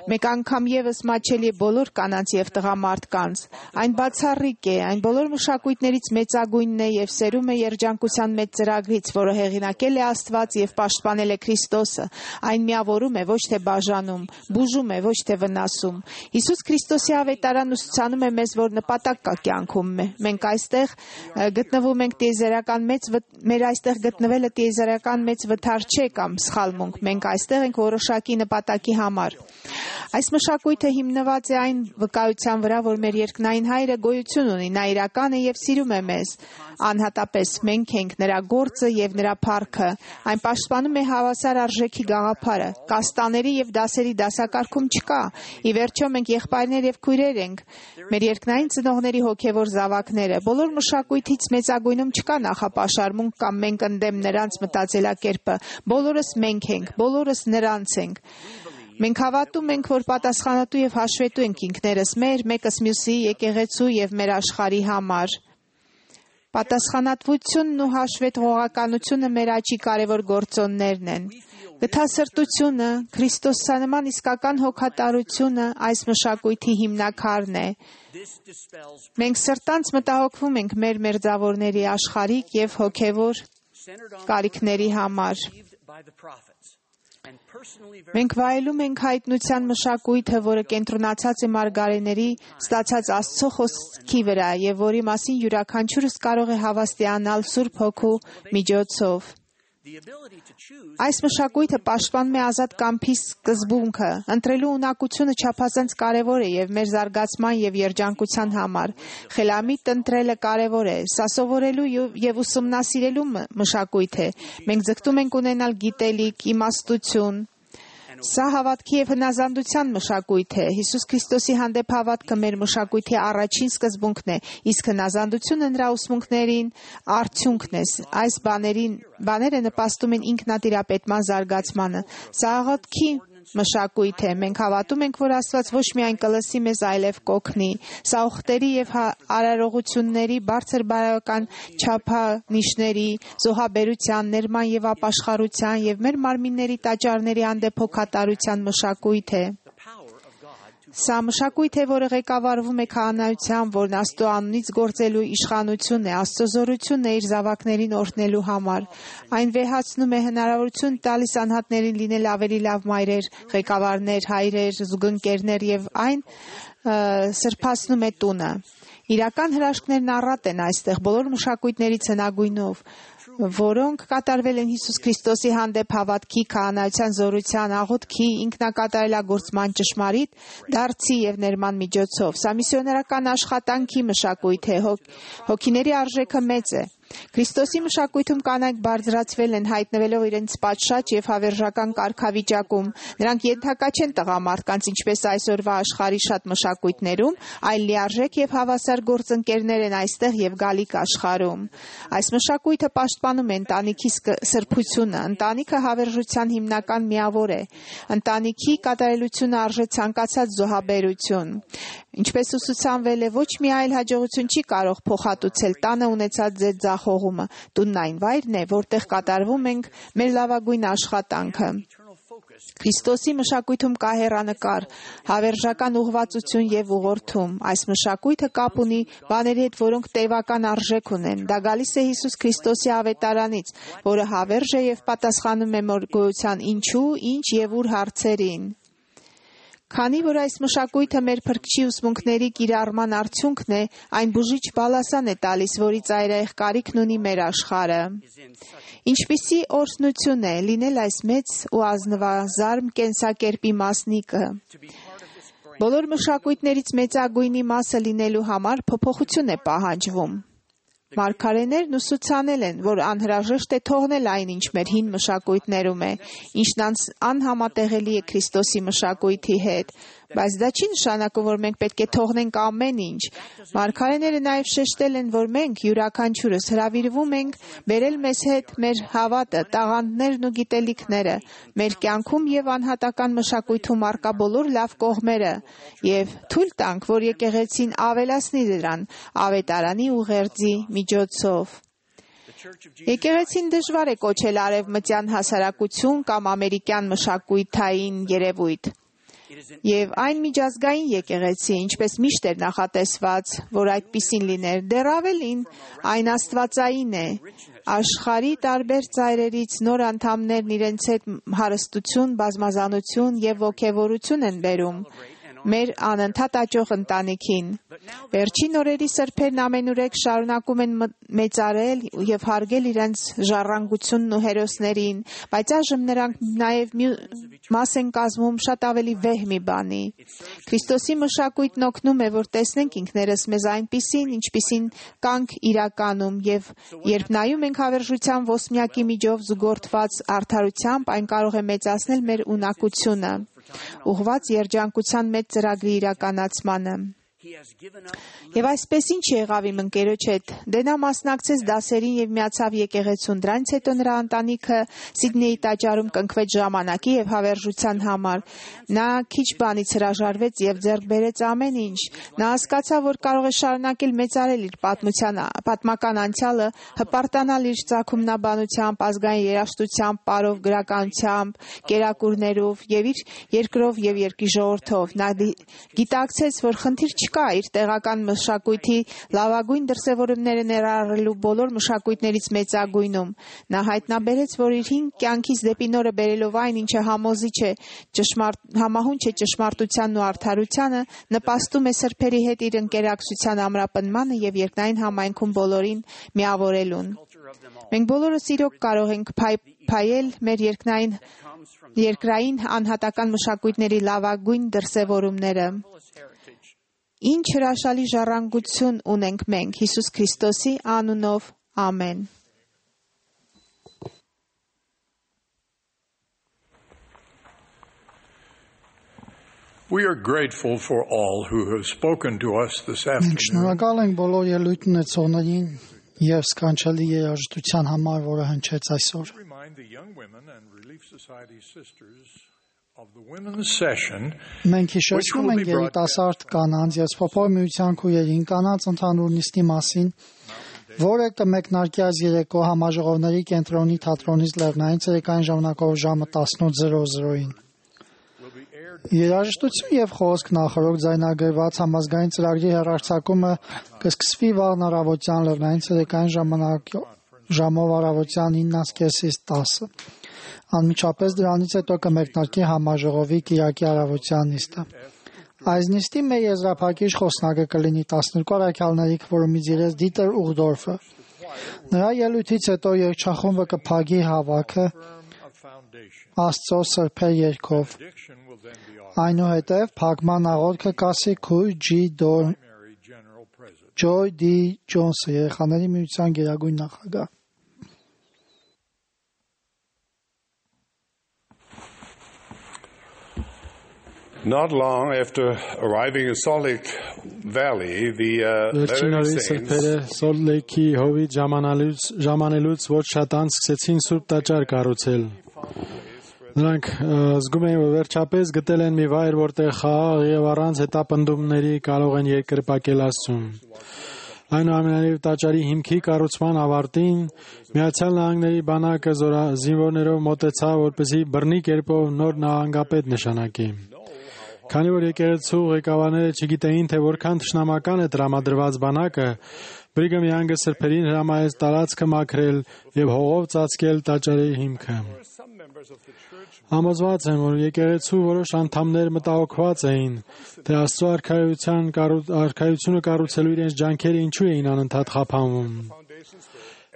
մեկ անգամ եւս մաչելի է բոլոր կանանց եւ տղամարդկանց։ Այն բացառիկ է, այն բոլոր մշակույթներից մեծագույնն է եւ սերում է երջանկության մեծ ծրագրից, որը հեղինակել է Աստված եւ պաշտպանել է Քրիստոսը։ Այն միավորում է, ոչ թե բաժանում, բուժում է, ոչ թե վնասում։ Հիսուս Քրիստոսի ավետարանն ուսուցանում է մեզ, որ նպատակ կա կյանքում։ Մենք այստեղ գտնվում ենք մեր այստեղ գտնվելը տիեզերական մեծ վթար չէ կամ սխալմունք։ Մենք այստեղ ենք որոշակի նպատակի համար։ Այս մշակույթը հիմնված է այն վկայության վրա, որ մեր երկնային Հայրը գոյություն ունի, նա իրական է եւ սիրում է մեզ։ Անհատապես մենք ենք նրա գործը եւ նրա փառքը։ Այն պաշտպանում է հավասար արժեքի գաղափարը։ Կաստաների եւ դասերի դասակարգում չկա։ Ի վերջո մենք եղբայրներ եւ քույրեր ենք։ Մեր երկնային ծնողների հոգեվոր զավակները։ Բոլոր մշակույթից մեծագույնում չկա նախապաշարմունք կամ մենք ընդդեմ նրանց մտածելակերպը։ Բոլորս մենք ենք, բոլորս նրանց ենք։ Մենք հավատում ենք, որ պատասխանատու եւ հաշվետու ենք ինքներս մեր, մեկս մյուսի, եկեղեցու եւ մեր աշխարհի համար։ Պատասխանատվությունն ու հաշվետվողականությունը մեր աճի կարևոր գործոններն են։ Գթասրտությունը, Քրիստոսանման իսկական հոգատարությունը այս մշակույթի հիմնաքարն է։ Մենք սրտանց մտահոգվում ենք մեր մերձավորների աշխարհիկ եւ հոգեվոր կարիքների համար։ Մենք վայելում ենք հայտնության մշակույթը, որը կենտրոնացած է մարգարեների ստացած Աստծո խոսքի վրա եւ որի մասին յուրաքանչյուրս կարող է հավաստիանալ Սուրբ Հոգու միջոցով։ Այս մշակույթը պաշտպանում է ազատ կամքի սկզբունքը։ Ընտրելու ունակությունը չափազանց կարևոր է եւ մեր զարգացման եւ երջանկության համար։ Խելամիտ ընտրելը կարևոր է։ Սա սովորելու եւ ուսումնասիրելու մշակույթ է։ Մենք ձգտում ենք ունենալ գիտելիք, իմաստություն։ Սա հավատքի եւ հնազանդության մշակույթ է։ Հիսուս Քրիստոսի հանդեպ հավատքը մեր մշակույթի առաջին սկզբունքն է, իսկ հնազանդությունը նրա ուսմունքներին արդյունքն է։ Այս բաները նպաստում են ինքնատիրապետման զարգացմանը։ Սա աղոթքի մշակույթ է։ Մենք հավատում ենք, որ Աստված ոչ միայն կլսի մեզ, այլև կօգնի։ Սա ուխտերի եւ արարողությունների, բարձր բարոյական չափանիշների, զոհաբերության, ներման եւ ապաշխարության եւ մեր մարմինների տաճարների հանդեպ հոգատարության մշակույթ է։ Սա մշակույթ է, որը ղեկավարվում է քահանայությամբ, որն Աստծո անունից գործելու իշխանությունն է, Աստծո զորությունն է իր զավակներին օրհնելու համար։ Այն վեհացնում է հնարավորություն տալիս անհատներին լինել ավելի լավ մայրեր, ղեկավարներ, հայրեր, զուգընկերներ եւ այն սրբացնում է տունը։ Իրական հրաշքներն առատ են այստեղ բոլոր մշակույթներից հնագույնով, որոնք կատարվել են Հիսուս Քրիստոսի հանդեպ հավատքի, քահանայության զորության, աղոթքի, ինքնակատարելագործման ճշմարիտ դարձի եւ ներման միջոցով։ Սա միսիոներական աշխատանքի մշակույթ է, հոգիների արժեքը մեծ է։ Քրիստոսի մշակույթում կանայք բարձրացվել են, հայտնվելով իրենց պատշաճ եւ հավերժական կարգավիճակում։ Նրանք ենթակա չեն տղամարդկանց, ինչպես այսօրվա աշխարհի շատ մշակույթներում, այլ լիարժեք եւ հավասար գործընկերներ են այստեղ եւ գալիք աշխարհում։ Այս մշակույթը պաշտպանում է ընտանիքի սրբությունը։ Ընտանիքը հավերժության հիմնական միավոր է։ Ընտանիքի կատարելությունը արժե ցանկացած զոհաբերություն։ Ինչպես ուսուցանվել է, ոչ մի այլ հաջողություն չի կարող փոխհատուցել տանը ունեցած ձեր ձախողումը։ Տունն այն վայրն է, որտեղ կատարվում ենք մեր լավագույն աշխատանքը։ Քրիստոսի մշակույթում կա հեռանկար, հավերժական ուղղվածություն եւ ուղղորդում։ Այս մշակույթը կապ ունի բաների հետ, որոնք տևական արժեք ունեն։ Դա գալիս է Հիսուս Քրիստոսի ավետարանից, որը հավերժ է եւ պատասխանում է մեր գոյության ինչու, ինչ եւ ուր հարցերին։ Քանի որ այս մշակույթը մեր փրկչի ուսմունքների կիրառման արդյունքն է, այն բուժիչ բալասան է տալիս, որի ծայրահեղ կարիքն ունի մեր աշխարհը։ Ինչպիսի օրհնություն է լինել այս մեծ ու ազնվազարմ կենսակերպի մասնիկը։ Բոլոր մշակույթներից մեծագույնի մասը լինելու համար փոփոխություն է պահանջվում։ Մարգարեներն ուսուցանել են, որ անհրաժեշտ է թողնել այն, ինչ մեր հին մշակույթներում է, ինչն անհամատեղելի է Քրիստոսի մշակույթի հետ, բայց դա չի նշանակում, որ մենք պետք է թողնենք ամեն ինչ։ Մարգարեները նաև շեշտել են, որ մենք յուրաքանչյուրս հրավիրվում ենք բերել մեզ հետ մեր հավատը, տաղանդներն ու գիտելիքները, մեր կյանքում եւ անհատական մշակույթում առկա բոլոր լավ կողմերը եւ թույլ տանք, որ եկեղեցին ավելացնի դրան ավետարանի ուղերձի միջոցով։ Եկեղեցին դժվար է կոչել արևմտյան հասարակություն կամ ամերիկյան մշակույթային երևույթ։ Եվ այն միջազգային եկեղեցի, ինչպես միշտ էր նախատեսված, որ այդպիսին լիներ, դեռ ավելին, այն աստվածային է։ Աշխարհի տարբեր ծայրերից նոր անդամներն իրենց հետ հարստություն, բազմազանություն եւ ոգևորություն են բերում մեր անընդհատ աճող ընտանիքին։ Վերջին օրերի սրբերն ամենուրեք շարունակում են մեծարել եւ հարգել իրենց ժառանգությունն ու հերոսներին, բայց այժմ նրանք նաեւ մաս են կազմում շատ ավելի վեհ մի բանի։ Քրիստոսի մշակույթն օգնում է, որ տեսնենք ինքներս մեզ այնպիսին, ինչպիսին կանք իրականում, եւ երբ նայում ենք հավերժության ոսմյակի միջով զուգորդված արդարությամբ, այն կարող է մեծացնել մեր ունակությունը, ուղղված երջանկության մեծ ծրագրի իրականացմանը։ Եվ այսպես ինչ եղավ իմ ընկերոջ հետ։ Դե նա մասնակցեց դասերին եւ միացավ եկեղեցուն։ Դրանից հետո նրա ընտանիքը Սիդնեյի տաճարում կնքվեց ժամանակի եւ հավերժության համար։ Նա քիչ բանից հրաժարվեց եւ ձեռք բերեց ամեն ինչ։ Նա հասկացավ, որ կարող է շարունակել մեծարել իր պատմական անցյալը, հպարտանալ իր ծագումնաբանությամբ, ազգային երաժշտությամբ, պարով, գրականությամբ, կերակուրներով եւ իր երկրով եւ երկրի ժողովրդով։ Նա գիտակցեց, որ խնդիր չկա իր տեղական մշակույթի լավագույն դրսևորումները ներառելու բոլոր մշակույթներից մեծագույնում։ Նա հայտնաբերեց, որ իր հին կյանքից դեպի նորը բերելով այն, ինչը համահունչ է ճշմարտությանն ու արդարությանը, նպաստում է սրբերի հետ իր ընկերակցության ամրապնմանը եւ երկնային համայնքում բոլորին միավորելուն։ Մենք բոլորս իրոք կարող ենք փայել մեր երկրային անհատական մշակույթների լավագույն դրսևորումները։ Ինչ հրաշալի ժառանգություն ունենք մենք Հիսուս Քրիստոսի անունով, ամեն։ We are grateful for all who have spoken to us this Մենք afternoon. շնորհակալ ենք բոլոր ելույթ ունեցողներին եւ սքանչելի երաժշտության համար, որը հնչեց այսօր։ Remind the young women and Relief Society sisters of the women's session. Մենք հիշեցնում ենք երիտասարդ կանանց եւ Սփոփոր միության քույրերին կանանց ընդհանուր նիստի մասին, որը կմեկնարկի այս երեկո համաժողովների կենտրոնի թատրոնից Լեռնային ցերեկային ժամանակով ժամը 18:00-ին։ Երաժշտություն եւ խոսք նախորդ ձայնագրված համազգային ծրագրի հեռարձակումը կսկսվի վաղ առավոտյան Լեռնային ցերեկային ժամով առավոտյան 9:30-ից 10:00։ Անմիջապես դրանից հետո կմեկնարկի համաժողովի կիրակի առավոտյան նիստը։ Այս նիստի մեր եզրափակիչ խոսնակը կլինի 12 առաքյալների քվորումից իրենց Դիտեր Ուղդորֆը։ Նրա ելույթից հետո երգչախումբը կփակի հավաքը Աստծո սրբեր երգով։ Այնուհետև փակման աղոթքը կասի քույր Ջոյ Դի Ջոնսը, երեխաների միության գերագույն նախագահ։ Not long after arriving in Salt Lake Valley, the Salt Lake-ի հովիտ ժամանելուց ոչ շատ անց սկսեցին սուրբ տաճար կառուցել։ Նրանք զգում էին, որ վերջապես գտել են մի վայր, որտեղ խաղաղ եւ առանց հետապնդումների կարող են երկրպագել Աստծուն։ Այնուամենայնիվ տաճարի հիմքի կառուցման ավարտին Միացյալ Նահանգների բանակը զինվորներով մոտեցավ, որպեսզի բռնի կերպով նոր նահանգապետ նշանակի։ Քանի որ եկեղեցու ղեկավարները չգիտեին, թե որքան թշնամական է տրամադրված բանակը, Բրիգհամ Յանգը սրբերին հրամայեց տարածքը մաքրել եւ հողով ծածկել տաճարի հիմքը։ Համոզված եմ, որ եկեղեցու որոշ անդամներ մտահոգված էին, թե Աստծո արքայությունը կառուցելու իրենց ջանքերը ինչու էին անընդհատ խափանվում։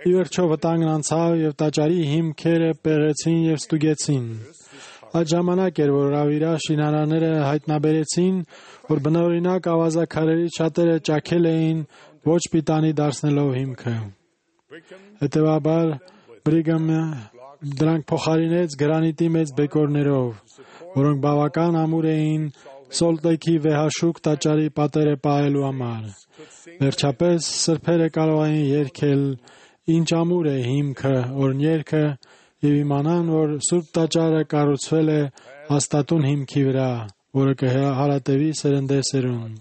Ի վերջո վտանգն անցավ եւ տաճարի հիմքերը պեղեցին եւ ստուգեցին։ Այդ ժամանակ էր, որ Ռավիրա շինարարները հայտնաբերեցին, որ բնօրինակ ավազաքարերից շատերը ճաքել էին ոչ պիտանի դարձնելով հիմքը։ Հետևաբար Բրիգհամը դրանք փոխարինեց գրանիտի մեծ բեկորներով, որոնք բավական ամուր էին Սոլտ Լեյքի վեհաշուկ տաճարի պատերը պահելու համար։ Վերջապես սրբերը կարող էին երգել «Ինչ ամուր է հիմքը» օրհներգը եւ իմանան, որ Սուրբ տաճարը կառուցվել է հաստատուն հիմքի վրա, որը կհարատևի սերնդեսերուն։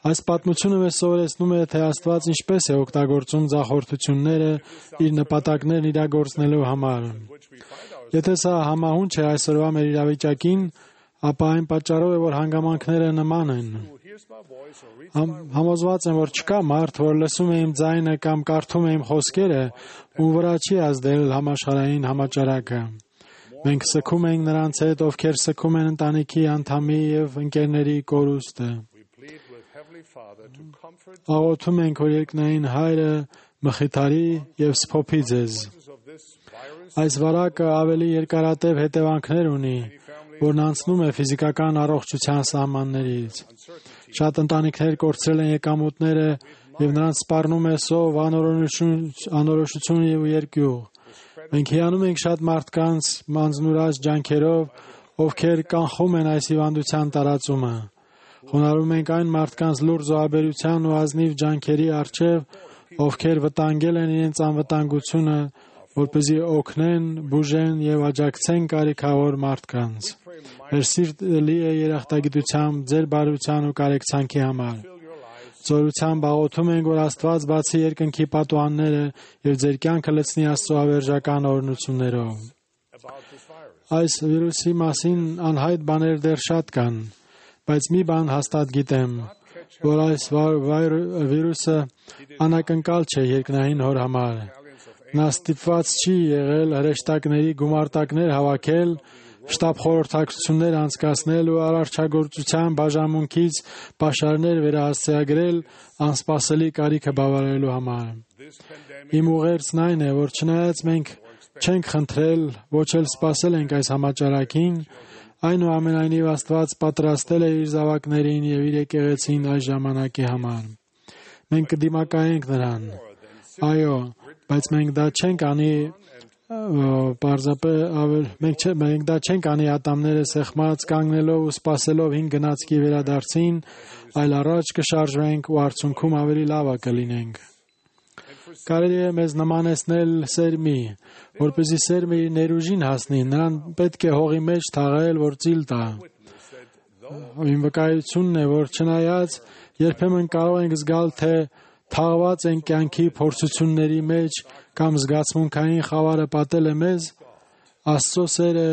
Այս պատմությունը մեզ սովորեցնում է, թե Աստված ինչպես է օգտագործում ձախորդությունները իր նպատակներն իրագործնելու համար։ Եթե սա համահունչ է այսօրվա մեր իրավիճակին, ապա այն պատճառով է, որ հանգամանքները նման են։ Համոզված եմ, որ չկա մարդ, որ լսում է իմ ձայնը կամ կարդում է իմ խոսքերը, ում վրա չի ազդել համաշխարհային համաճարակը։ Մենք սգում ենք նրանց հետ, ովքեր սգում են ընտանիքի անդամի եւ ընկերների կորուստը։ Աղոթում ենք, որ երկնային Հայրը մխիթարի եւ սփոփի ձեզ։ Այս վարակը ավելի երկարատև հետևանքներ ունի, որն անցնում է ֆիզիկական առողջության սահմաններից։ Շատ ընտանիքներ կորցրել են եկամուտները եւ նրանց սպառնում է սով, անորոշություն եւ երկյուղ։ Մենք հիանում ենք շատ մարդկանց մանձնուրաց ջանքերով, ովքեր կանխում են այս հիվանդության տարածումը։ Խոնարհում ենք այն մարդկանց լուրջ զոհաբերության ու ազնիվ ջանքերի առջև, ովքեր վտանգել են իրենց անվտանգությունը, որպեսզի օգնեն, բուժեն եւ աջակցեն կարիքավոր մարդկանց։ Մեր սիրտը լի է երախտագիտությամբ, ձեր բարության ու կարեկցանքի համար։ Զորությամբ աղոթում ենք, որ Աստված բացի երկնքի պատուհանները եւ ձեր կյանքը լցնի Աստծո ավերժական օրհնություններով։ Այս վիրուսի մասին անհայտ բաներ դեռ շատ կան, բայց մի բան հաստատ գիտեմ, որ այս վիրուսը անակնկալ չէ երկնային հոր համար։ Նա ստիպված չի եղել հրեշտակների գումարտակներ հավաքել, շտաբ խորհրդակցություններ անցկացնել ու արարչագործության բաժանմունքից պաշարներ վերահասցեագրել անսպասելի կարիքը բավարարելու համար։ Իմ ուղերձն այն է, որ չնայած մենք չենք խնդրել, ոչ էլ սպասել ենք այս համաճարակին, այնուամենայնիվ Աստված պատրաստել է իր զավակներին եւ իր եկեղեցին այս ժամանակի համար։ Մենք կդիմակայենք նրան։ Այո, բայց մենք դա չենք անի մենք դա չենք անի ատամները սեղմած կանգնելով ու սպասելով հին գնացքի վերադարձին, այլ առաջ կշարժվենք ու արդյունքում ավելի լավը կլինենք։ Կարելի է մեզ նմանեցնել սերմի, որպեսզի սերմը իր ներուժին հասնի, նրան պետք է հողի մեջ թաղել, որ ծիլ տա։ Իմ վկայությունն է, որ չնայած երբեմն կարող ենք զգալ, թե թաղված են կյանքի փորձությունների մեջ կամ զգացմունքային խավարը պատել է մեզ, Աստծո սերը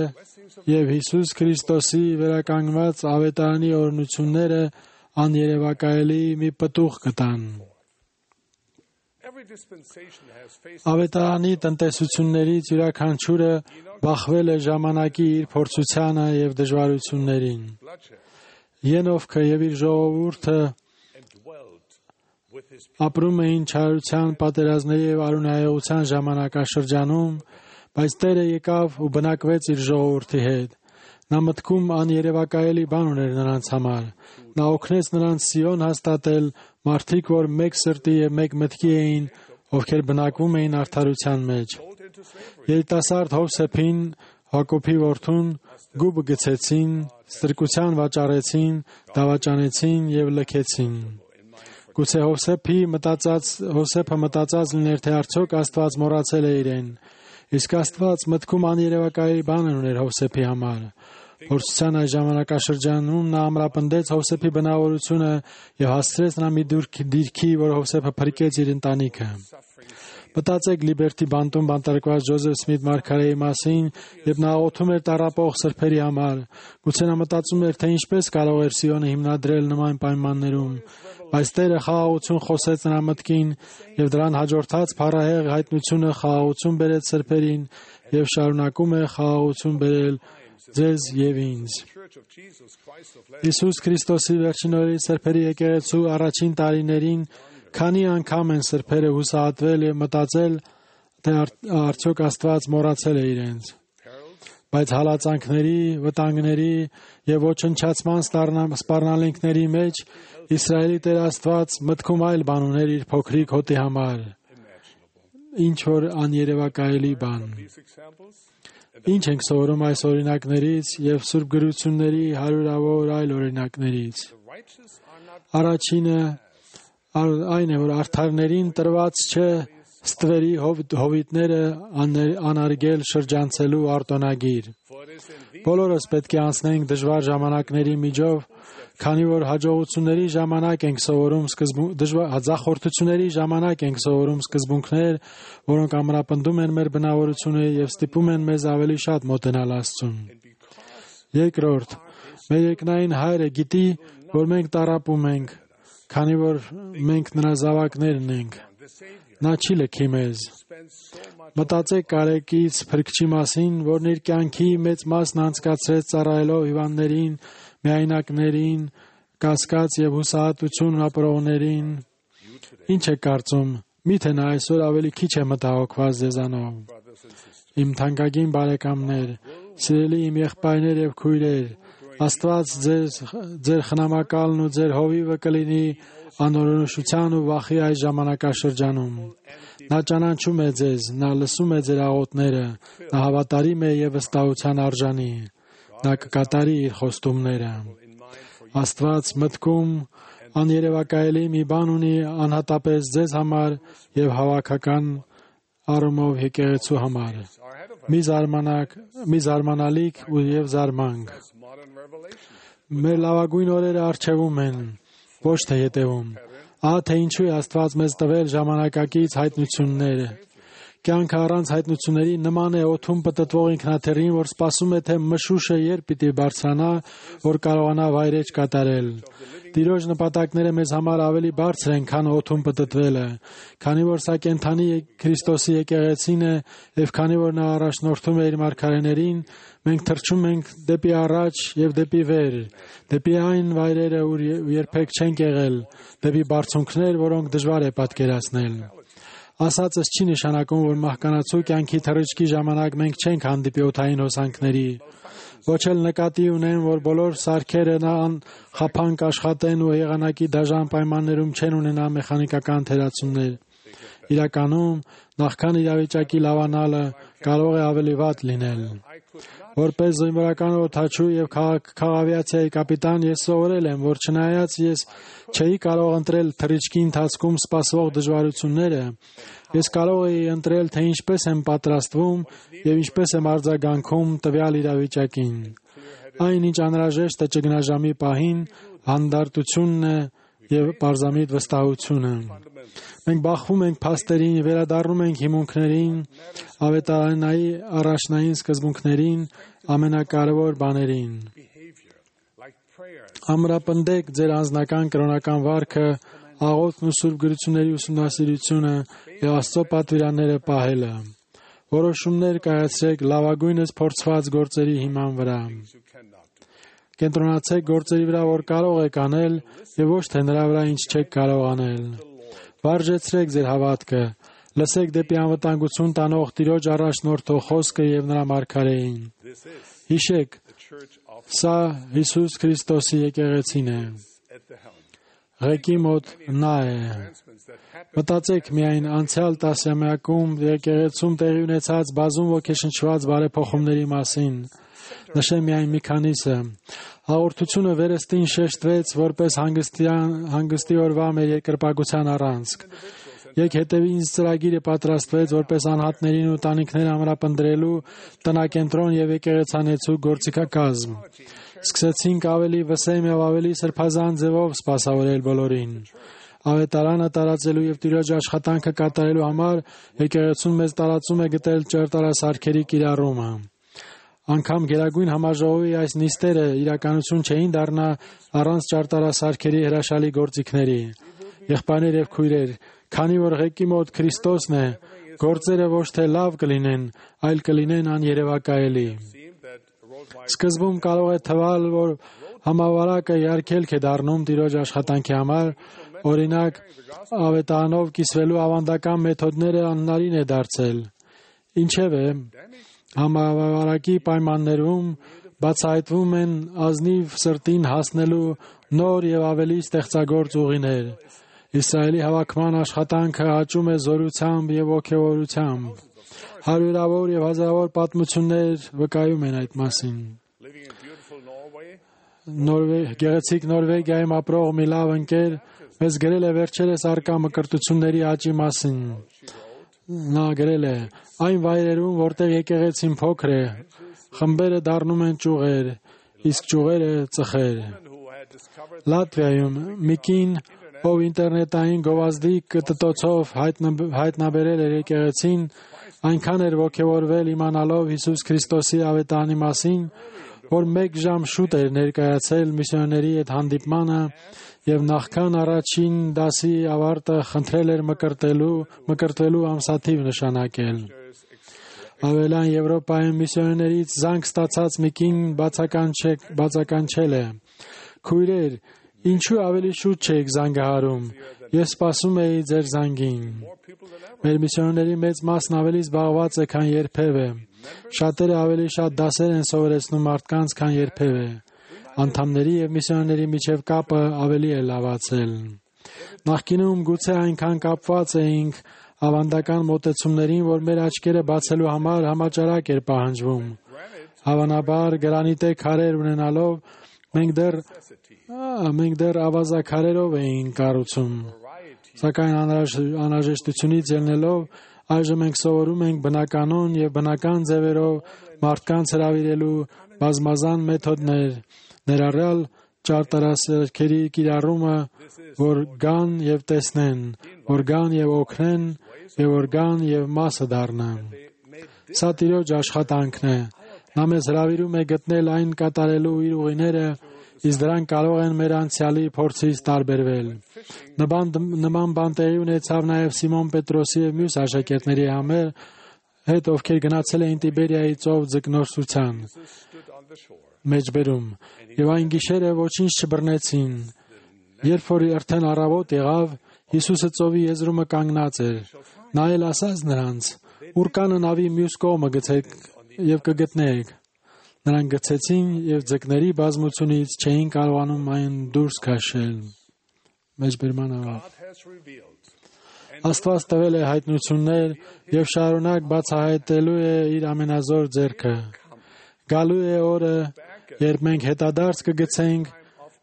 եւ Հիսուս Քրիստոսի վերականգնված ավետարանի օրհնությունները աներևակայելի մի պտուղ կտան։ Ավետարանի տնտեսություններից յուրաքանչյուրը բախվել է ժամանակի իր փորձությանը եւ դժվարություններին։ Ենովքը եւ իր ժողովուրդը ապրում էին չարության, պատերազմների եւ արունայեղության ժամանակաշրջանում, բայց Տերը եկավ ու բնակվեց իր ժողովրդի հետ։ Նա մտքում աներևակայելի բան ուներ նրանց համար։ Նա օգնեց նրանց Սիոն հաստատել, մարդիկ, որ մեկ սրտի եւ մեկ մտքի էին, ովքեր բնակվում էին արդարության մեջ։ Երիտասարդ Հովսեփին, Հակոբի որդուն, գուբը գցեցին, ստրկության վաճառեցին, դավաճանեցին եւ լքեցին։ Գուցե Հովսեփը մտածած լիներ, թե արդյոք Աստված մոռացել է իրեն։ Իսկ Աստված մտքում աներևակայելի բան ուներ Հովսեփի համար։ Փորձության այս ժամանակաշրջանում նա ամրապնդեց Հովսեփի բնավորությունը եւ հասցրեց նա մի դիրքի, որ Հովսեփը փրկեց իր ընտանիքը։ Մտածեք Լիբերտի բանտում բանտարկված Ջոզեֆ Սմիթ մարգարեի մասին, երբ նա աղոթում էր տառապող սրբերի համար։ Գուցե նա մտածում էր, թե ինչպես կարող էր Սիոնը հիմնադրել նման պայմաններում, բայց Տերը խաղաղություն խոսեց նրա մտքին եւ դրան հաջորդած փառահեղ հայտնությունը խաղաղություն բերեց սրբերին եւ շարունակում է խաղաղություն բերել ձեզ եւ ինձ։ Հիսուս Քրիստոսի վերջին օրերի սրբերի եկեղեցու առաջին տարիներին քանի անգամ են սրբերը հուսահատվել եւ մտածել, թե արդյոք Աստված մոռացել է իրենց։ Բայց հալածանքների, վտանգների եւ ոչնչացման սպառնալիքների մեջ Իսրայելի Տեր Աստված մտքում այլ բան ուներ իր փոքրիկ հոտի համար։ Ինչ որ աներևակայելի բան։ Ինչ ենք սովորում այս օրինակներից եւ Սուրբ գրությունների հարյուրավոր այլ օրինակներից։ Առաջինը այն է, որ արդարներին տրված չէ ստվերի հովիտները անարգել շրջանցելու արտոնագիր։ Բոլորս պետք է անցնենք դժվար ժամանակների միջով, քանի որ հաջողությունների ժամանակ ենք սովորում ձախորդությունների ժամանակ ենք սովորում սկզբունքներ, որոնք ամրապնդում են մեր բնավորությունը եւ ստիպում են մեզ ավելի շատ մոտենալ Աստծուն։ Երկրորդ, մեր երկնային Հայրը գիտի, որ մենք տառապում ենք, քանի որ մենք նրա զավակներն ենք։ Նա չի լքի մեզ։ Մտածեք Կարեկից Փրկչի մասին, որն իր կյանքի մեծ մասն անցկացրեց ծառայելով հիվանդներին, միայնակներին, կասկած եւ հուսահատություն ապրողներին։ Ինչ է կարծում, միթե նա այսօր ավելի քիչ է մտահոգված ձեզանով։ Իմ թանկագին բարեկամներ, սիրելի իմ եղբայրներ եւ քույրեր, Աստված ձեր խնամակալն ու ձեր հովիվը կլինի անօրենության ու վախի այս ժամանակաշրջանում։ Նա ճանաչում է ձեզ, նա լսում է ձեր աղոթները, նա հավատարիմ է եւ վստահության արժանի։ Նա կկատարի իր խոստումները։ Աստված մտքում աներևակայելի մի բան ունի անհատապես ձեզ համար եւ հավաքական առումով եկեղեցու համար։ Մի զարմանալիք ու եւ զարմանք։ Մեր լավագույն օրերը առջևում են, ոչ թե հետևում։ Ահա թե ինչու է Աստված մեզ տվել ժամանակակից հայտնությունները։ Կյանքը առանց հայտնությունների նման է օդում պտտվող ինքնաթիռին, որ սպասում է, թե մշուշը երբ պիտի բարձրանա, որ կարողանա վայրեջ կատարել։ Տիրոջ նպատակները մեզ համար ավելի բարձր են, քան օդում պտտվելը, քանի որ սա կենդանի Քրիստոսի եկեղեցին է, եւ քանի որ նա առաջնորդում է իր մարգարեներին, մենք թռչում ենք դեպի առաջ եւ դեպի վեր, դեպի այն վայրերը, ուր երբեք չենք եղել, դեպի բարձունքներ, որոնք դժվար է պատկերացնել։ Ասածս չի նշանակում, որ մահկանացու կյանքի թռիչքի ժամանակ մենք չենք հանդիպի օդային հոսանքների, ոչ էլ նկատի ունեն, որ բոլոր սարքերը խափանք աշխատեն ու եղանակի դաժան պայմաններում չեն ունենա մեխանիկական թերացումներ։ Իրականում, նախքան իրավիճակի լավանալը կարող է ավելի վատ լինել։ Որպես զինվորական օդաչու եւ քաղավիացիայի կապիտան ես սովորել եմ, որ չնայած ես չէի կարող ընտրել թռիչքի ընթացքում սպասվող դժվարությունները, ես կարող էի ընտրել, թե ինչպես եմ պատրաստվում եւ ինչպես եմ արձագանքում տվյալ իրավիճակին։ Այն, ինչ անհրաժեշտ է ճգնաժամի պահին, հանդարտությունն է եւ պարզամիտ վստահությունը։ Մենք բախվում ենք փաստերին, վերադառնում ենք հիմունքներին, ավետարանայի առաջնային սկզբունքներին, ամենակարևոր բաներին։ Ամրապնդեք ձեր անձնական կրոնական վարքը, աղոթքն ու սուրբ գրությունների ուսումնասիրությունը եւ Աստծո պատվիրանները պահելը։ Որոշումներ կայացրեք լավագույնս փորձված գործերի հիման վրա։ Կենտրոնացեք գործերի վրա, որ կարող եք անել, եւ ոչ թե նրա վրա, ինչ չեք կարող անել։ Վարժեցրեք ձեր հավատքը, լսեք դեպի անվտանգություն տանող Տիրոջ առաջնորդող խոսքը եւ նրա մարգարեին։ Հիշեք, սա Հիսուս Քրիստոսի եկեղեցին է։ Ղեկի մոտ նա է։ Մտածեք միայն անցյալ տասնամյակում եկեղեցում տեղի ունեցած բազում ոգեշնչված բարեփոխումների մասին։ Նշեմ միայն մի քանիսը։ Հաղորդությունը վերստին շեշտվեց որպես հանգստի օրվա մեր երկրպագության առանցք։ Եկ հետևի ինձ ծրագիրը պատրաստվեց որպես անհատներին ու տանիքներ ամրապնդրելու տնակենտրոն եւ եկեղեցանեցու գործիքակազմ։ Սկսեցինք ավելի վսեմ եւ ավելի սրբազան ձևով սպասավորել բոլորին։ Ավետարանը տարածելու եւ Տիրոջ աշխատանքը կատարելու համար եկեղեցուն մեզ տարածում է գտել ճարտարասարքերի կիրառումը։ Անկամ Գերագույն համաժողովի այս նիստերը իրականություն չէին դառնա առանց ճարտարասարքերի հրաշալի գործիքների։ Եղբայրներ եւ քույրեր, քանի որ ղեկի մոտ Քրիստոսն է, գործերը ոչ թե լավ կլինեն, այլ կլինեն աներևակայելի։ Սկզբում կարող է թվալ, որ համավարակը երգելք է դառնում Տիրոջ աշխատանքի համար, օրինակ, ավետարանով կիսվելու ավանդական մեթոդները անհնարին է դարձել։ Ինչևէ, համավարակի պայմաններում բացահայտվում են ազնիվ սրտին հասնելու նոր եւ ավելի ստեղծագործ ուղիներ։ Իսրայելի հավաքման աշխատանքը աճում է զորությամբ եւ ոգևորությամբ։ Հարյուրավոր եւ հազարավոր պատմություններ վկայում են այդ մասին։ Գեղեցիկ Նորվեգիայում ապրող մի լավ ընկեր մեզ գրել է վերջերս արկա մկրտությունների աճի մասին։ Նա գրել է. այն վայրերում, որտեղ եկեղեցին փոքր է, խմբերը դառնում են ճյուղեր, իսկ ճյուղերը ծխեր։ Լատվիայում մի կին, ով ինտերնետային գովազդի կտտոցով հայտնաբերել էր եկեղեցին, այնքան էր ոգևորվել իմանալով Հիսուս Քրիստոսի ավետարանի մասին, որ 1 ժամ շուտ էր ներկայացել միսիոներների հետ հանդիպմանը եւ նախքան առաջին դասի ավարտը խնդրել էր մկրտվելու ամսաթիվ նշանակել։ Ավելան Եվրոպայում միսիոներներից զանգ ստացած մի կին բացականչել է. Քույրեր, ինչու ավելի շուտ չեք զանգահարում, ես սպասում էի ձեր զանգին։ Մեր միսիոներների մեծ մասն ավելի զբաղված է, քան երբևէ։ Շատերը ավելի շատ դասեր են սովորեցնում մարդկանց, քան երբևէ։ Անդամների եւ միսիոներների միջև կապը ավելի է լավացել։ Նախկինում գուցե այնքան կապված էինք ավանդական մոտեցումներին, որ մեր աչքերը բացելու համար համաճարակ էր պահանջվում։ Հավանաբար գրանիտե քարեր ունենալով մենք դեռ ավազաքարերով էինք կառուցում։ Սակայն անհրաժեշտությունից ելնելով այժմ մենք սովորում ենք բնականon եւ բնական ձևերով մարդկանց հրավիրելու բազմազան մեթոդներ, ներառյալ ճարտարասերքերի կիրառումը, որ գան եւ տեսնեն, որ գան եւ օգնեն, եւ որ գան եւ մասը դառնան։ Սա Տիրոջ աշխատանքն է։ Նա մեզ հրավիրում է գտնել այն կատարելու իր ուղիները, իսկ դրանք կարող են մեր անցյալի փորձից տարբերվել։ Նման բան տեղի ունեցավ նաև Սիմոն Պետրոսի եւ մյուս աշակերտների հետ, ովքեր գնացել էին Տիբերիայի ծով ձկնորսության մեջբերում, եւ այն գիշերը ոչինչ չբռնեցին։ Երբ որ արդեն առավոտ եղավ, Հիսուսը ծովի եզրումը կանգնած էր։ Նա էլ ասաց նրանց. «Ուր կանը նավի մյուս կողմը գցեք եւ կգտնեք»։ Նրանք գցեցին եւ ձկների բազմությունից չէին կարողանում այն դուրս քաշել։ Մեջբերման Աստված տվել է հայտնություններ եւ շարունակ բացահայտելու է իր ամենազոր ձեռքը։ Գալու է օրը, երբ մենք հետադարձ կգցենք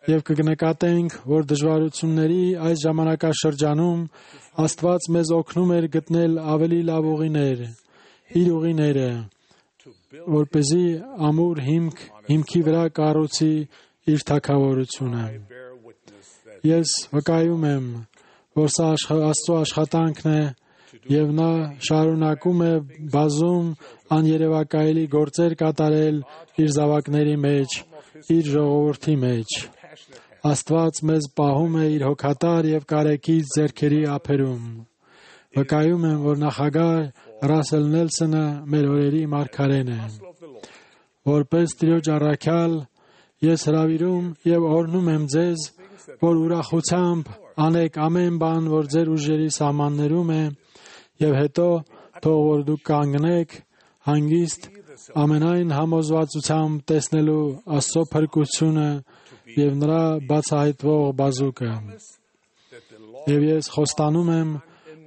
եւ կնկատենք, որ դժվարությունների այս ժամանակաշրջանում Աստված մեզ օգնում էր գտնել ավելի լավ ուղիներ, իր ուղիները, որպեսզի ամուր հիմքի վրա կառուցի իր թագավորությունը։ Ես վկայում եմ, որ սա Աստծո աշխատանքն է եւ նա շարունակում է բազում աներևակայելի գործեր կատարել իր զավակների մեջ, իր ժողովրդի մեջ։ Աստված մեզ պահում է իր հոգատար եւ կարեկից ձեռքերի ափերում։ Վկայում եմ, որ նախագահ Ռասել Նելսոնը մեր օրերի մարգարեն է։ Որպես Տիրոջ առաքյալ ես հրավիրում եւ օրհնում եմ ձեզ, որ ուրախությամբ անեք ամեն բան, որ ձեր ուժերի սահմաններում է, եւ հետո թող որ դուք կանգնեք հանգիստ ամենայն համոզվածությամբ տեսնելու Աստծո փրկությունը եւ նրա բացահայտվող բազուկը։ Եվ ես խոստանում եմ,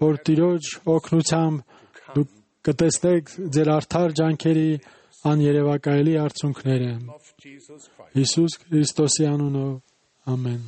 որ Տիրոջ օգնությամբ դուք կտեսնեք ձեր արդար ջանքերի աներևակայելի արդյունքները։ Հիսուս Քրիստոսի անունով, ամեն։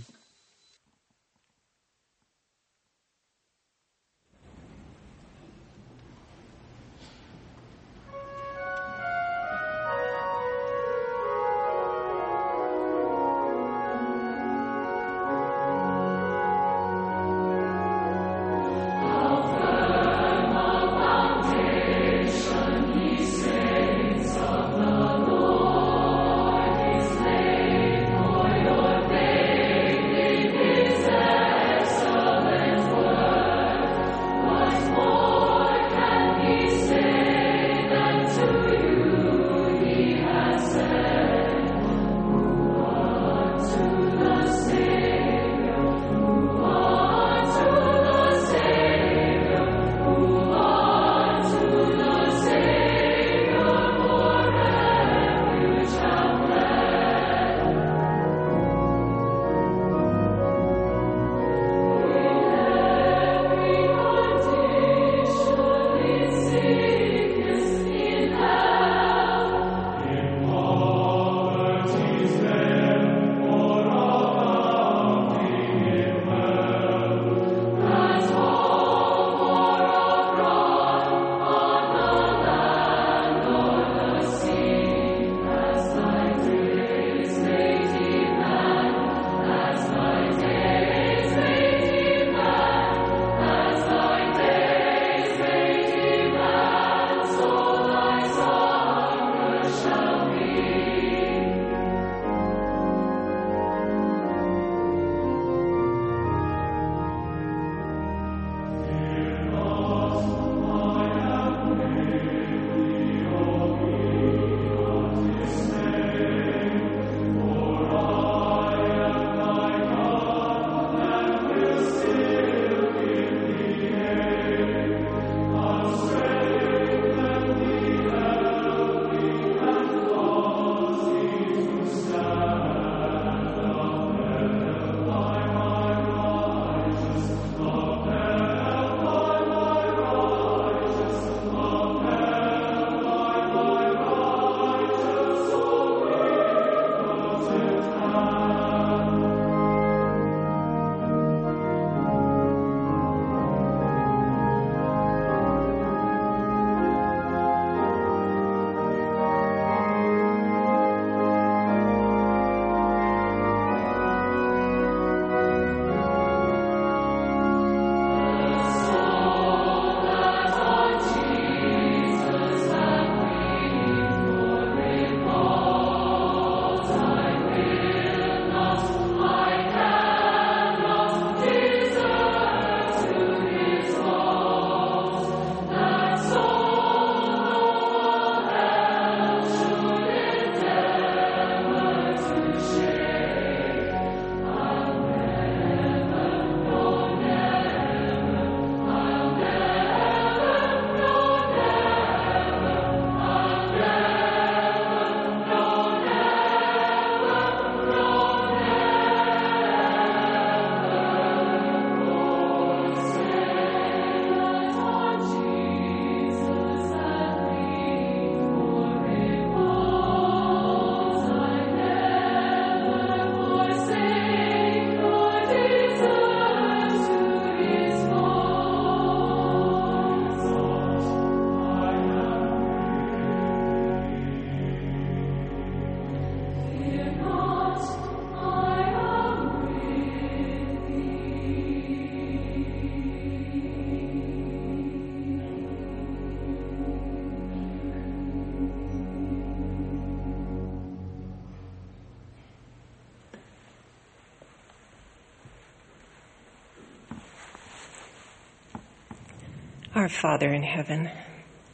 Our Father in heaven,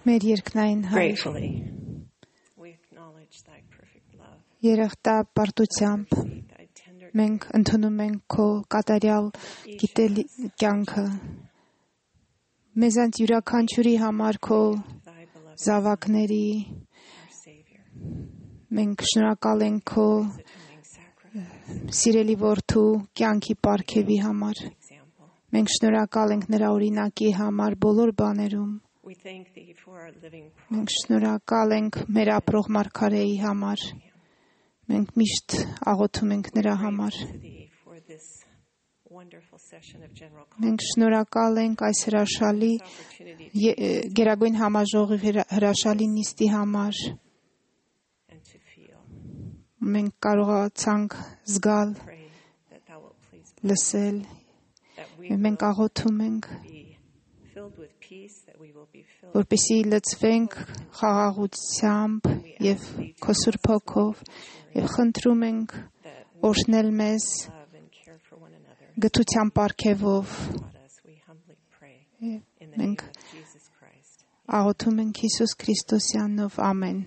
Մեր երկնային Հայր, gratefully we acknowledge thy perfect love. Երախտապարտությամբ մենք ընդունում ենք քո կատարյալ գիտելի կյանքը։ Մեզանց յուրաքանչյուրի համար քո զավակների մենք շնորհակալ ենք քո սիրելի որդու կյանքի պարգևի համար։ Մենք շնորհակալ ենք նրա օրինակի համար բոլոր բաներում։ Մենք շնորհակալ ենք մեր ապրող մարգարեի համար։ Մենք միշտ աղոթում ենք նրա համար։ Մենք շնորհակալ ենք այս հրաշալի Գերագույն համաժողովի հրաշալի նիստի համար։ Մենք կարողացանք զգալ, լսել, մենք աղոթում ենք, որպեսզի լցվենք խաղաղությամբ եւ քո Սուրբ Հոգով եւ խնդրում ենք օրհնել մեզ գթության պարգևով։ Մենք աղոթում ենք Հիսուս Քրիստոսի անունով, ամեն։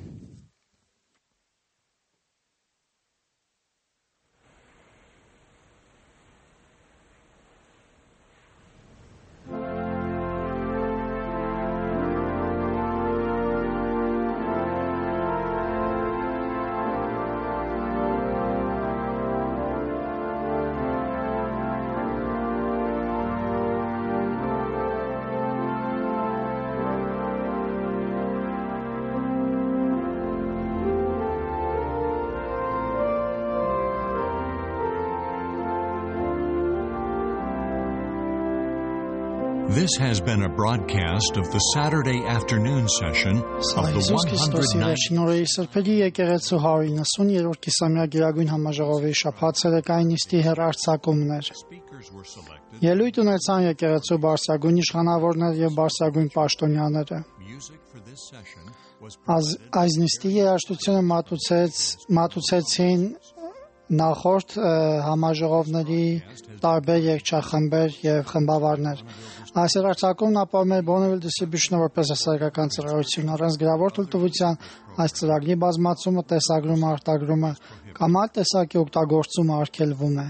This has been a broadcast of the Saturday afternoon session of the 109th Սրբերի եկեղեցու 190-րդ կիսամյա Գերագույն համաժողովի շաբաթ ցերեկային նիստի հեռարձակումներ։ Ելույթ ունեցան եկեղեցու բարձրագույն իշխանավորներ եւ բարձրագույն պաշտոնյաները։ Այս նիստի երաժշտությունը մատուցեցին նախորդ համաժողովների տարբեր երգչախմբեր եւ խմբավարներ։ Այս հեռարձակումն ապահովում է Bonneville Distribution-ը որպես հասարակական ծառայություն, առանց գրավոր թույլտվության այս ծրագրի բազմացումը, տեսագրումը, արտագրումը կամ այլ տեսակի օգտագործումը արգելվում է։